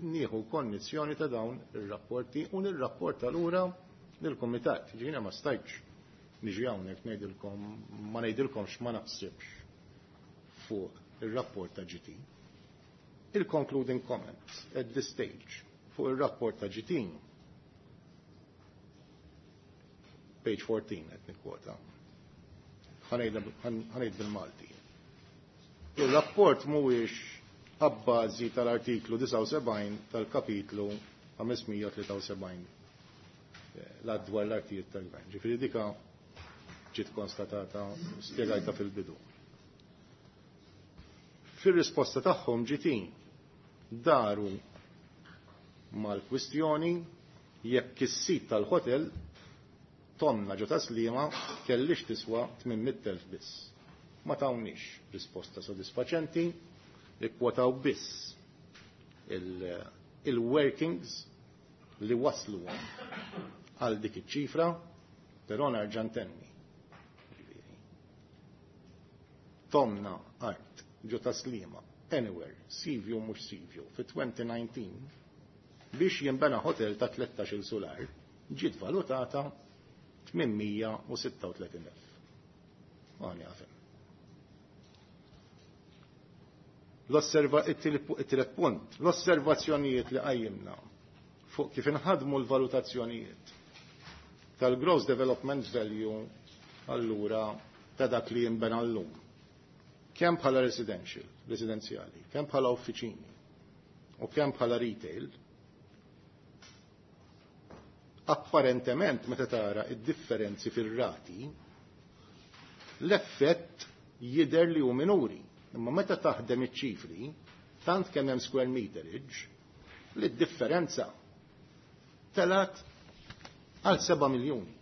nieħu konnizzjoni ta' dawn ir-rapporti u nirrapporta lura lill-Kumitat. Ġiena ma stajtx niġi hawnhekk ngħidilkom ma ngħidilkomx ma naħsibx fuq ir-rapport ta' G T. Il-concluding comments at this stage fuq ir-rapport ta' G T, page fourteen qed nikkwota. Ħanejda bil-Malti. Il-rapport mhuwiex abbażi tal-artiklu disgħa u sebgħin tal-kapitlu ħames mija tlieta u sebgħin l-dwar l-artijiet tal-gvern. Ġifieri dika ġiet konstatata, spjegajta fil-bidu. Fir-risposta tagħhom G T daru mal-kwistjoni jekk is-sit tal-hotel tonna ġo taslima kellix tiswa tmien mitt elf biss. Ma tawniex risposta sodisfaċenti, ikkwotaw biss il-workings li waslu għal dik iċ-ċifra, però nerġa' ntenni. Tomna art ġo taslima, anywhere, Sivju mhux Sivju, fi twenty nineteen biex jinbena hotel ta' tlettax-il solar ġiet valutata tmien mija u sitta u tletin elf. Għani għafem. L-osserva, it-tielet punt, l-osservazzjonijiet li qajjimna fuq kif inħadmu l-valutazzjonijiet tal-gross development value allura ta' dak li jinbena llum. Kemm bħala residential, residenzjali, kemm bħala uffiċini u kemm bħala retail, apparentement meta tara id-differenzi fir-rati, l-effett jidher li hu minuri. Imma meta taħdem iċ-ċifri, tant kemm hemm square meterage, li d-differenza telat għal seba' miljuni.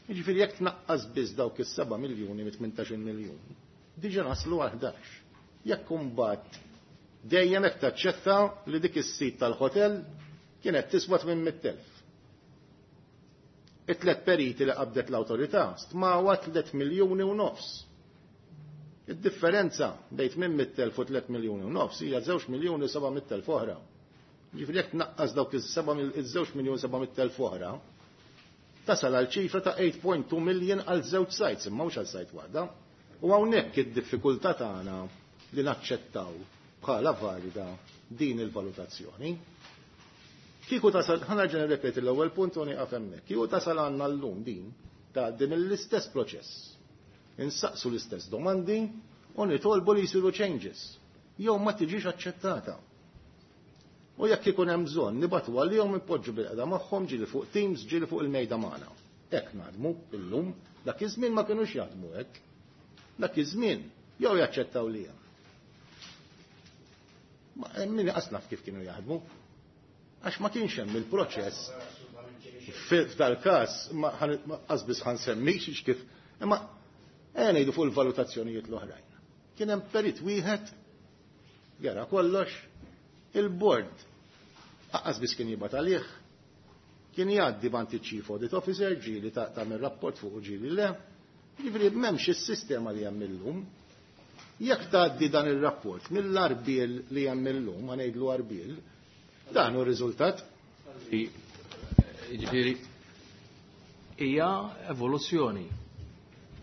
Jiġifieri jekk tnaqqas biss dawk is-seba' miljuni mit tmintax-il miljun, diġà naslu għal ħdax. Jekk imbagħad dejjem hekk taċċetta li dik is-sit tal-hotel kienet tiswa tmien mitt elf. It-tlet periti li qabdet l-awtorità stmawa tliet miljuni u nofs. Id-differenza bejn tmien mitt elf u tliet miljuni u nofs hija żewġ miljuni u seba' mitt elf oħra. Ġifieri jekk tnaqqas dawk iż-żewġ miljuni u seba' mitt elf oħra, tasal għal ċifra ta' eight point two million għal żewġ sites, imma mhux għal site waħda. U hawnhekk id-diffikultà tagħna li naċċettaw bħala valida din il-valutazzjoni. Kieku tasal, ħa nerġa' nirrepeti l-ewwel punt u nieqaf hemmhekk. Kieku tasal għandna llum din ta' din l-istess proċess. Insaqsu l-istess domandi u nitolbu li jsiru changes. Jew ma tiġix aċċettata. U jekk ikun hemm bżonn nibatu għalihom ipoġġu bil-qeda magħhom ġieli fuq Teams, ġieli fuq il-mejda magħna. Hekk naħdmu illum, dak iż-żmien ma kinux jaħdmu hekk. Dak iż-żmien jew jaċċettaw li hemm. Ma min iqas naf kif kienu jaħdmu. Għax ma kienx hemm il-proċess. F'dal-każ ma qas biss ħansemmix kif, imma ejja ngħidu fuq il-valutazzjonijiet l-oħrajn. Kien hemm perit wieħed jara kollox, il-board aqqas biss kien jibgħat għalih, kien jgħaddi bant il-Chief Audit Officer, ġieli ta' tagħmel rapport fuq u ġieli le. Jiġifieri m'hemmx is-sistema li hemm illum. Jekk tgħaddi dan ir-rapport mill-arbiel li hemm illum, ma ngħidlu arbiel, dan hu r-riżultat. Jiġifieri hija evoluzzjoni.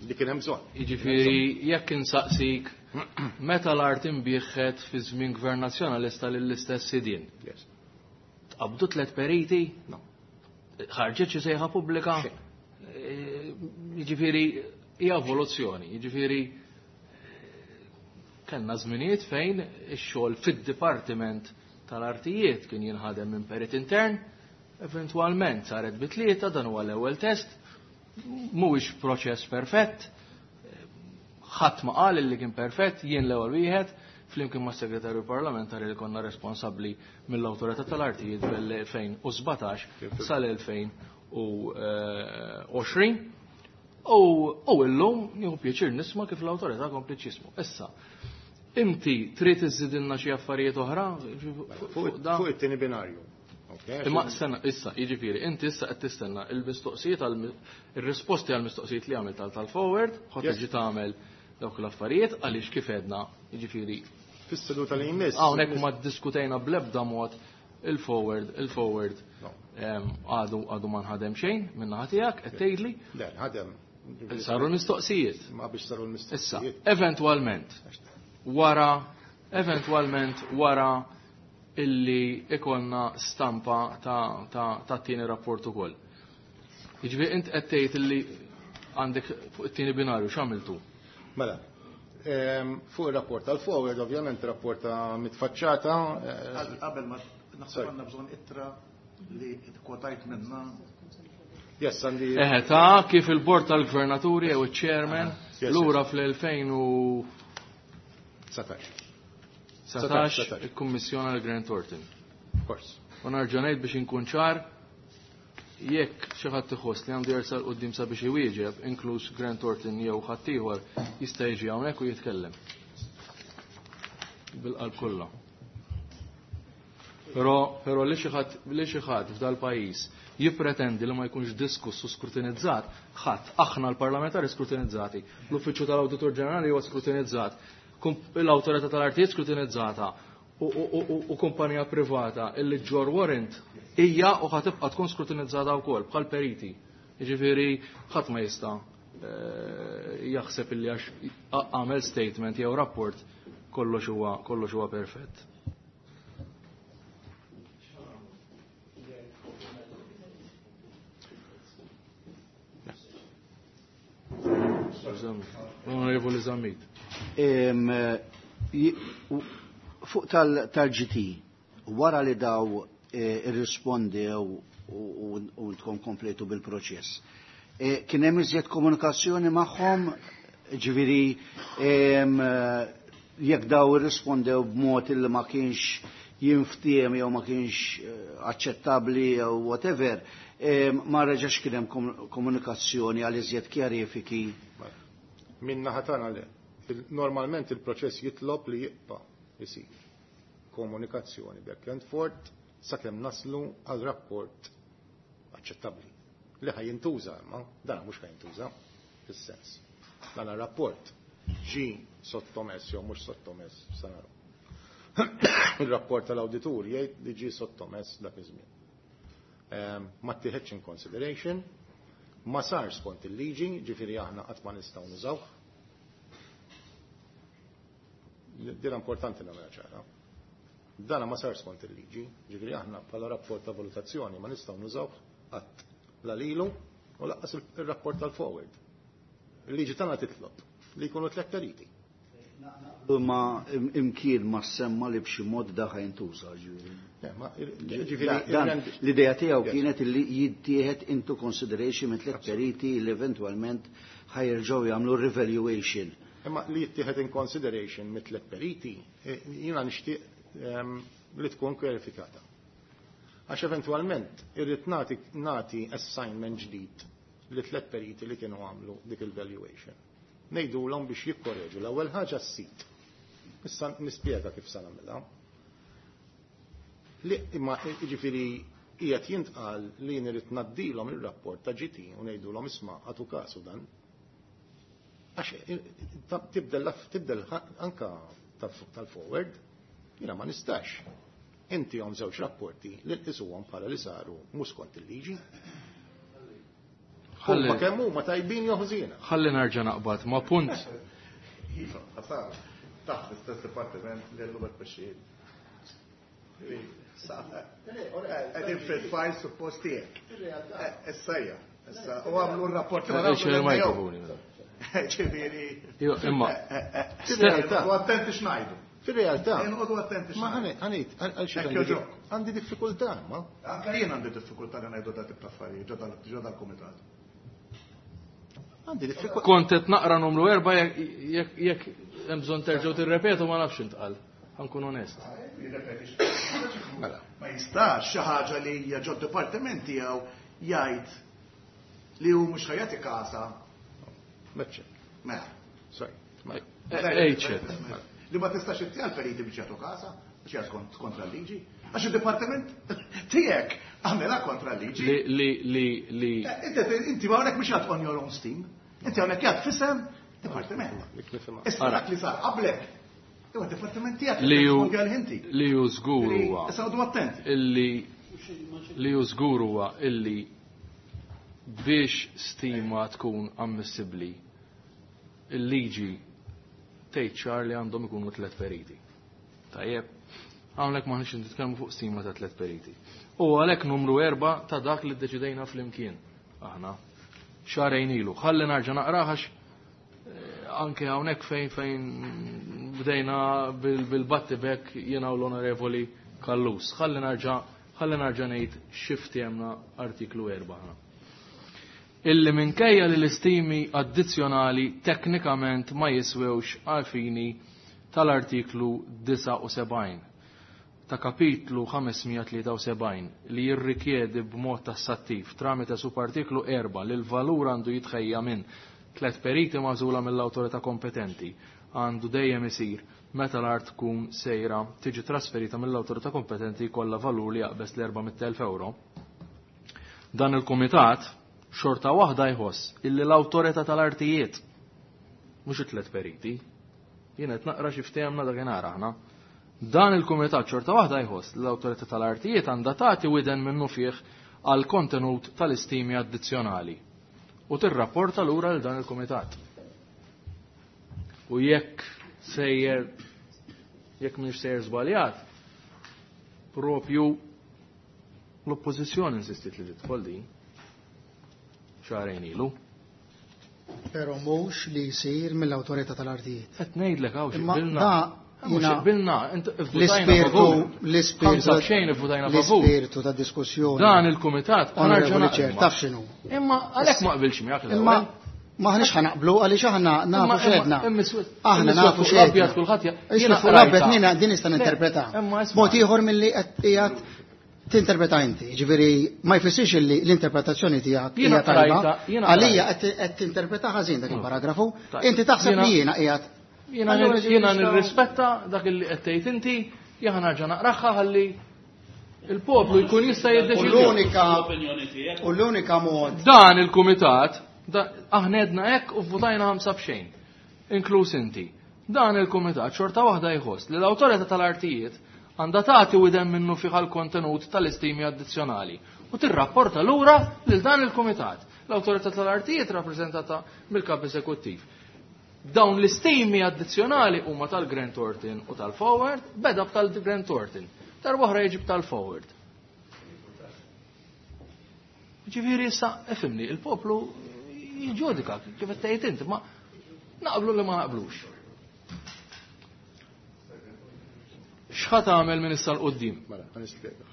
Li kien hemm bżonn. Jiġifieri jekk insaqsik meta l-art imbieħet fi żmien Gvern Nazzjonalista lill-istess sidien. Yes. Tqabdu tliet periti? No. Ħarġet xi sejħa pubblika? Xejn. Jiġifieri hija evoluzzjoni, jiġifieri kellna żminijiet fejn ix-xogħol fid-dipartiment tal-artijiet kien jinħadem minn perit intern, eventwalment saret bi tlieta, dan huwa l-ewwel test, mhuwiex proċess perfett, ħadd ma qal li kien perfett, jien l-ewwel wieħed, flimkien mas segretarju parlamentari li konna responsabbli mill-awtorità tal-artijiet mill-elfejn u sbatax sal-elfejn u għoxrin. U, u illum nieħu pjaċir nisma' kif l-awtorità kompliet x'ismu. Issa, inti trid iżidilna xi affarijiet oħra fuq da? Fuq it-tieni binarju. Okay, Imma sena, issa, jiġifieri, inti issa qed tistenna il-mistoqsijiet għal ir-risposti għall mistoqsijiet li għamilt għal tal-forward, ħadd Yes. tiġi tagħmel dawk l-affarijiet għaliex kif għedna, jiġifieri. Fis-seduta li jmiss. Hawnhekk ma ddiskutejna bl-ebda mod il-forward, il-forward. No. Em, għadu, għadu ma nħadem xejn minn naħa tiegħek qed tgħidli. Le, nħadem. Saru l-mistoqsijiet. Ma biex saru l-mistoqsijiet. Issa, eventwalment, wara, eventwalment wara illi ikonna stampa ta', ta, ta' t-tieni rapport ukoll. Jiġifieri int qed tgħid illi għandek fuq it-tieni binarju x'għamiltu? Mela, em, fuq ir-rapport tal-forward, ovvjament rapport ta' mitfaċċata. eh, Qabel ma naħseb għandna bżonn ittra li kwotajt minna. Yes, għandi. Eħe, ta' kif il-bord tal-gvernaturi jew iċ-chairman Yes, yes. lura fl-elfejn u Satax. satax Satax. il-Kummissjoni għal Grant Thornton. Of course. U nerġa' ngħid biex inkun ċar, jekk xi ħadd iħoss li għandu jersaq quddiem sabiex iwieġeb, inkluż Grant Thornton jew ħadd ieħor, jista' jiġi hawnhekk u jitkellem. Bil-qalb kollha. Però, però li xi ħadd, li xi ħadd f'dal pajjiż jippretendi li ma jkunx diskuss u skrutinizzat, ħadd, aħna l-parlamentari skrutinizzati, l-Uffiċċju tal-Awditur Ġenerali huwa skrutinizzat, kum-, l-Awtorità tal-Artijiet skrutinizzata, u, u, u, u, u kumpanija privata illi ġor warrant hija u ħatibqa' tkun skrutinizzata wkoll bħal periti. Jiġifieri ħadd ma jista', eh, jaħseb illi għax għamel statement jew rapport kollox huwa, kollox huwa perfett. Onorevoli Zammit. Em, ji-, u-, fuq tal-, tal-G T, wara li daw, eh, irrispondew u, u, u tkun kompletu bil-proċess, eh, kien hemm iżjed komunikazzjoni magħhom, ġifieri, em, jekk daw irrispondew b'mod illi ma kienx jinftiem jew ma kienx, eh, aċċettabbli jew whatever, em, ma reġax kien hemm kom-, komunikazzjoni għal iżjed kjarifiki. Min naħa tagħna le. Il-, normalment il-proċess jitlob li jibqa' isir komunikazzjoni back and forth sakemm naslu għal rapport aċċettabbli. Li ħaj jintuża imma, dan mhux ħaj jintuża fis-sens. Dan rapport Ġi sottomess jew mhux sottomess sa naraw. Il-rapport tal-awditur jgħid li ġie sottomess dak iż-żmien. Ma ttieħedx in consideration, ma sar skont il-liġi, ġifieri aħna qatt ma nistgħu nużawh. Dira importanti nagħmilha ċara. Dana ma sar skont il-liġi, ġifieri aħna bħala rapport ta' valutazzjoni ma nistgħu nużawh qatt la lilu u laqqas il-rapport tal-forward. Il-liġi tagħna titlob li jkunu tliet periti. Ma imkien ma semma li b'xi mod da ħajntuża ġifieri. L-idea tiegħu kienet li jittieħed into consideration minn tliet periti li eventwalment ħajerġgħu jagħmlu revaluation. Imma li jittieħed in consideration minn tliet periti, jiena nixtieq li tkun kwalifikata. Għax eventwalment irrid nagħti nagħti assignment ġdid li tliet periti li kienu għamlu dik il-valuation. Ngħidulhom biex jikkoreġu l-ewwel ħaġa s-sit. Issa nispjega kif sa nagħmilha. Li imma jiġifieri qiegħed jintqal li jien irid ngħaddilhom ir-rapport ta' G T u ngħidulhom isma' għatu kasu dan. Għax tibdel tibdel anka tal-forward, jiena ma nistax. Inti għom żewġ rapporti li nqisuhom bħala li saru mhux skont il-liġi. Huma kemm huma tajbin jew ħżiena. Ħalli nerġa' naqbad ma' punt. Iva, ħasar, taħt l-istess dipartiment li llum qed tmexxi. Qegħdin fil-fajl suppost tiegħek. Issa hija. Issa u għamlu r-rapport Ġifieri. Imma. U attenti x'ngħidu. Fil-realtà. Inqogħdu attenti. Ma ħanejt, għal xi għandi diffikultà, ma. Anke jien għandi diffikultà li ngħidu da tip ta' affarijiet ġo dal-kumitat. Għandi diffikultà. Kont qed naqra numru erba' jekk hemm bżonn terġgħu tirrepetu ma nafx intqal. Ħankun onest. Ma jistax xi ħaġa li hija ġo d-dipartiment tiegħu jgħid li hu mhux ħajati kasa. Meċċe. Mela. Sorry. Li ma tistax ittija l-periti biex jagħtu kasa, biex jagħtu kontra l-liġi. Għax il-dipartiment tiegħek għamilha kontra l-liġi. Li li li Inti ma hawnhekk mhux jgħid on your own steam. Inti hawnhekk jgħid fisem dipartiment. Issa dak li sar qablek. Iwa d-dipartiment tiegħek li hu li hu żgur huwa. Issa għodu attenti. Illi li hu żgur huwa illi biex stima tkun ammissibbli il-liġi tgħid ċar li għandhom ikunu tliet periti. Tajjeb, hawnhekk m'aħniex nitkellmu fuq stima ta' tliet periti. U għalhekk numru erba' ta' dak li ddeċidejna flimkien aħna xahrejn ilu. Ħalli nerġa' naqraħax anke hawnhekk fejn fejn bdejna bil-battibek jiena u l-Onorevoli Kallus. Ħalli nerġa' ħalli nerġa' ngħid x'ftehemna artiklu erba' aħna. Illi minkejja li l-istimi addizzjonali teknikament ma jiswewx għal fini tal-artiklu disgħa u sebgħin ta' kapitlu ħamesmija tlieta u sebgħin li jirrikjedi b'mod tassattiv tramite subartiklu erba' li l-valur għandu jitħejja minn tliet periti magħżula mill-awtorità kompetenti għandu dejjem isir meta l-art tkun sejra tiġi trasferita mill-awtorità kompetenti jkollha valur li jaqbes l-erba' mitt elf euro. Dan il-kumitat xorta waħda jħoss illi l-awtorità tal-artijiet mhux it-tliet periti, jien qed naqra xi ftehemna dakinhar aħna. Dan il-kumitat xorta waħda jħoss li l-awtorità tal-artijiet għandha tagħti widen minnu fih għal kontenut tal-istimi addizzjonali u tirrapporta lura lil dan il-kumitat. U jekk sejjer jekk mhux sejjer żbaljat, propju l-oppożizzjoni insistiet li tidħol din xahrejn ilu. Però mhux li jsir mill-awtorità tal-artijiet. Qed ngħidlek hawn xi qbilna. Mhux qbilna, l-ispirtu l-ispirtu xejn ivvutajna favur. L-ispirtu ta' diskussjoni. Dan il-kumitat Onorevoli Ċer, taf x'inhu. Imma għalhekk ma qbilx miegħek l-ewwel. Imma maħniex ħanaqblu għaliex aħna nafu x'għedna. Aħna nafu x'għedna. Jiena fuq l-abjad jiena din nista' ninterpreta. Mod ieħor milli qed qiegħed tinterpreta inti, ġifieri ma jfissirx li l-interpretazzjoni tiegħek hija tajba. Għalija qed tinterpreta ħażin dak il-paragrafu. Inti taħseb li jiena qiegħed. Jiena nirrispetta dak li qed tgħid inti, jiena nerġa' naqraħħa ħalli il-poplu jkun jista' jiddeċidi. U l-unika mod. Dan il-kumitat, aħna għedna hekk u vvutajna ħamsa b'xejn. inkluż inti. Dan il-kumitat xorta waħda jħoss li l-awtorità tal-artijiet għandha tagħti widen minnu fih kontenut tal-istimi addizzjonali u tirrapporta lura lil dan il-kumitat. L-awtorità tal-artijiet rappreżentata mill-kap eżekuttiv. Dawn l-istimi addizzjonali huma tal-Grant Thornton u tal-Forward, beda tal-Grant Thornton. Darba oħra jiġib tal-Forward. Ġifieri issa ifhimni, il-poplu jiġġudika kif qed tgħid inti, ma naqblu li ma naqblux. X'ħa tagħmel minn issa 'l quddiem? Mela, ħa nispjega.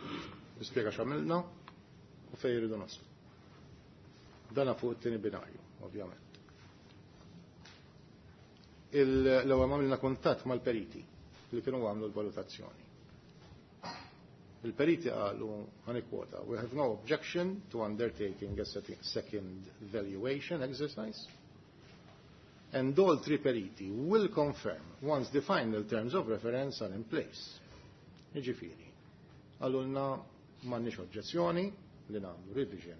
Nispjega x'għamilna u fejn irridu naslu. Dana fuq it-tieni binarju, ovvjament. L-ewwel għamilna kuntatt mal-periti li kienu għamlu l-valutazzjoni. Il-periti qalu, ħa nikkwota, we have no objection to undertaking a second valuation exercise. And all three periti will confirm once the final terms of reference are in place. Jiġifieri, qalulna m'għandniex oġġezzjoni li nagħmlu revision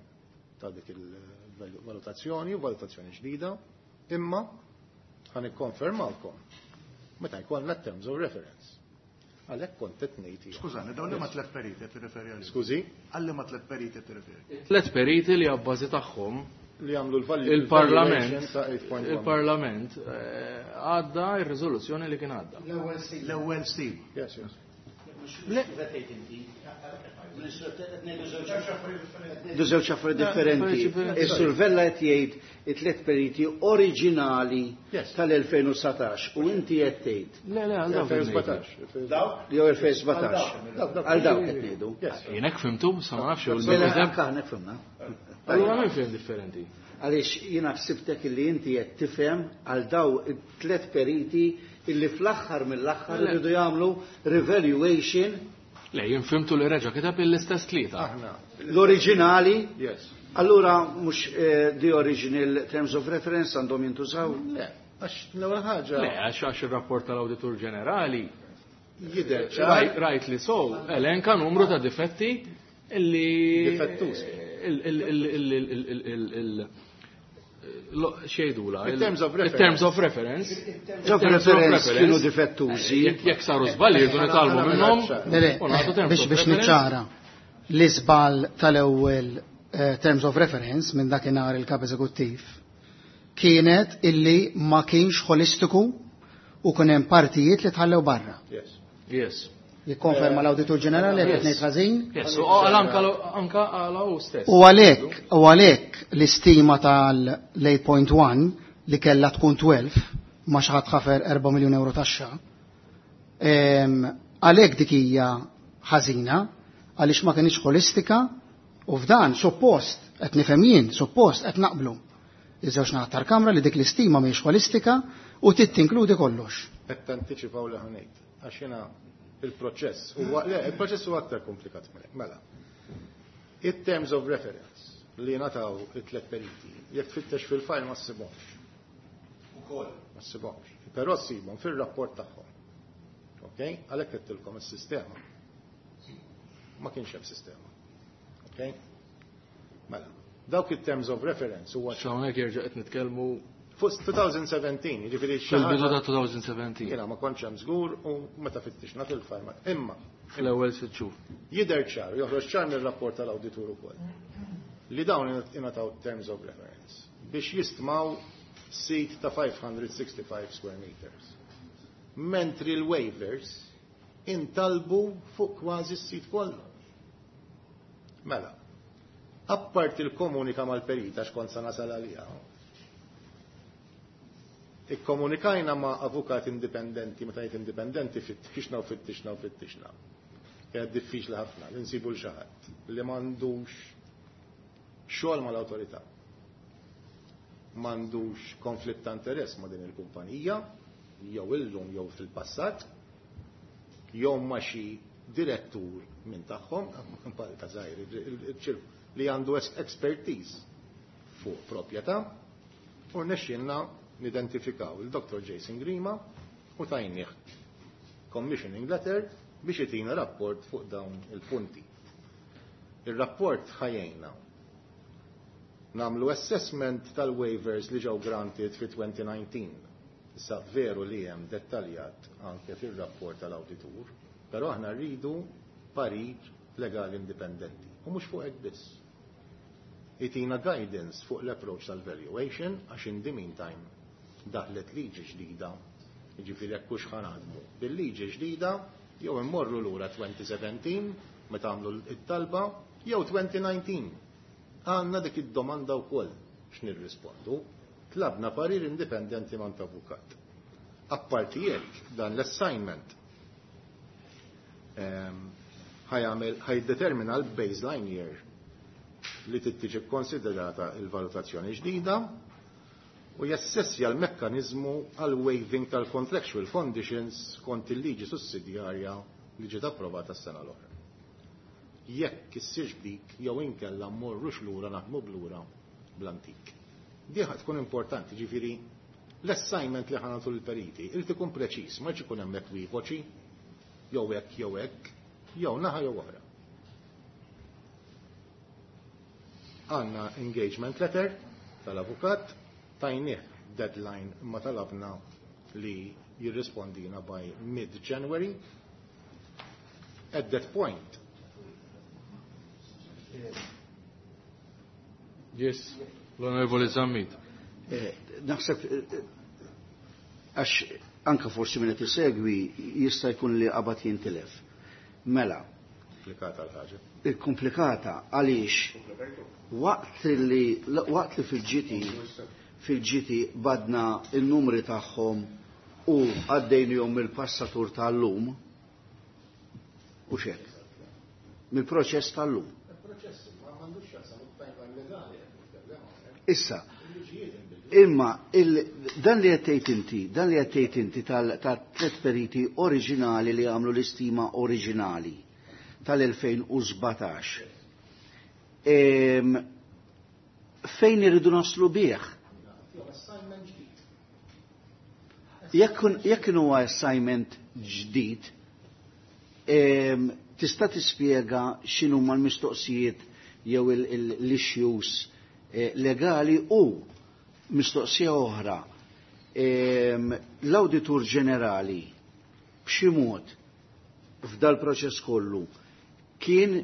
ta' dik il-valutazzjoni u valutazzjoni ġdida, imma ħa nikkonfermawkom meta jkollna terms of reference. Għalhekk kont qed ngħid. Skużani, dawn li ma tliet periti qed tirreferi għalihom. Skużi? Għalli ma tliet periti qed tirreferi. Tliet periti li abbażi tagħhom li għamlu l-Parlament il-Parlament għadda ir-riżoluzzjoni li kien għadda. L-ewwel stim. Yes, yes. Du żewġ affarijiet differenti. Is-Sur Vella qed jgħid it-tliet periti oriġinali tal-elfejn u satax u inti qed tgħid. Le, le, għal dawk. elfejn u sbatax. Dawk? Jew elfejn u sbatax. Għal dawk qed ngħidu. Jien hekk fhimtu, sa ma nafx jew Mela anke aħna hekk fhimna. Allura min fhem differenti? Għaliex jiena ħsibtek illi inti qed tifhem għal daw it-tliet periti illi fl-aħħar mill-aħħar iridu jagħmlu revaluation. Le, jien fhimtu li reġa' kiteb l-istess tlieta. Aħna. L-oriġinali? Yes. Allura mhux the original terms of reference għandhom jintużaw? Le, għax l-ewwel ħaġa. Le, għax għax ir-rapport tal-Awditur Ġenerali jidher ċar. Rajt li sow, elenka numru ta' difetti illi Difettużi. Xejdula. Il-terms of reference. Il-terms of reference. Il-terms of reference kienu difettużi. Jekk saru żbalji jridu nitgħallmu minnhom. Le, le, biex biex niċċara l-iżball tal-ewwel terms of reference minn dakinhar il-kap eżekuttiv kienet illi ma kienx holistiku u kien hemm partijiet li tħallew barra. Yes. Yes. Jikkonferma l-Awditur Ġenerali qed ngħid ħażin? Yes, u anka anka għala hu stess. U għalhekk u għalhekk l-istima tal-eight point one li kellha tkun twelve ma xi ħadd ħafer erba' miljun euro taxxa. Għalhekk dik hija ħażina għaliex ma kienx holistika u f'dan suppost qed nifhem jien, suppost qed naqblu. Iż-żewġ naħat tal-Kamra li dik l-istima mhijiex holistika u trid tinkludi kollox. Qed tantiċipaw li ħanejt għax jiena il-proċess huwa le, il-proċess huwa aktar komplikat minn hekk. Mela. It-terms of reference li ngħataw it-tliet periti, jekk tfittex fil-fajl ma ssibhomx. Ukoll. Ma ssibhomx. Però ssibhom fir-rapport tagħhom. Ok? Għalhekk qedtilkom is-sistema. Ma kienx hemm sistema. Ok? Mela. Dawk it-terms of reference huwa Hawnhekk jerġa' qed nitkellmu fuq twenty seventeen, jiġifieri xi fil-bidu ħaġa ta' twenty seventeen. Jiena ma kontx hemm żgur u meta fittixna fil-fajl ma imma fl-ewwel sitt xhur. Jidher ċar, joħroġ ċar mir-rapport tal-awditur ukoll. Li dawn ingħataw terms of reference biex jistmaw sit ta' five hundred sixty-five square meters. Mentri l-waivers intalbu fuq kważi s-sit kollu. Mela, apparti l-komunika mal-perita x'kont sa nasal għaliha, ikkomunikajna ma' avukat indipendenti, meta jgħid indipendenti fittixna u fittixna u fittixna. Kienet diffiċli ħafna li nsibu l xi ħadd li m'għandux xogħol mal-awtorità. M'għandux konflitt ta' interess ma' din il-kumpanija, jew illum jew fil-passat, jew ma' xi direttur minn tagħhom, ta' żgħir, il-ċirku, li għandu expertise fuq proprjetà, u rnexxielna nidentifikaw il-Doktor Jason Grima u tajnieh commissioning letter biex itina rapport fuq dawn il-punti. Il-rapport ħajjejna namlu assessment tal-waivers li ġew granted fi twenty nineteen. Issa veru li hemm dettaljat anke fir-rapport tal-awditur, però aħna rridu parir legali indipendenti u mhux fuq hekk biss. Itina guidance fuq l-approach tal-valuation għax in the meantime daħlet liġi ġdida, jiġifieri jekk hux ħa naħdmu bil-liġi ġdida jew immorru lura twenty seventeen meta għamlu it-talba jew twenty nineteen. Għandna dik id-domanda wkoll x'nirrispondu. Tlabna parir indipendenti mant avukat. Apparti jekk dan l-assignment ħajamel ħajdetermina l-baseline year li tittiġi konsiderata il-valutazzjoni ġdida u jassessja l-mekkanizmu għal waiving tal-contractual conditions kont il-liġi sussidjarja li ġiet approvata s-sena l-oħra. Jekk issirx dik jew inkella mmorrux lura naħdmu blura bl-antik. Di ħad tkun importanti, ġifieri l-assignment li ħanatu l-periti irid ikun preċiż, ma jkun hemm ekwivoċi jew hekk jew hekk, jew naħa jew oħra. Għandna engagement letter tal-avukat, tajnieh deadline imma talabna li jirrispondina by mid-January. At that point. Yes, l-Onorevoli Zammit. Naħseb, għax anka forsi minn qed isegwi jista' jkun li qabad jintilef. Mela. Komplikata l-ħaġa. Il-komplikata għaliex waqt li waqt li fil-ġiti fil-ġiti badna il-numri tagħhom u għaddejnihom mill-passatur tal-lum u xek. Mill-proċess tal-lum. Issa, imma dan li qed tgħid inti, dan li qed tgħid inti tal-tliet periti oriġinali li għamlu l-istima oriġinali tal-elfejn u sbatax. Fejn irridu naslu bih? Jekk huwa assignment ġdid, tista' tispjega x'inhuma l-mistoqsijiet jew l-issues legali u mistoqsija oħra. L-Awditur Ġenerali b'xi mod f'dal proċess kollu kien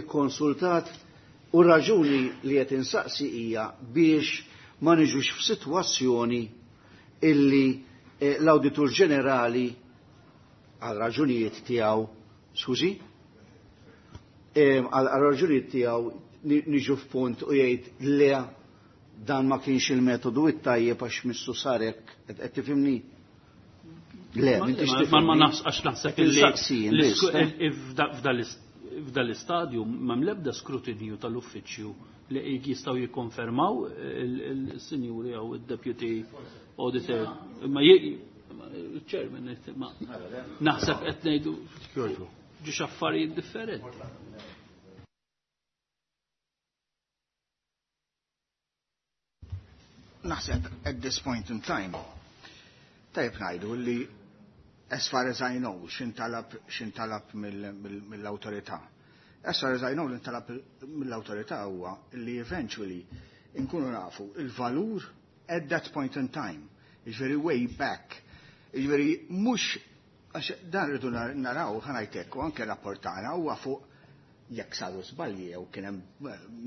ikkonsultat u raġuni li qed insaqsi hija biex ma niġux f'sitwazzjoni illi l-Awditur Ġenerali għal raġunijiet tiegħu, skużi, għal raġunijiet tiegħu niġu f'punt u jgħid le dan ma kienx il-metodu it-tajjeb għax missu sarek, qed tifhimni? Le, m'intix tifhimni. Ma għax naħseb illi f'dal istadju m'hemm l-ebda skrutinju tal-uffiċċju li jistgħu jikkonfermaw il-sinjuri jew id-deputy auditor. Ma il-chairman ma naħseb qed ngħidu ġiex affarijiet differenti. Naħseb at this point in time, tajb ngħidu li as far as I know, x'intalab x'intalab mill-awtorità. As far as I know, l-intalab mill-awtorità huwa li eventually inkunu nafu il-valur at that point in time. Jiġifieri way back. Jiġifieri mhux għax dan rridu naraw ħanajtek u anke rapportana huwa fuq jekk saru żbalji jew kien hemm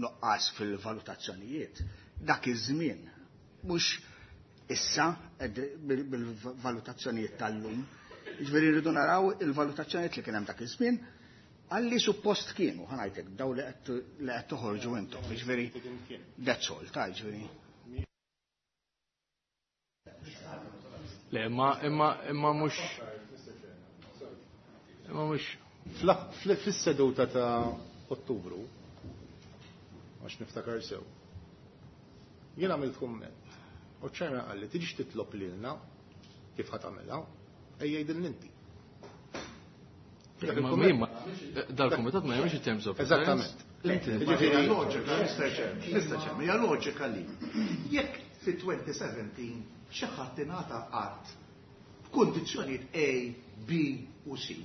nuqqas fil-valutazzjonijiet. Dak iż-żmien mhux issa bil-valutazzjonijiet tal-lum. Jiġifieri rridu naraw il-valutazzjonijiet li kien hemm dak iż-żmien għalli suppost kienu, ħanajtek, daw li qed toħorġu intom. Jiġifieri that's all, ta' jiġifieri. Le, imma imma imma mhux imma mhux fis-seduta ta' Ottubru, għax niftakar sew, jien għamilt kumment. U ċerna qalli tiġix titlob lilna kif ħa tagħmilha, ejja jgħidilna inti. Dal-kumitat ma jagħmilx it-terms of Eżattament. Ġifieri loġika, Mister Chairman, Mister Chairman, hija loġika li jekk fi twenty seventeen xi ħadd ingħata art b'kundizzjonijiet A, B u C,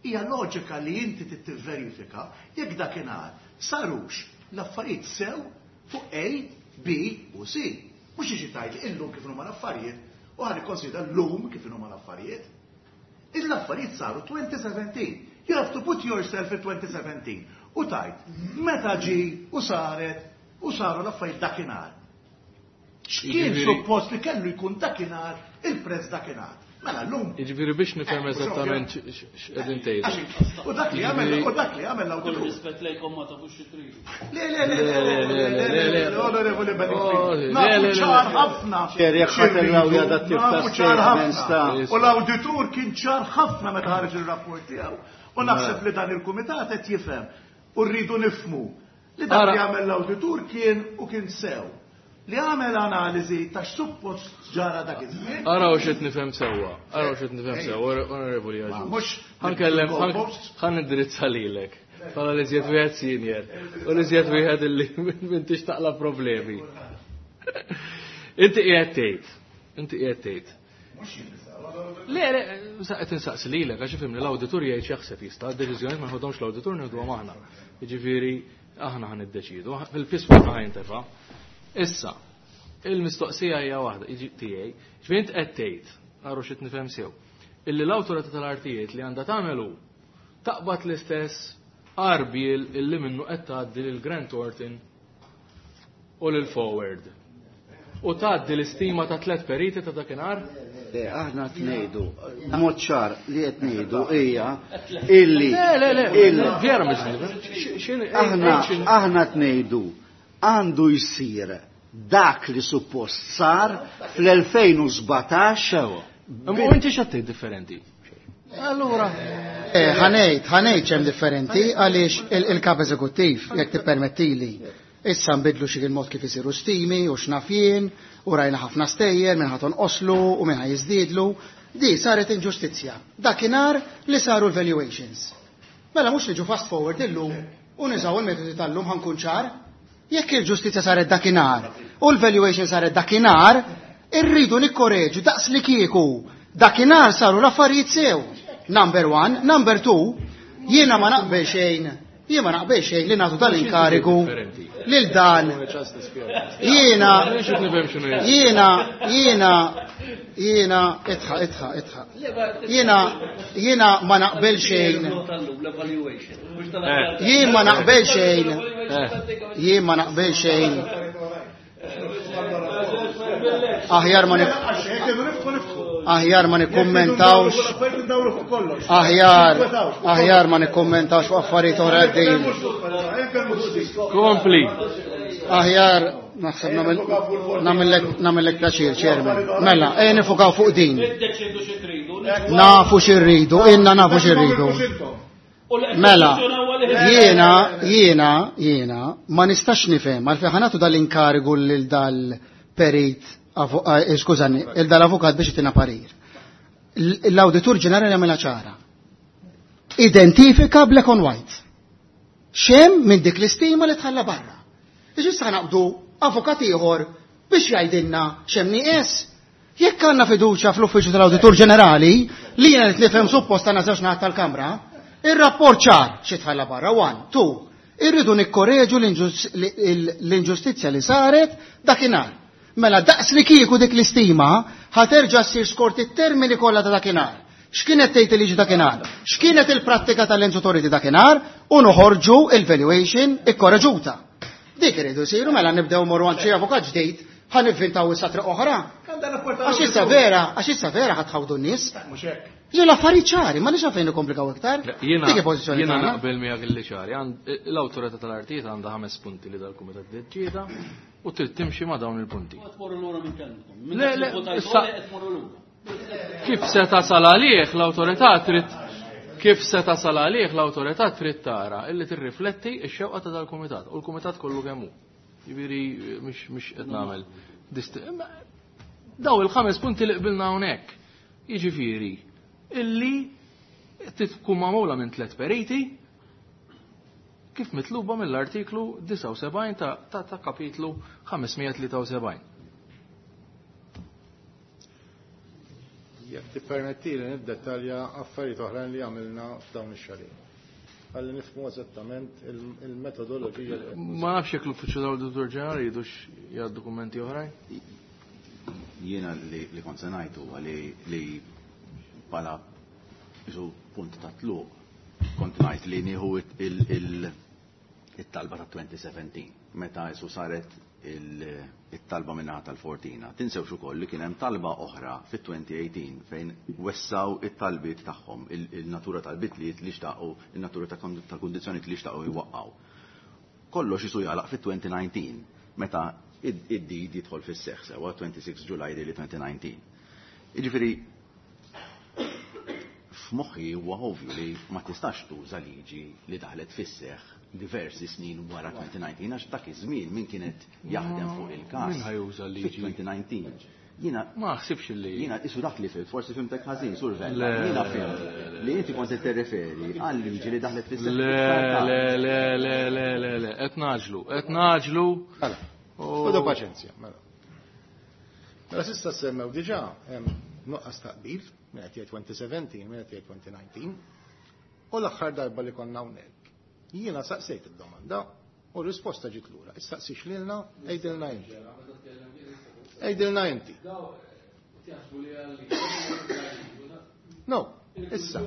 hija loġika li inti trid tivverifika jekk dakinhar sarux l-affarijiet sew fuq A, B u C. Mhux jiġi tgħid illum kif huma l-affarijiet u ħa nikkonsidra llum kif huma l-affarijiet. Il-affarijiet saru twenty seventeen. You have to put yourself in twenty seventeen. U tajt, meta ġi u saret u saru l-affarijiet dakinhar. X'kien suppost li kellu jkun dakinhar il-prezz dakinhar. Mela llum. Jiġifieri biex nifhem eżattament x'qegħdin tgħidu. U dak li għamel u dak li għamel l-awditur. Rispett lejkom ma tafux xi tridu. Le le le le le le onorevoli Beniffi. Nafu ċar ħafna. Nafu ċar ħafna. U l-awditur kien ċar ħafna meta ħareġ ir-rapport tiegħu. U naħseb li dan il-kumitat qed jifhem u rridu nifhmu li dak li għamel l-awditur kien u kien sew. Li għamel analiżi ta' x'suppost ġara dak iż-żmien. Araw x'qed nifhem sewwa, araw x'qed nifhem sewwa, onorevoli Agius. Mhux ħankellem, ħan indirizza lilek. Bħala li żjed wieħed senior u li żjed wieħed illi m'intix taqla problemi. Inti qiegħed tgħid, inti qiegħed tgħid. Le, le, qed insaqsi lilek għax ifhimni l-awditur jgħid x'jaħseb jista', d-deċiżjonijiet ma nħodhomx l-awditur nieħduhom aħna. Jiġifieri aħna ħan iddeċidu, fil-fis fuq ħajntefa'. Issa, il-mistoqsija hija waħda tiegħi, ġifieri int qed tgħid, għarru xi nifhem sew, illi l-awtorità tal-artijiet li għandha tagħmel hu taqbad l-istess arbiel illi minnu qed tgħaddi lil Grant Thornton u lil Forward. U tgħaddi l-istima ta' tliet periti ta' dakinhar? Le, aħna qed ngħidu, mod ċar li qed ngħidu hija illi Le, le, le, vera mhux ngħidu. Aħna aħna qed ngħidu għandu jsir dak li suppost sar fl-elfejn u sbatax. U inti x'għaddej differenti? Allura. Ħanejt, ħanejt x'hemm differenti għaliex il-kap eżekuttiv, jekk tippermettili, issa nbidlu xi il-mod kif isiru stimi u x'naf jien, u rajna ħafna stejjer minn ħaton oslu u minn ħajiżdiedlu. Di saret inġustizzja. Dakinhar li saru l-valuations. Mela mhux niġu fast forward illum u niżaw il-metodi tal-lum ħankun ċar. Jekk il-ġustizzja saret dakinhar u l-valuation saret dakinhar, irridu nikkoreġu daqs li kieku. Dakinhar saru l-affarijiet sew. Number one. Number two, jiena ma naqbel xejn, jien ma naqbel xejn li nagħtu dal-inkarigu lil dan. Jiena, jiena, jiena, jiena, itħa, itħa, itħa. Jiena, jiena ma naqbel xejn. Jien ma naqbel xejn. Jien ma naqbel xejn. Aħjar ma aħjar ma nikkummentawx. Aħjar, aħjar ma nikkummentawx fuq affarijiet oħra għaddejjin. Kompli. Aħjar naħseb nagħmellek pjaċir, Chairman. Mela, ejja nifukaw fuq din. Nafu x'irridu, inna nafu x'irridu. Mela, jiena, jiena, jiena, ma nistax nifhem għalfejn ħanatu dal-inkarigu lil dal-perit, skużani, il dal-avukat biex itina parir. L-awditur ġenerali għamilha ċara. Identifika black on white. Xem minn dik l-istima li tħalla barra. Iġi issa naqbdu avukat ieħor biex jgħidilna xem nieqes. Jekk għandna fiduċja fl-uffiċċju tal-Awditur Ġenerali, li jiena qed nifhem suppost għandna żewġ naħat tal-Kamra, ir-rapport ċar xi tħalla barra, one, two, irridu nikkoreġu l-inġustizzja li saret dakinhar. Mela daqs li kieku dik l-istima ħaterġa' ssir skort it-termini kollha ta' dakinhar. X'kienet tgħid il-liġi dakinhar? X'kienet il-prattika tal-Lands Authority dakinhar? U noħorġu il-valuation ikkoreġuta. Dik iridu jsiru, mela nibdew morru għand xi avukat ġdid, ħa nivvintaw issa triq oħra. Għax issa vera, għax issa vera ħa tħawdu n-nies. Mhux hekk. Ġi l-affarijiet ċari, ma nix għalfejn nikkomplikaw iktar. Jiena Dik il-pożizzjoni jiena tagħna. naqbel miegħek illi ċari. L-awtorità tal-artijiet għandha ħames punti li dal-kumitat deċieda u trid timxi ma' dawn il-punti. Qed tmorru lura minn kelmkom. Le, le, issa kif se tasal għalih l-awtorità trid kif se tasal għalih l-awtorità trid tara illi tirrifletti x-xewqa ta' dal-kumitat u l-kumitat kollu kemm hu. Jiġifieri mhux mhux qed nagħmel daw il-ħames punti li qbilna hawnhekk. Jiġifieri illi tkun magħmula minn tliet periti kif mitluba mill-artiklu disgħa u sebgħin ta', ta, ta' kapitlu ħames mija tlieta u sebgħin. Jekk tippermettili niddetalja affarijiet oħrajn li għamilna f'dawn ix-xahar. Ħalli nifhmu eżattament il-metodoloġija li qed Ma nafx jekk l-Uffiċċju tal-Awditur Ġenerali jridux jgħaddu dokumenti oħrajn. Jiena li, li kont se ngħid huwa li, li bħala isu punt ta' tluq kont ngħid li nieħu it-talba ta' twenty seventeen meta isu saret it-talba minnaħa tal-Fortina. Tinsewx ukoll li kien hemm talba oħra fit-twenty eighteen fejn wessaw it-talbiet tagħhom, il-natura tal-bitliet li xtaqu, il-natura ta' kundizzjonijiet li xtaqu jwaqqaw. Kollox isu jagħlaq fit-twenty nineteen meta id-deed jidħol fis-seħħ sewa twenty-six July li twenty nineteen. Jiġifieri f'moħħi huwa ovvju li ma tistax tuża liġi li daħlet fis-seħħ diversi snin wara twenty nineteen, għax dak iż-żmien min kienet jaħdem fuq il-każ. Min ħa juża liġi? Fit-twenty nineteen. Jiena Ma ħsibx li. Jiena isu dak li fhimt, forsi fhimtek ħażin, Sur Vella. Jiena fhimt li inti kont tirreferi għal liġi li daħlet fis-seħħ. Le, le, le, le, le, le, le, qed ngħaġġlu, qed ngħaġġlu. Mela, ħudu paċenzja, mela. Mela s'issa semmew diġà hemm nuqqas taqbil, min qed jgħid twenty seventeen, min qed jgħid twenty nineteen. U l-aħħar darba li konna hawnhekk, jiena saqsejt id-domanda u r-risposta ġiet lura. Issaqsix lilna, għidilna inti. Għidilna inti. No, issa.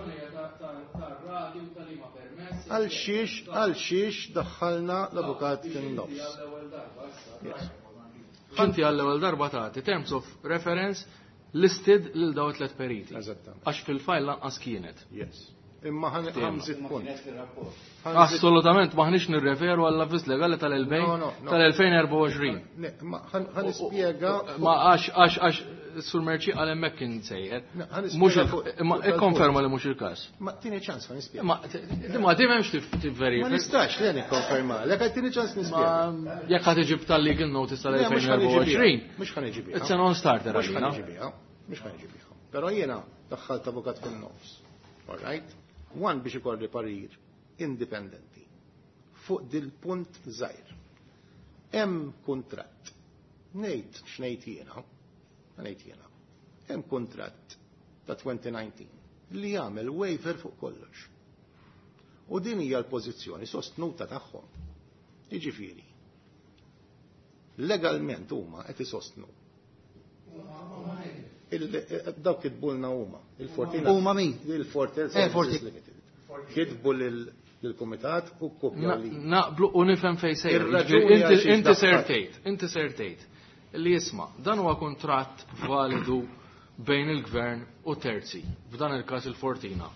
Għal xiex, għal xiex daħħalna l-avukat fin-nofs. Yes. Inti għall-ewwel darba tagħti terms of reference listed lil daw tliet periti. Eżattament. Għax fil-file lanqas kienet. Yes. Imma ħa nżid punt. Assolutament maħniex nirreferu għall-avviż legali tal-elfejn No, no, no. tal-elfejn u erbgħa u għoxrin. Ne, ma ħa nispjega. Ma għax għax għax Sur Merċi għal hemmhekk kien sejjer. No, ħa nispjega Mhux il- fuq- imma fuq ikkonferma li mhux il-każ. Ma tini ċans ħa nispjega. Ma ma di m'hemmx tivverifika. Ma nistax li nikkonferma. Lek tini ċans nispjega. Ma jekk ħa tiġib tal-legal notice Le, mhux ħa niġi biha. tal-elfejn u erbgħa u għoxrin. Mhux ħa niġi biha. It's a non-starter Mhux ħa għalina. niġi biha. Mhux ħa niġi biha. Però jiena daħħalt avukat fin-nofs. All right? One biex ikolli parir indipendenti fuq dil-punt żgħir. Hemm kuntratt. Ngħid x'ngħid jiena. Ngħid jiena. Hemm kuntratt ta' twenty nineteen li jagħmel waiver fuq kollox. U din hija l-pożizzjoni sostnuta tagħhom. Jiġifieri, legalment huma qed isostnu. Il- Dawk kitbulna huma, il-Fortina. Huma min? Il-Fortina Eh, Services Forti- Limited. Kitbu lil- lill-kumitat u kopja Na- li. Naqblu u nifhem fejn sejjer. Ir-raġuni Inti għal xiex inti daħħal. sertejt, inti sertejt. Li jisma', dan huwa kuntratt validu bejn il-gvern u terzi, f'dan il-każ il-Fortina.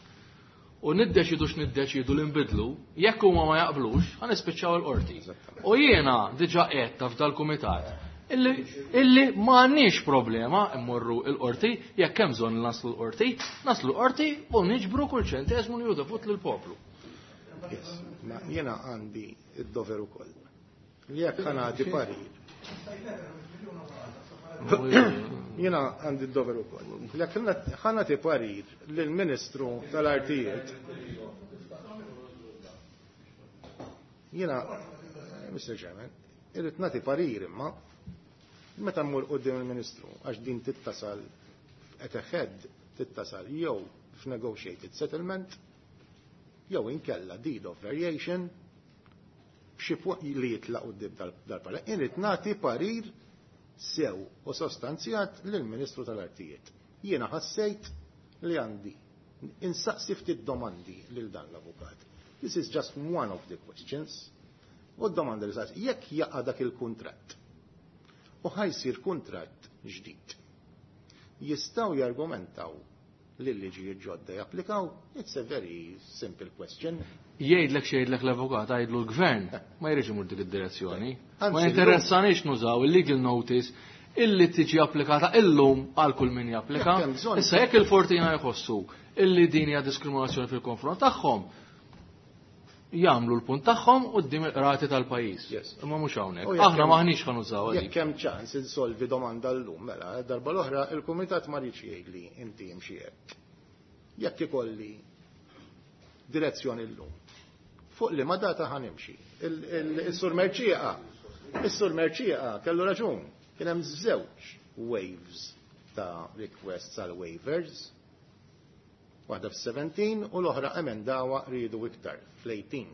U niddeċidu x'niddeċidu li nbidlu, jekk huma ma jaqblux, ħa nispiċċaw il-qorti. U jiena diġà qed f'dal-kumitat illi illi ma għandniex problema immorru il-qorti, jekk hemm bżonn naslu l-qorti, naslu l-qorti u niġbru kull ċenteżmu li hu dovut lill-poplu. Yes, ma jiena għandi id-dover ukoll. Li jekk ħa nagħti parir. Jiena għandi d-dover ukoll. Li jekk ħa nagħti parir lill-Ministru tal-Artijiet. Jiena, eh, Mister Chairman, irrid nagħti parir, imma meta mmur quddiem il-Ministru, għax din tittasal at a head, tittasal jew f'negotiated settlement jew inkella deed of variation b'xi punt li jitlaq quddiem dal-parlament. Irrid nagħti parir sew u sostanzjat lill-Ministru tal-Artijiet. Jiena ħassejt li għandi insaqsi ftit domandi lil dan l-avukat. This is just one of the questions. U d-domanda li saqsi, jekk jaqa' dak il-kuntratt u ħa jsir kuntratt ġdid, jistgħu jargumentaw li l-liġijiet ġodda japplikaw? It's a very simple question. Jgħidlek xejdlek l-avukat, għajdlu l-gvern ma jridx imur dik id-direzzjoni. Ma Anzi, jinteressanix nużaw il-legal notice illi tiġi applikata illum għal kull min japplika. Jekk hemm bżonn- Issa jekk il-Fortina jħossu illi din hija diskriminazzjoni fil-konfront tagħhom, jagħmlu l-punt tagħhom quddiem il-qrati tal-pajjiż. Yes. Imma mhux hawnhekk. U jekk Aħna hemm- maħniex ħa nużaw Jekk dik. hemm ċans insolvi domanda llum, mela, darba l-oħra il-kumitat ma rridx jgħidli inti imxi hekk. Jekk ikolli direzzjoni llum, fuq li ma data ħa nimxi. Il-Sur Merċieqa, is-Sur Merċieqa kellu raġun, kien hemm żewġ waves ta' requests għal waivers. Waħda fis-seventeen u l-oħra emendawa rridu iktar fl-eighteen.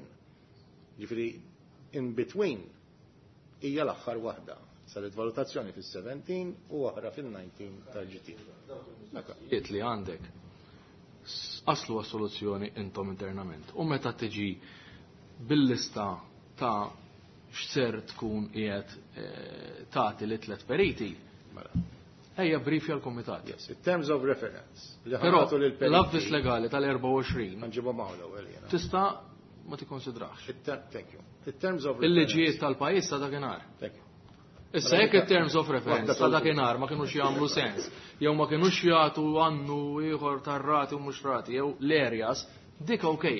Ġifieri in between hija l-aħħar waħda. Saret valutazzjoni fis-seventeen u oħra fil-nineteen tal-G T. Jiet li għandek aslu għas-soluzzjoni intom internament. U meta tiġi bil-lista ta' x'ser tkun qiegħed eh, tagħti li tliet periti, Mela. ejja briefja l-komitat. Yes, in terms of reference. Li Però ħa nagħtu lill-periti. L-avviż legali tal-erbgħa u għoxrin Nġibhom hawn l-ewwel jiena. Tista' ma tikkonsidrax. Thank you. In terms of Il-liġijiet tal-pajjiż ta' dakinhar. Thank you. Issa jekk it-terms of reference ta' dakinhar ma kinux jagħmlu sens, jew ma kinux jagħtu għannu ieħor tar-rati u mhux rati, jew l-areas, dik okej.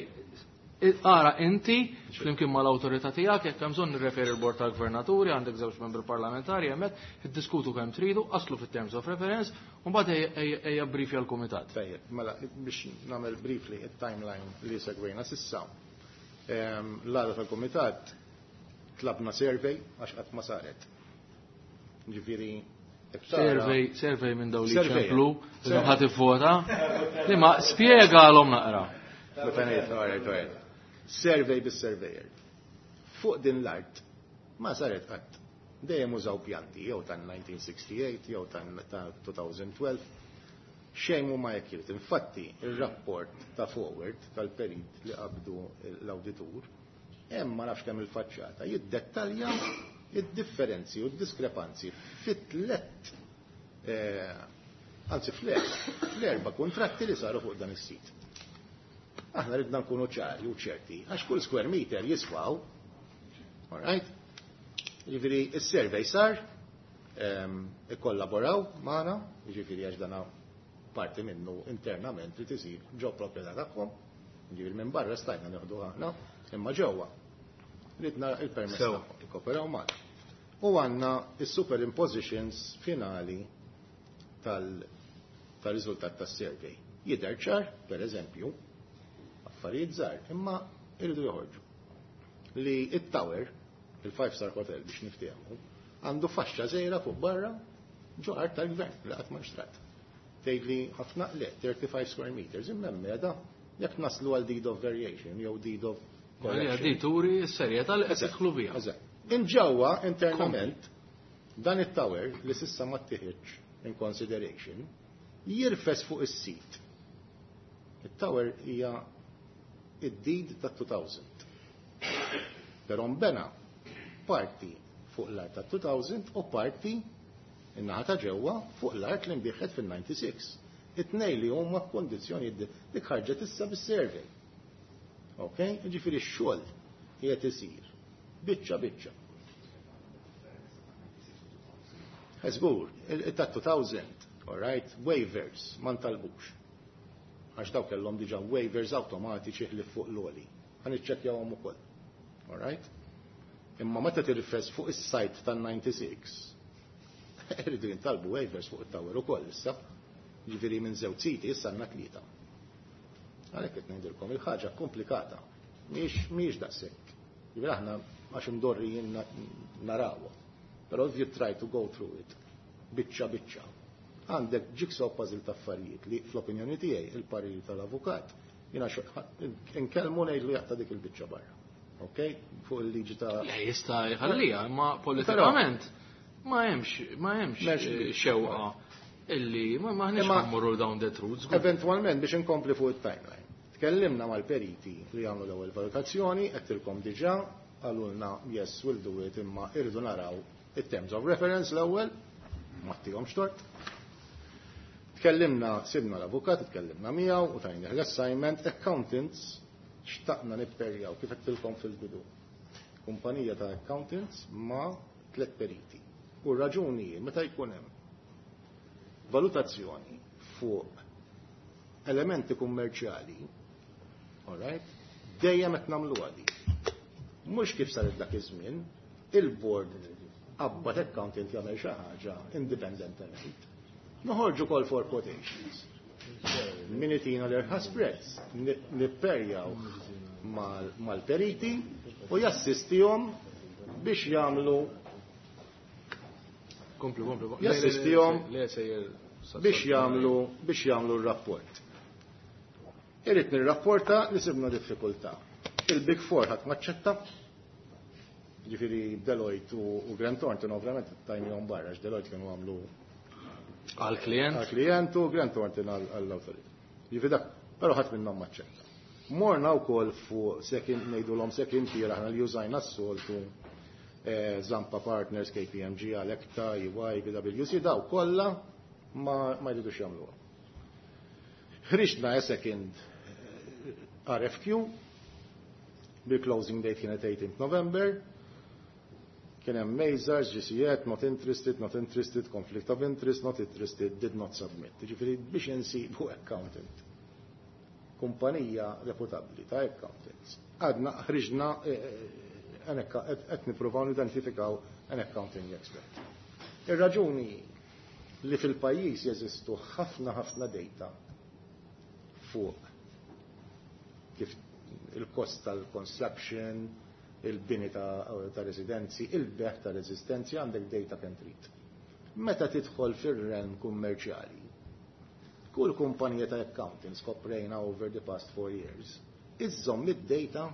Ara inti, flimkien mal-awtorità tiegħek, jekk hemm bżonn nirreferi l-bord tal-gvernaturi, għandek żewġ membri parlamentari hemmhekk, iddiskutu kemm tridu, aslu fit-terms of reference, u mbagħad ejja briefja l-kumitat. Tajjeb, mela biex nagħmel briefly it-timeline li segwejna s'issa. L-għada tal-kumitat tlabna survey għax qatt ma saret. Ġifieri Survey, survey minn dawn li ċemplu, li ħadd ivvota. Li ma spjegalhom naqra. Survey bis-surveyor. Fuq din l-art ma saret qatt. Dejjem użaw pjanti jew ta' nineteen sixty-eight jew ta' twenty twelve. Xejn ma accurate. Infatti, il-rapport ta' forward tal-perit li qabdu l-awditur, hemm ma nafx kemm il-faċċata, jiddettalja id-differenzi u d-diskrepanzi fit-tlet, eh, anzi fl-erba kontratti li saru fuq dan is-sit. Aħna ridna nkunu ċari u ċerti, għax kull square meter jiswaw, all right? Ġifieri, is-survey sar, ikkollaboraw magħna, ġifieri għax dana parti minnu internament li tisir ġo proprjetà tagħhom, ġifieri minn barra stajna nieħdu aħna, imma ġewwa. Ridna il-permess tagħhom, ikkoperaw magħna. U għandna is-superimpositions finali tal-riżultat tas-survey. Jidher ċar, per eżempju, affarijiet żgħar, imma irridu joħorġu. Li it-tower, il-Five Star Hotel biex niftehmu, għandu faxxa żgħira fuq barra ġo art tal-gvern li qatt ma nxtrat. Tgħidli ħafna, le, thirty-five square meters, imma meda jekk naslu għal deed of variation jew deed of correction. Di turi s-serjetà li qed tidħlu biha. Inġewwa internament dan it-tower li s'issa ma ttieħedx in consideration jirfes fuq is-sit. It-tower hija id-deed ta' two thousand. Però nbena parti fuq l-art ta' two thousand u parti in-naħa ta' ġewwa fuq l-art li nbiegħet fil-ninety-six. It-tnej li huma f'kondizzjoni dik ħarġet issa bis-survey. Ok? Ġifieri x-xogħol qiegħed isir. Biċċa biċċa. Żgur, ta' two thousand, all right, waivers, ma ntalbux. Għax daw kellhom diġà waivers automatiċi ħlif fuq l-għoli. Ħa niċċekkjawhom ukoll. All right? Imma meta tirrifes fuq is-site tan-ninety-six, irridu jintalbu waivers fuq it-tower ukoll issa. Ġifieri minn żewġ siti issa għandna tlieta. Għalhekk qed ngħidilkom il-ħaġa komplikata. Mhix mhix daqshekk. Ġifieri aħna għax imdorrijin narawha. Però if you try to go through it, biċċa biċċa, għandek jigsaw puzzle ta' affarijiet li fl-opinjoni tiegħi il-parir tal-avukat jiena nkellmu ngħidlu jaqta' dik il-biċċa barra. Ok? Fuq il-liġi ta' Le, jista' jħallija, imma politikament ma hemmx ma hemmx xewqa illi ma maħniex mmorru down that route. Eventualment biex inkompli fuq it-timeline. Tkellimna mal-periti li għamlu l-ewwel valutazzjoni, għedtilkom diġà, qalulna yes, we'll do it, imma irridu naraw it-terms of reference l-ewwel, ma ttihomx tort. Tkellimna, sibna l-avukat, tkellimna miegħu u tajna l-assignment accountants, xtaqna nipperjaw kif għedtilkom fil-bidu. Kumpanija ta' accountants ma' tlet periti. U raġuni meta jkun hemm valutazzjoni fuq elementi kummerċjali, all right, dejjem qed nagħmlu di. Mhux kif saret dak iż-żmien, il-board qabbad accountant jagħmel xi ħaġa indipendentement. Noħorġu call for quotations. Min itina l-irħas prezz, nipperjaw mal-periti u jassistihom biex jagħmlu Komplu, komplu. Jassistihom biex jagħmlu biex jagħmlu r-rapport. Irrid nirrapporta li sibna diffikultà. Il-Big Four ħadd maċċetta. Ġifieri Deloitte u Grant Thornton ovvjament tajnihom barra, għax Deloitte kienu għamlu għal-klient. Għal-klient u Grant Thornton għall-awtorità. Ġifieri dak, però ħadd minnhom maċċetta. Morna wkoll fuq second, ngħidulhom second tier aħna li użajna s-soltu, Zampa Partners, K P M G, Alecta, E Y, P W C, daw kollha ma, ma jridux jagħmluha. Ħriġna a second R F Q, bil-closing date kienet eighteenth November, kien hemm Mazars, G C, not interested, not interested, conflict of interest, not interested, did not submit. Ġifieri biex insibu accountant, kumpanija reputabbli ta' accountants. Għadna ħriġna qed nippruvaw nidentifikaw an accounting expert. Ir-raġuni li fil-pajjiż jeżistu ħafna ħafna data fuq kif il-kost tal-construction, il-bini ta', ta residenzi, il-bejgħ ta' residenzi, għandek data kemm trid. Meta tidħol fir-realm kummerċjali, kull kumpanija ta' accountants koprejna over the past four years, iżżomm id-data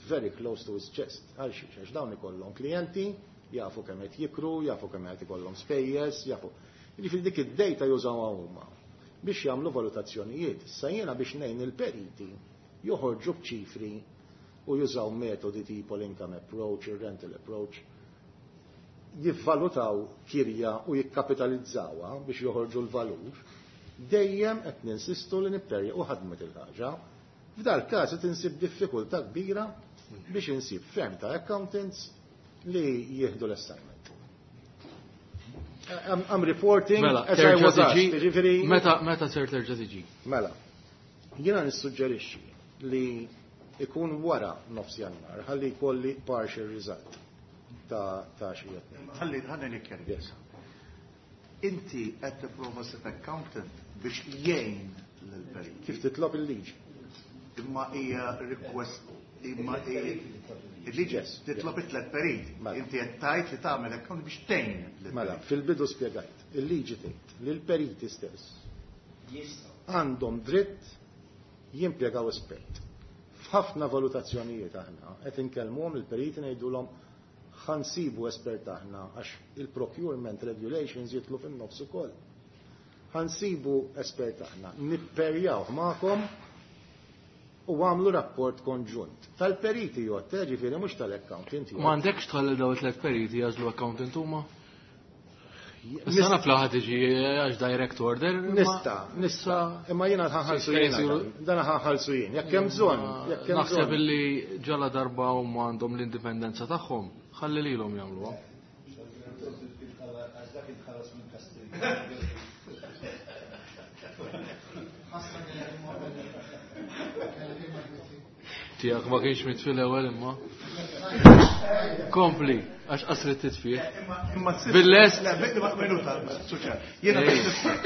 very close to his chest. Għal xiex, għax dawn ikollhom klijenti, jafu kemm qed jikru, jafu kemm qed ikollhom spejjeż, jafu. Jiġifieri dik id-data jużawha huma biex jagħmlu valutazzjonijiet. Issa jiena biex ngħin il-periti joħorġu b'ċifri u jużaw metodi tipo l-income approach, il-rental approach, jivvalutaw kirja u jikkapitalizzawha biex joħorġu l-valur, dejjem qed ninsistu li nipperja u ħadmet il-ħaġa. F'dal każ qed insib diffikultà kbira biex insib firm ta' accountants li jieħdu l-assignment. I'm, I'm reporting Mela, as I was terġa' asked. tiġi. Ġifieri- Meta meta ser terġa' tiġi? Mela, jiena nissuġġerixxi li ikun wara nofs Jannar, ħalli jkolli partial result ta' ta' xi qed ngħid. Ħalli ħalli nikkjeri. Yes. Inti qed tipprova ssib accountant biex jgħin lill-perit. Kif titlob il-liġi. Imma hija request, imma hija il-liġi Yes. titlob it-tlet perit. Mela. Inti qed tgħid li tagħmel accountant biex tgħin lill-perit. Mela, fil-bidu spjegajt, il-liġi tgħid li l-periti stess għandhom dritt jimpjegaw espert. F'ħafna valutazzjonijiet aħna qed inkellmuhom il-periti, ngħidulhom ħa nsibu espert aħna, għax il-procurement regulations jidħlu fin-nofs ukoll. Ħa nsibu espert aħna, nipperjaw magħkom u għamlu rapport konġunt. Tal-periti jgħod, ġifieri mhux tal-accountant. Ma għandekx tħalli daw it-tlet periti jagħżlu accountant huma? Issa naf la ħa tiġi għax direct order. imma- Nista, nista, imma jiena ħa nħallsu Se jien. jsiru- Dan ħa nħallsu jien. Jekk hemm bżonn, jekk hemm Naħseb bżonn. illi ġala darba huma għandhom l-indipendenza tagħhom, ħalli lilhom jagħmluha. Għax dak inħallas minn Kastilja. Tiegħek ma kienx mit fil-ewwel imma. Kompli, għax qasret titfih. Imma tsib- Bil-lest. Le, bil- minuta, suċa. Jiena Ej. biex nifhem.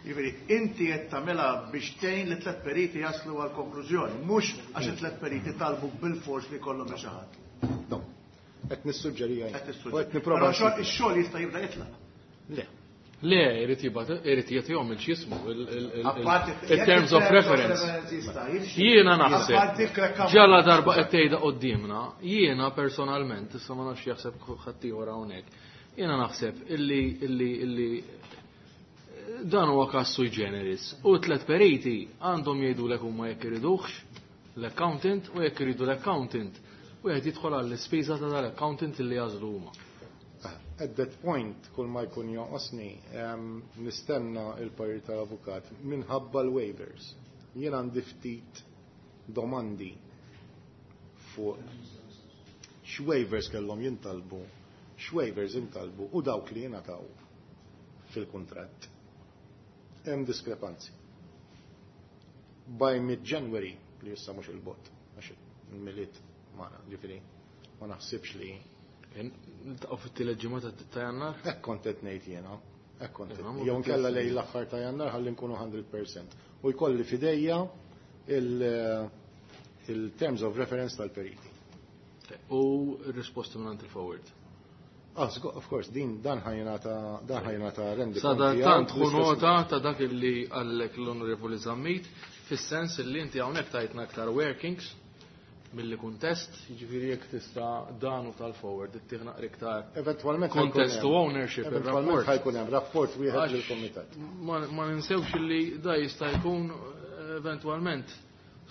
Jiġifieri, inti qed tagħmilha biex tgħin li tliet periti jaslu għal konklużjoni, mhux għax it-tliet periti talbu bil-fors li jkollhom xi ħadd. No. Qed nissuġġerija jien. Qed U tissuġġeri. qed nipprova. Però xogħol- ix-xogħol jista' jibda jitlaq. Le. Le, irid jibgħat, irid jagħtihom il-x'jismu, Apparti il-terms of reference. jista' jimxi. Jiena naħseb, Apparti krekka- ġala darba qed tgħidha quddiemna, jiena personalment, issa ma nafx jaħseb ħaddieħor hawnhekk, jiena naħseb illi illi illi dan huwa każ sui generis. U tlet periti għandhom jgħidulek huma jekk iriduhx l-accountant u jekk iridu l-accountant. Wieħed jidħol għall-ispiża ta' dal-accountant illi jagħżlu huma. At that point, kull ma jkun jonqosni, em, nistenna il-parir tal-avukat minħabba l-waivers. Jien għandi ftit domandi fuq x'waivers kellhom jintalbu, x'waivers intalbu u dawk li jingħataw fil-kuntratt. Hemm diskrepanzi. By mid-January, li issa mhux il-bogħod, għax il-Milied magħna, ġifieri, ma naħsibx li Niltaqgħu fit-tielet ġimgħa ta' ta' Jannar. Hekk kont qed ngħid jiena. Hekk kont qed Imma ngħid. Jew nkella lejn l-aħħar ta' Jannar ħalli nkunu mija fil-mija. U jkolli f'idejja il- il-terms of reference tal-periti. U r-risposta minn il-forward. Ah, sgo- of course, din dan ħa jingħata dan ħa jingħata rendi Sada konti tant għal ħu fl-istess nota ta' dak illi għallek l-Onorevoli Zammit, fis-sens illi inti hawnhekk tajtna aktar workings milli kuntest, jiġifieri jekk tista' dan u tal-forward ittih naqra iktar Eventwalment kontest u ownership Eventwalment ħa jkun hemm rapport wieħed lill-kumitat. Ma ninsewx li da jista' jkun eventwalment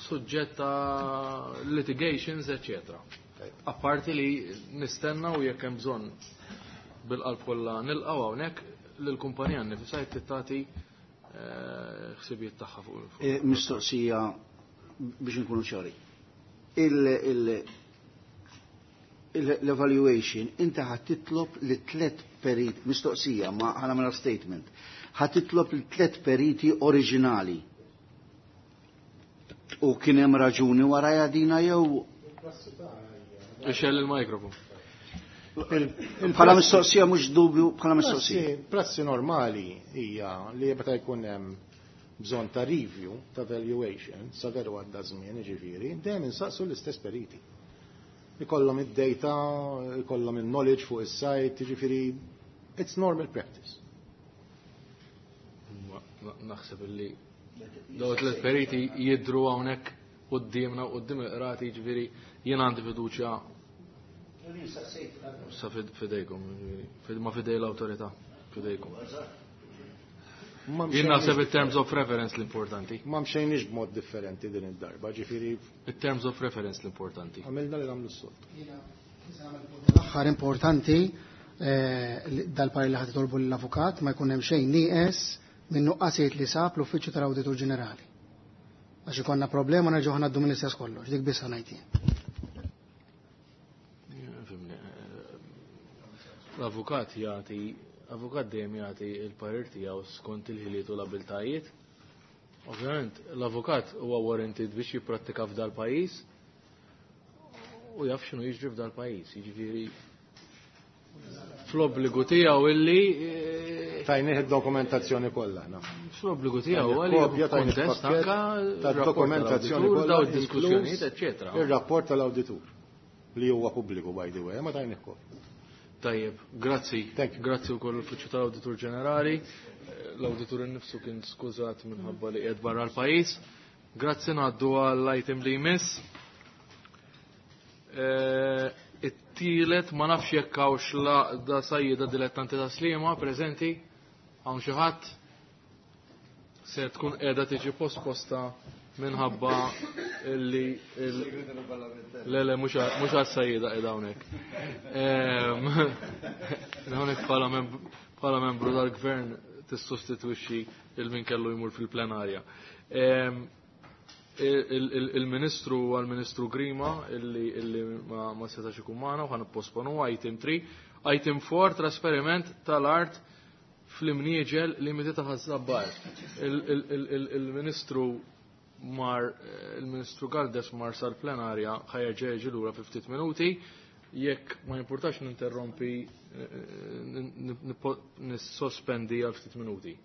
suġġett ta' litigations, eccetera. Apparti li nistenna u jekk hemm bżonn bil-qalb kollha nilqgħu hawnhekk lill-kumpanija nnifisha jekk tagħti ħsibijiet tagħha fuq. Mistoqsija biex inkunu ċari. L-evaluation inti ħad titlob li tliet perit, mistoqsija ma ħa nagħmilha statement, ħad titlob li tliet periti oriġinali. U kien hemm raġuni warajha dina jew Ixxell il-mikrofon. Bħala mistoqsija mhux dubju, bħala mistoqsija. Prassi normali hija li meta jkun hemm bżonn ta' review, ta' valuation, sa veru għadda żmien, jiġifieri, dejjem insaqsu l-istess periti. Ikollhom id-data, ikollhom il-knowledge fuq is-site, jiġifieri it's normal practice. Naħseb illi daw tliet periti jidhru hawnhekk quddiemna u quddiem il-qrati, jiġifieri jien għandi fiduċja sa fidejkom, ma fidej l-awtorità, fidejkom. Jien naħseb il-terms of reference l-importanti. Ma mxejniex b'mod differenti din id-darba, ġifieri. Il-terms of reference l-importanti. Għamilna li nagħmlu s-soltu. L-aħħar importanti dal-parir li ħad titolbu l-avukat ma jkun hemm xejn nieqes minn nuqqasijiet li sab l-Uffiċċju tal-Awditur Ġenerali. Għax ikollna problema nerġgħu ngħaddu mill-istess kollox, dik biss ngħid jien. L-avukat jagħti avukat dejjem jagħti l-parir tiegħu skont il-ħiliet u l-abiltajiet. Ovvjament, l-avukat huwa warranted biex jipprattika f'dal pajjiż u jaf x'inhu jiġri f'dal pajjiż. Jiġifieri fl-obbligu tiegħu illi tajnih id-dokumentazzjoni kollha aħna. Fl-obbligu tiegħu għalli kontest anka tad-dokumentazzjoni kollha daw id-diskussjonijiet, eċċetera. Ir-rapport tal-awditur li huwa pubbliku by the way, ma tajnih kopja. Tajjeb, grazzi. Grazzi wkoll l-Uffiċċju tal-Awditur Ġenerali. L-Awditur innifsu kien skużat minħabba li qiegħed barra l-pajjiż. Grazzi, ngħaddu għall-item li jmiss. It-tielet ma nafx jekk hawnx l-għaqda sajjieda dilettanti ta' Sliema preżenti, hawn xi ħadd se tkun qiegħda tiġi posposta minħabba illi le le mhux għas-sajjieda qiegħda hawnhekk. Hawnhekk bħala membru tal-gvern tissostitwixxi il min kellu jmur fil-plenarja. Il-Ministru għal-Ministru Grima illi ma setax ikun magħna u ħa nipposponu item three. Item four, trasferiment tal-art fl-imnieġel limiti ta' Ħaż-Żabbar. Il-Ministru mar il-Ministru Galdes mar sal-plenarja ħa jerġa' jiġi lura fi ftit minuti. Jekk ma jimpurtax ninterrompi nissospendi għal ftit minuti.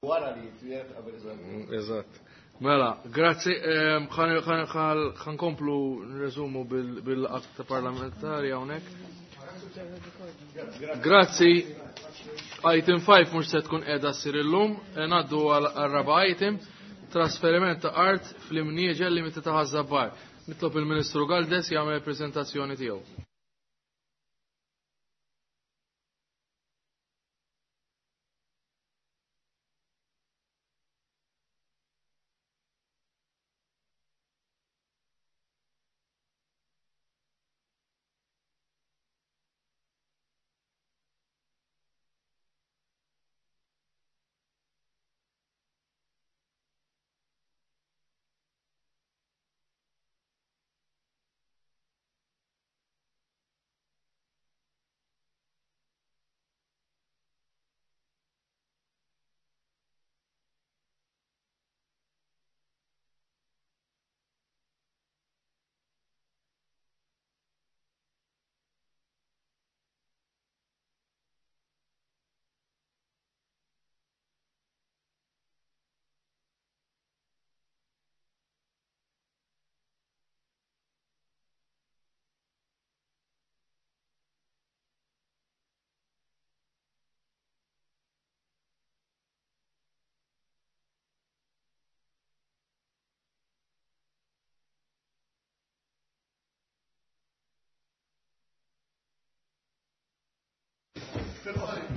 Wara li jitwiet qabel Eżatt. Mela, grazzi. Ħankomplu nreżumu bil-att parlamentari hawnhekk. Grazzi. Item five mhux se tkun qiegħda ssir illum, ngħaddu għal raba' item, trasferiment ta' art fl-imnieġel li meta ta' Ħaż-Żabbar. Nitlob il-Ministru Galdes jagħmel il-preżentazzjoni tiegħu.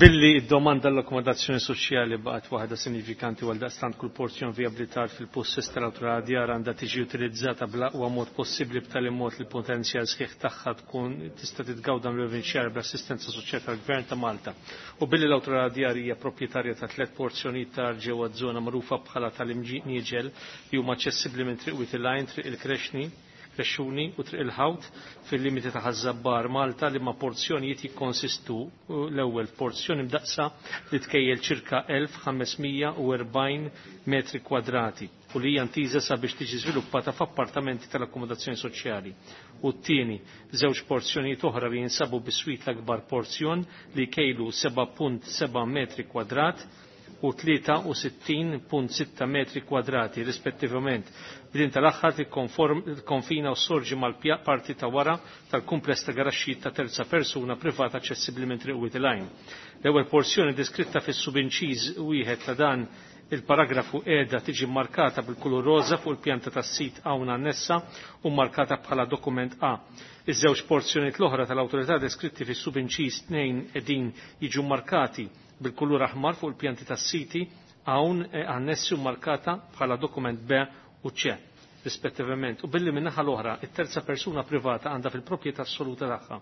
Billi id-domanda l-akkomodazzjoni soċjali baqgħet waħda sinifikanti għal daqstant kull porzjon vijabbli tar fil-possess tal-awtorità djar għandha tiġi utilizzata bl-aqwa mod possibbli b'tali mod li l-potenzjal sħiħ tagħha tkun tista' titgawda mill-benefiċjarji bl-assistenza soċjali tal-Gvern ta' Malta. U billi l-awtorità djar hija proprjetarja ta' tliet porzjonijiet ta' art ġewwa żona magħrufa bħala tal-Imnieġel li huma aċċessibbli minn Triq Wied il-Għajn, Triq il-Krexni, Krexxuni u Triq il-Ħawt fil-limiti ta' Ħaż-Żabbar Malta li ma' porzjonijiet jikkonsistu l-ewwel porzjoni mdaqsa li tkejjel ċirka elf ħames mija u erbgħin metri kwadrati u li hija ntiża sabiex tiġi żviluppata f'appartamenti tal-akkomodazzjoni soċjali. U t-tieni żewġ porzjonijiet oħra li jinsabu biswit l-akbar porzjon li jkejlu seba' punt seba' metri kwadrat u tlieta u sittin punt sitta metri kwadrati rispettivament. B'din tal-aħħar tikkonfina u sorġi mal-parti ta' wara tal-kumpless ta' garaxxijiet ta' terza persuna privata aċċessibbli minn Triq Wied il-Għajn. L-ewwel porzjoni deskritta fis-subinċiż wieħed ta' dan il-paragrafu qiegħda tiġi markata bil-kulur roża fuq il-pjanta tas-sit hawn annessa u markata bħala dokument A. Iż-żewġ porzjonijiet l-oħra tal-awtorità deskritti fis-subinċiż tnejn qegħdin jiġu markati bil-kulur aħmar fuq il-pjanti tas-siti hawn annessi u markata bħala dokument B u C rispettivament. U billi min-naħa l-oħra, it-terza persuna privata għandha fil-proprjetà assoluta tagħha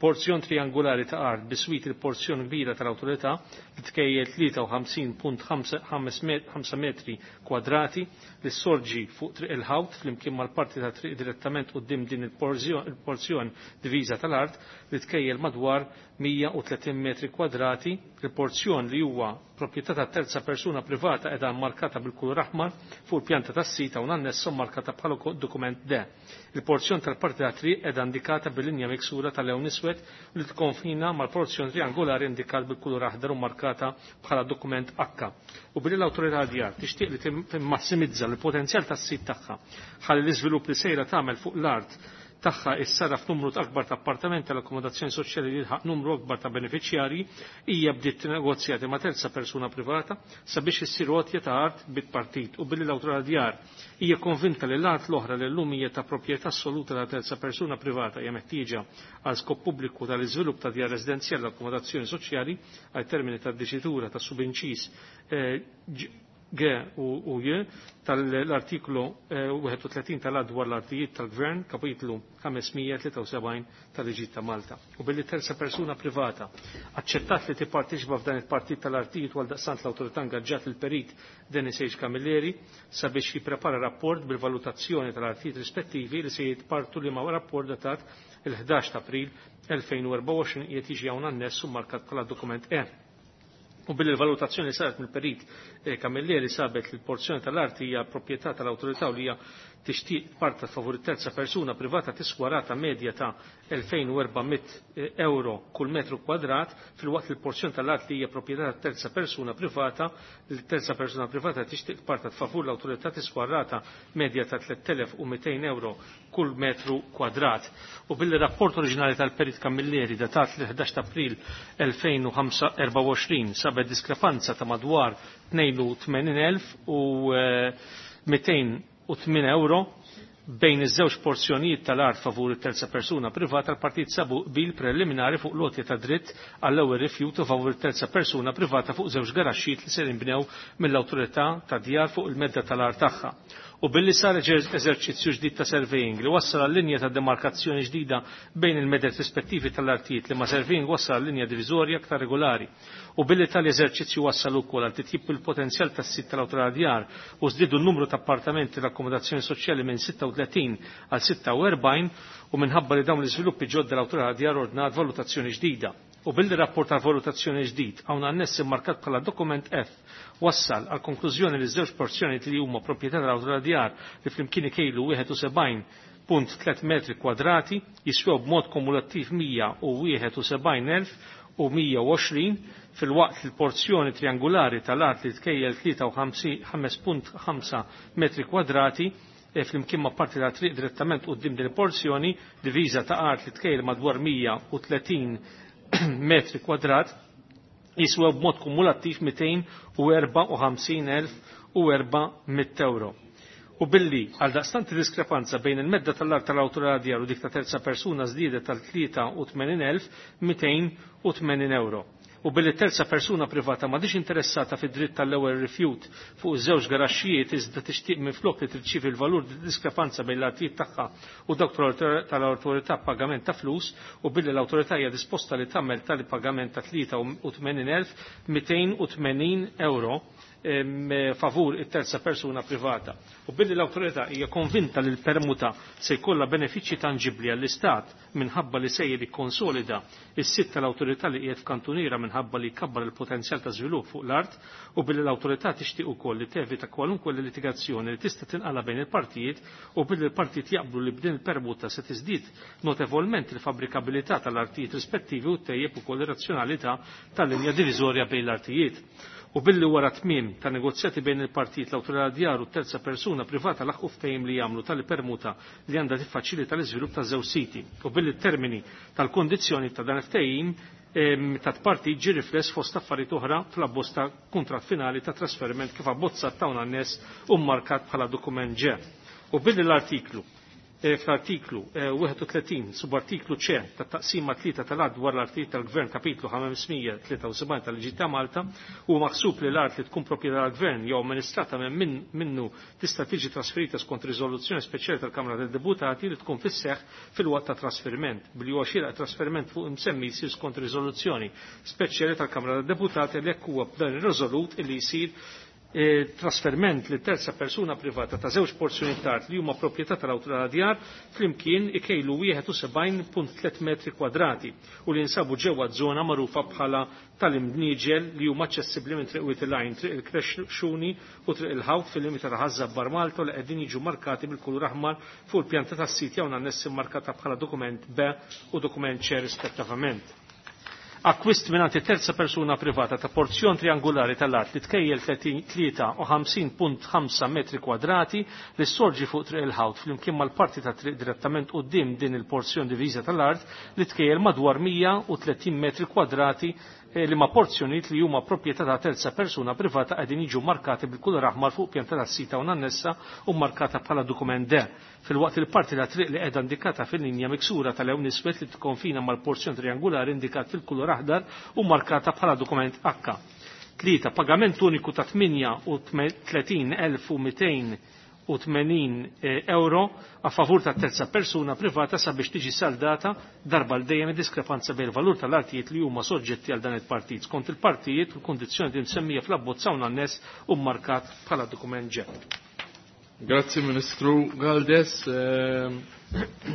porzjon triangolari ta' art biswit il-porzjon kbira tal-awtorità li tkejjel tlieta u ħamsin punt ħamsa metri kwadrati li sorġi fuq Triq il-Ħawt flimkien mal-parti ta' triq direttament quddiem din il-porzjon diviża tal-art li tkejjel madwar mija u tletin metri kwadrati. Il-porzjon li huwa proprjetà ta' terza persuna privata qiegħda markata bil-kulur aħmar fuq il-pjanta tas-sit hawn annessa markata bħala dokument D. Il-porzjon tal-parti ta' triq qiegħda indikata bil-linja miksura tal-lewn iswed li tkonfina mal-porzjon triangolari indikat bil-kulur aħdar u markata bħala dokument H. U billi l-awtorità djar tixtieq li timmassimizza l-potenzjal tas-sit tagħha ħalli l-iżvilupp li sejra tagħmel fuq l-art tagħha issara f'numru akbar ta' appartamenti tal-akkomodazzjoni soċjali li jilħaq numru akbar ta' benefiċjarji, hija bdiet negozjati ma' terza persuna privata sabiex issir għotja ta' art bit-partit. U billi l-awtorità djar hija konvinta li l-art l-oħra li llum hija ta' proprjetà assoluta ta' terza persuna privata hija meħtieġa għal skop pubbliku tal-iżvilupp ta' djar residenzjali l-akkomodazzjoni soċjali għal termini ta' diċitura ta' subinċiż, eh, G u J tal-artiklu wieħed u tletin tal-Att dwar l-artijiet tal-Gvern, kapitlu ħames mija tlieta u sebgħin tal-Liġi ta' Malta. U billi terza persuna privata aċċettat li tipparteċipa f'dan il-partit tal-artijiet għal daqstant l-awtorità ingaġġat il-perit Dennis H. Camilleri sabiex jipprepara rapport bil-valutazzjoni tal-artijiet rispettivi li se jitpartu li ma' rapport datat il-ħdax ta' April elfejn u erbgħa u għoxrin qiegħed jiġi hawn anness u markat bħala dokument E. U billi l-valutazzjoni saret mill-perit eh, Camilleri sabet li l-porzjoni tal-art hija proprjetà tal-awtorità u li hija tixtieq parta favur terza persuna privata tiswa rata medja ta' elfejn u erba' mitt euro kull metru kwadrat, filwaqt li l-porzjoni tal-art li hija proprjetà ta' terza persuna privata li terza persuna privata tixtieq parta favur l-awtorità tiswa rata medja ta' tliet elef u mitejn euro kull metru kwadrat. U billi rapport oriġinali tal-perit Camilleri datat l-ħdax ta' April elfejn u erbgħa u għoxrin sabet diskrepanza ta' madwar tnejn u tmenin elf u mitejn u tmien euro bejn iż-żewġ porzjonijiet tal-art favur it-terza persuna privata, l-partit sabu qbil preliminari fuq lotja ta' dritt għall-ewwel rifjut u favur it-terza persuna privata fuq żewġ garaxxijiet li ser inbnew mill-awtorità ta' djar fuq il-medda tal-art tagħha. U billi sar eżerċizzju ġdid ta' surveying li wassal għal linja ta' demarkazzjoni ġdida bejn il-meded rispettivi tal-artijiet li ma' surveying wassal għal linja diviżorja aktar regolari. U billi tal-eżerċizzju wassal ukoll għal titjib il-potenzjal tas-sit tal-awtorità djar u żdiedu n-numru ta' appartamenti tal-akkomodazzjoni soċjali minn sitta u tletin għal sitta u erbgħin u minħabba li dawn l-iżviluppi ġodda l-awtorità djar ordnat valutazzjoni ġdida. U billi rapport ta' valutazzjoni ġdid hawn annessi markat bħala dokument F wassal għal konklużjoni li żewġ porzjoni li huma proprjetà tal-awtorità djar li flimkien ikejlu wieħed u sebgħin punt tliet metri kwadrati jiswew b'mod kumulattiv mija u wieħed u sebgħin elf u mija u għoxrin filwaqt li l-porzjoni triangolari tal-art li tkejjel tlieta u ħames punt ħamsa metri kwadrati e flimkien ma' parti ta' triq direttament quddiem din il-porzjoni diviża ta' art li tkejjel madwar mija u tletin metri kwadrat jiswew b'mod kumulattiv mitejn u erba' u ħamsin elf u erba' mitt euro. U billi għal daqstant diskrepanza bejn il-medda tal-art tal-awtorità djar u dik ta' terza persuna żdiedet tal tlieta u tmenin elf mitejn u tmenin euro. U billi terza persuna privata m'għadix interessata fid-dritt tal-ewwel rifjut fuq iż-żewġ garaxxijiet iżda tixtieq minflok li tirċievi l-valur diskrepanza bejn l-artijiet tagħha u dawk tal-awtorità pagament ta' flus, u billi l-awtorità hija disposta li tagħmel tali pagament ta' tlieta u tmenin elf mitejn u tmenin euro favur it-terza persuna privata. U billi l-awtorità hija konvinta li l-permuta se jkollha benefiċċji tanġibbli għall-Istat minħabba li sejjer ikkonsolida is-sit tal-awtorità li qiegħed f'kantuniera minħabba li jkabbar il-potenzjal ta' żvilupp fuq l-art, u billi l-awtorità tixtieq ukoll li tevita kwalunkwe litigazzjoni li tista' tinqala bejn il-partijiet, u billi l-partijiet jaqblu li b'din il-permuta se tiżdied notevolment il-fabbrikabilità tal-artijiet rispettivi u tejjeb ukoll ir-razzjonalità tal-linja diviżorja bejn l-artijiet. U billi wara tmiem ta' negozjati bejn il-partijiet l-awtorità djar u terza persuna privata laħqu ftehim li jagħmlu tal-permuta li għandha tiffaċilita l-iżvilupp ta' żewġ siti. U billi t-termini tal-kondizzjoni ta' dan ftehim ta' parti ġi rifless fost affarijiet oħra fl-abbozz ta' kuntratt finali ta' trasferiment kif abbozzat ta' annes u mmarkat bħala dokument G. U billi l-artiklu fl-artiklu wieħed u tletin subartiklu C ta' taqsima tlieta tal-att dwar l-artijiet tal-Gvern kapitlu ħamsmija tlieta u sebgħin tal-Liġi ta' Malta huwa maħsub li l-art li tkun proprjetà tal-Gvern jew amministrata minn minnu tista' tiġi trasferita skont riżoluzzjoni speċjali tal-Kamra tad-Deputati li tkun fis-seħħ fil-waqt ta' trasferiment, billi huwa xieraq trasferiment fuq imsemmi jsir skont riżoluzzjoni speċjali tal-Kamra tad-Deputati li hekk huwa b'dan ir-riżolut illi jsir trasferment li terza persuna privata ta' żewġ porzjoni ta' art li huma proprjetà tal-awtorità djar flimkien ikejlu wieħed u sebgħin punt tliet metri kwadrati u li jinsabu ġewwa żona magħrufa bħala tal-imnieġel li huma aċċessibbli minn Triq Wied il-Għajn, Triq il-Krexxuni u Triq il-Ħawt fil-limita ta' Ħaż-Żabbar Malta li qegħdin jiġu markati bil-kulur aħmar fuq il-pjanta tas-sit jew annessi markata bħala dokument B u dokument C rispettivament. Akkwist mingħand terza persuna privata ta' porzjon triangolari tal-art li tkejjel tlieta u ħamsin punt ħamsa metri kwadrati li sorġi fuq Triq il-Ħawt flimkien mal-parti ta' triq direttament quddiem din il-porzjon diviża tal-art li tkejjel madwar mija u tletin metri kwadrati li ma' porzjonijiet li huma proprjetà ta' terza persuna privata qegħdin jiġu markati bil-kulur aħmar fuq pjanta tas-sita u annessa u markata bħala dokument D. Fil-waqt il-parti ta' triq li qiegħda indikata fil-linja miksura tal-lewn iswed li tikkonfina mal-porzjon triangolari indikat fil-kulur aħdar u markata bħala dokument H. Tlieta, pagament uniku ta' tminja u tletin elf u mitejn u tmenin euro a favur ta' terza persuna privata sabiex tiġi saldata darba l dejjem diskrepanza bejn il-valur tal-artijiet li huma soġġetti għal dan il-partit skont il-partijiet u l-kondizzjoni li msemmija fl-abbozz hawn annes u markat bħala dokument ġe. Grazzi Ministru Galdes.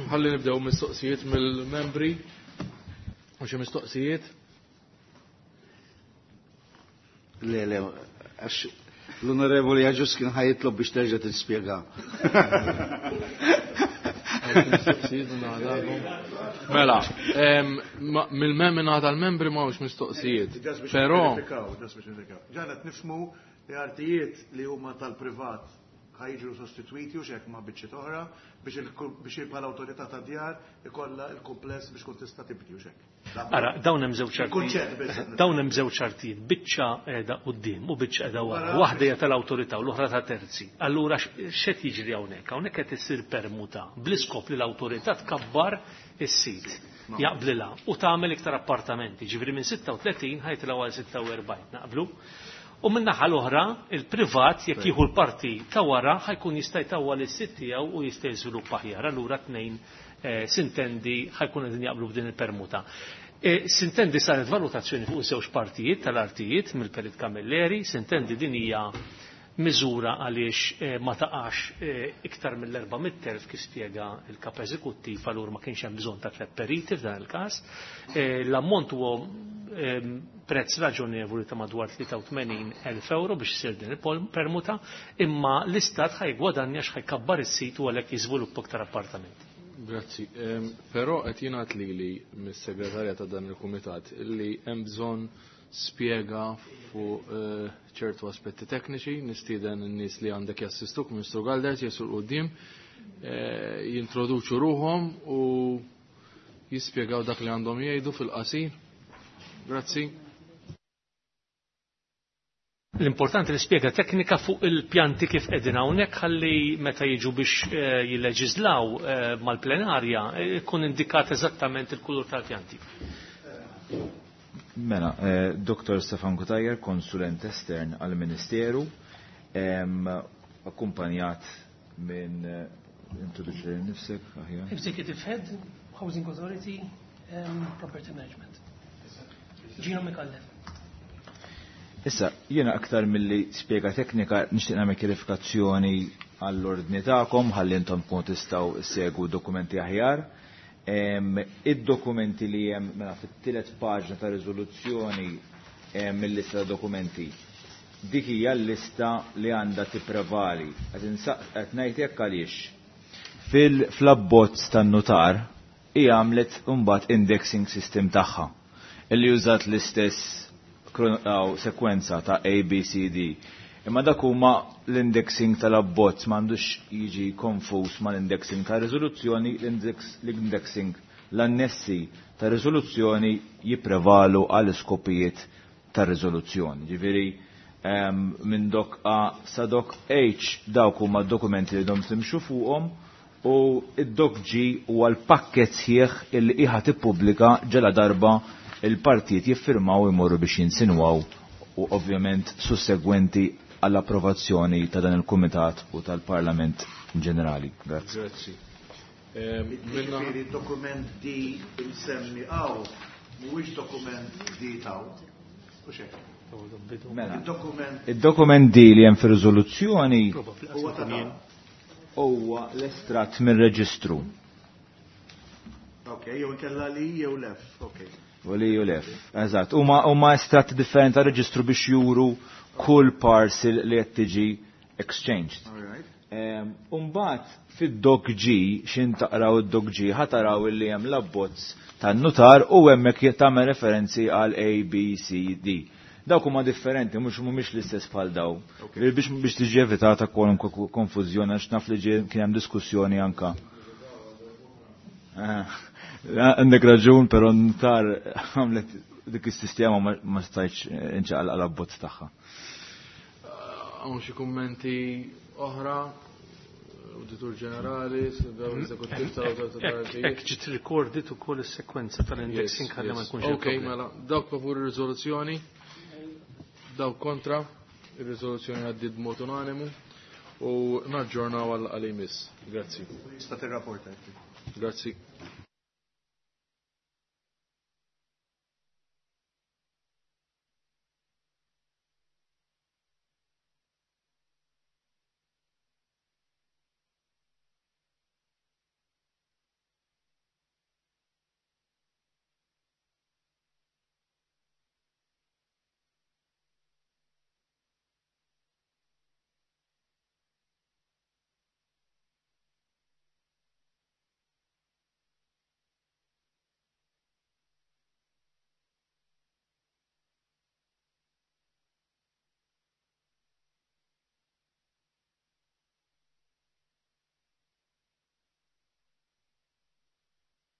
Ħalli nibdew mistoqsijiet mill-membri. U xi mistoqsijiet? Le, le, għax l-Onorevoli Agius kien ħa jitlob biex terġa' tispjega. Mela, mill-mem minn tal-membri ma hux mistoqsijiet. Però ġanet nifhmu li artijiet li huma tal-privat ħa jiġu sostitwiti u xek ma' biċċiet oħra biex biex bħala awtorità ta' djar ikollha il-kumpless biex kun tista' tibni u xek. Ara, dawn hemm żewġ artijiet. Dawn hemm żewġ artijiet, biċċa qiegħda quddiem u biċċa qiegħda wara. Waħda hija tal-awtorità u l-oħra ta' terzi. Allura x'qed jiġri hawnhekk? Hawnhekk qed issir permuta bl-iskop li l-awtorità tkabbar is-sit. Jaqblilha u tagħmel iktar appartamenti, ġifieri minn sitta u tletin ħajtilgħu għal sitta u erbgħin, naqblu? U min-naħa l-oħra, il-privat jekk jieħu l-parti ta' wara ħajkun jista' jtawwal is-sit tiegħu u jista' jiżviluppa aħjar. Allura tnejn sintendi ħajkun qegħdin jaqblu b'din il-permuta. Sintendi saret valutazzjoni fuq żewġ partijiet tal-artijiet mill-Perit Camilleri, sintendi din hija miżura għaliex ma taqax iktar mill-erba' mitt elf kif spjega il-kap eżekuttiv, allura ma kienx hemm bżonn ta' tliet periti f'dan il-każ. L-ammont huwa prezz raġonevoli ta' madwar tlieta u tmenin elf euro biex isir din il-permuta, imma l-istat ħajgwadanja x'ħajkabbar is-sit u għalhekk jiżviluppa aktar appartamenti. Grazzi. Però qed jingħad lili mis-segretarja ta' dan il-kumitat illi hemm bżonn spjega fuq ċertu aspetti tekniċi, nistieden in-nies li għandek jassistuk, Ministru Galdes, jesu l-qudiem, jintroduċu ruhom u jispjegaw dak li għandhom jgħidu fil-qasir. Grazzi. L-importanti li spjega teknika fuq il-pjanti kif qegħdin hawnhekk ħalli meta jiġu biex jilleġislaw mal-plenarja ikun indikat eżattament il-kulur tal-pjanti. Mela, Doktor Stefan Cutajar, konsulent estern għal-Ministeru, akkumpanjat minn introduċi nifsek aħjar. Executive Head, Housing Authority, Property Management. Gino Micallef. Issa, jiena aktar milli spjega teknika nixtieq nagħmel kjarifikazzjoni għall-ordni tagħkom ħalli intom tkunu tistgħu ssegwu dokumenti aħjar. Id-dokumenti li hemm mela fit-tielet paġna ta' riżoluzzjoni mill-lista ta' dokumenti. Dik hija l-lista li għandha tipprevali. Qed ngħid hekk għaliex. Fil-abbozz tan-nutar hija għamlet imbagħad indexing system tagħha illi użat l-istess sekwenza ta' A, B, C, D. Imma dak huma l-indexing tal-abbozz m'għandux jiġi konfus mal-indexing ta' riżoluzzjoni, l-indexing l-annessi ta' riżoluzzjoni jipprevalu għal iskopijiet ta' riżoluzzjoni. Ġifieri minn dok A sa dok H dawk huma d-dokumenti li dom timxu fuqhom u id-dok G huwa l-pakket sħiħ illi qiegħed tippubblika ġela darba il-partijiet jiffirmaw imorru biex jinsinwaw u ovvjament sussegwenti għall-approvazzjoni ta' dan il-Kumitat u tal-Parlament in ġenerali. Grazzi. Grazzi. Ġifieri dokument D imsemmi hawn mhuwiex dokument D taw. U xejn. Mela. Id-dokument Id-dokument D li hemm fir-riżoluzzjoni huwa ta' dawn. Huwa l-estratt mir-reġistru. Ok, jew inkella li jew lef, ok. U li jew lef, eżatt. Huma huma estratti differenti ta' reġistru biex juru kull parcel li qed tiġi exchanged. Umbagħad fid-dok G, x'in taqraw id-dok G, ħa taraw illi hemm l-abbozz tan-nutar u hemmhekk tagħmel referenzi għal A, B, C, D. Dawk huma differenti, mhux mhumiex l-istess bħal daw. Biex, biex tiġi evitata kwalunkwe konfużjoni għax naf li ġie kien hemm diskussjoni anka. Għandek raġun, però n-nutar għamlet dik is-sistema ma, ma stajtx inċaqal għal abbozz tagħha. Hawn xi kummenti oħra? Auditur Ġenerali, daw l-Eżekuttiv tal-Awtorità tal-Artijiet. Hekk ġiet recorded ukoll is-sekwenza tal-indexing Yes, ħalli ma yes. jkunx hemm Ok, problema. mela, dawk favur ir-riżoluzzjoni, dawk kontra, ir-riżoluzzjoni għaddiet b'mod unanimu u naġġornaw għal għal imiss. Grazzi. Sta tirrapporta. Grazzi.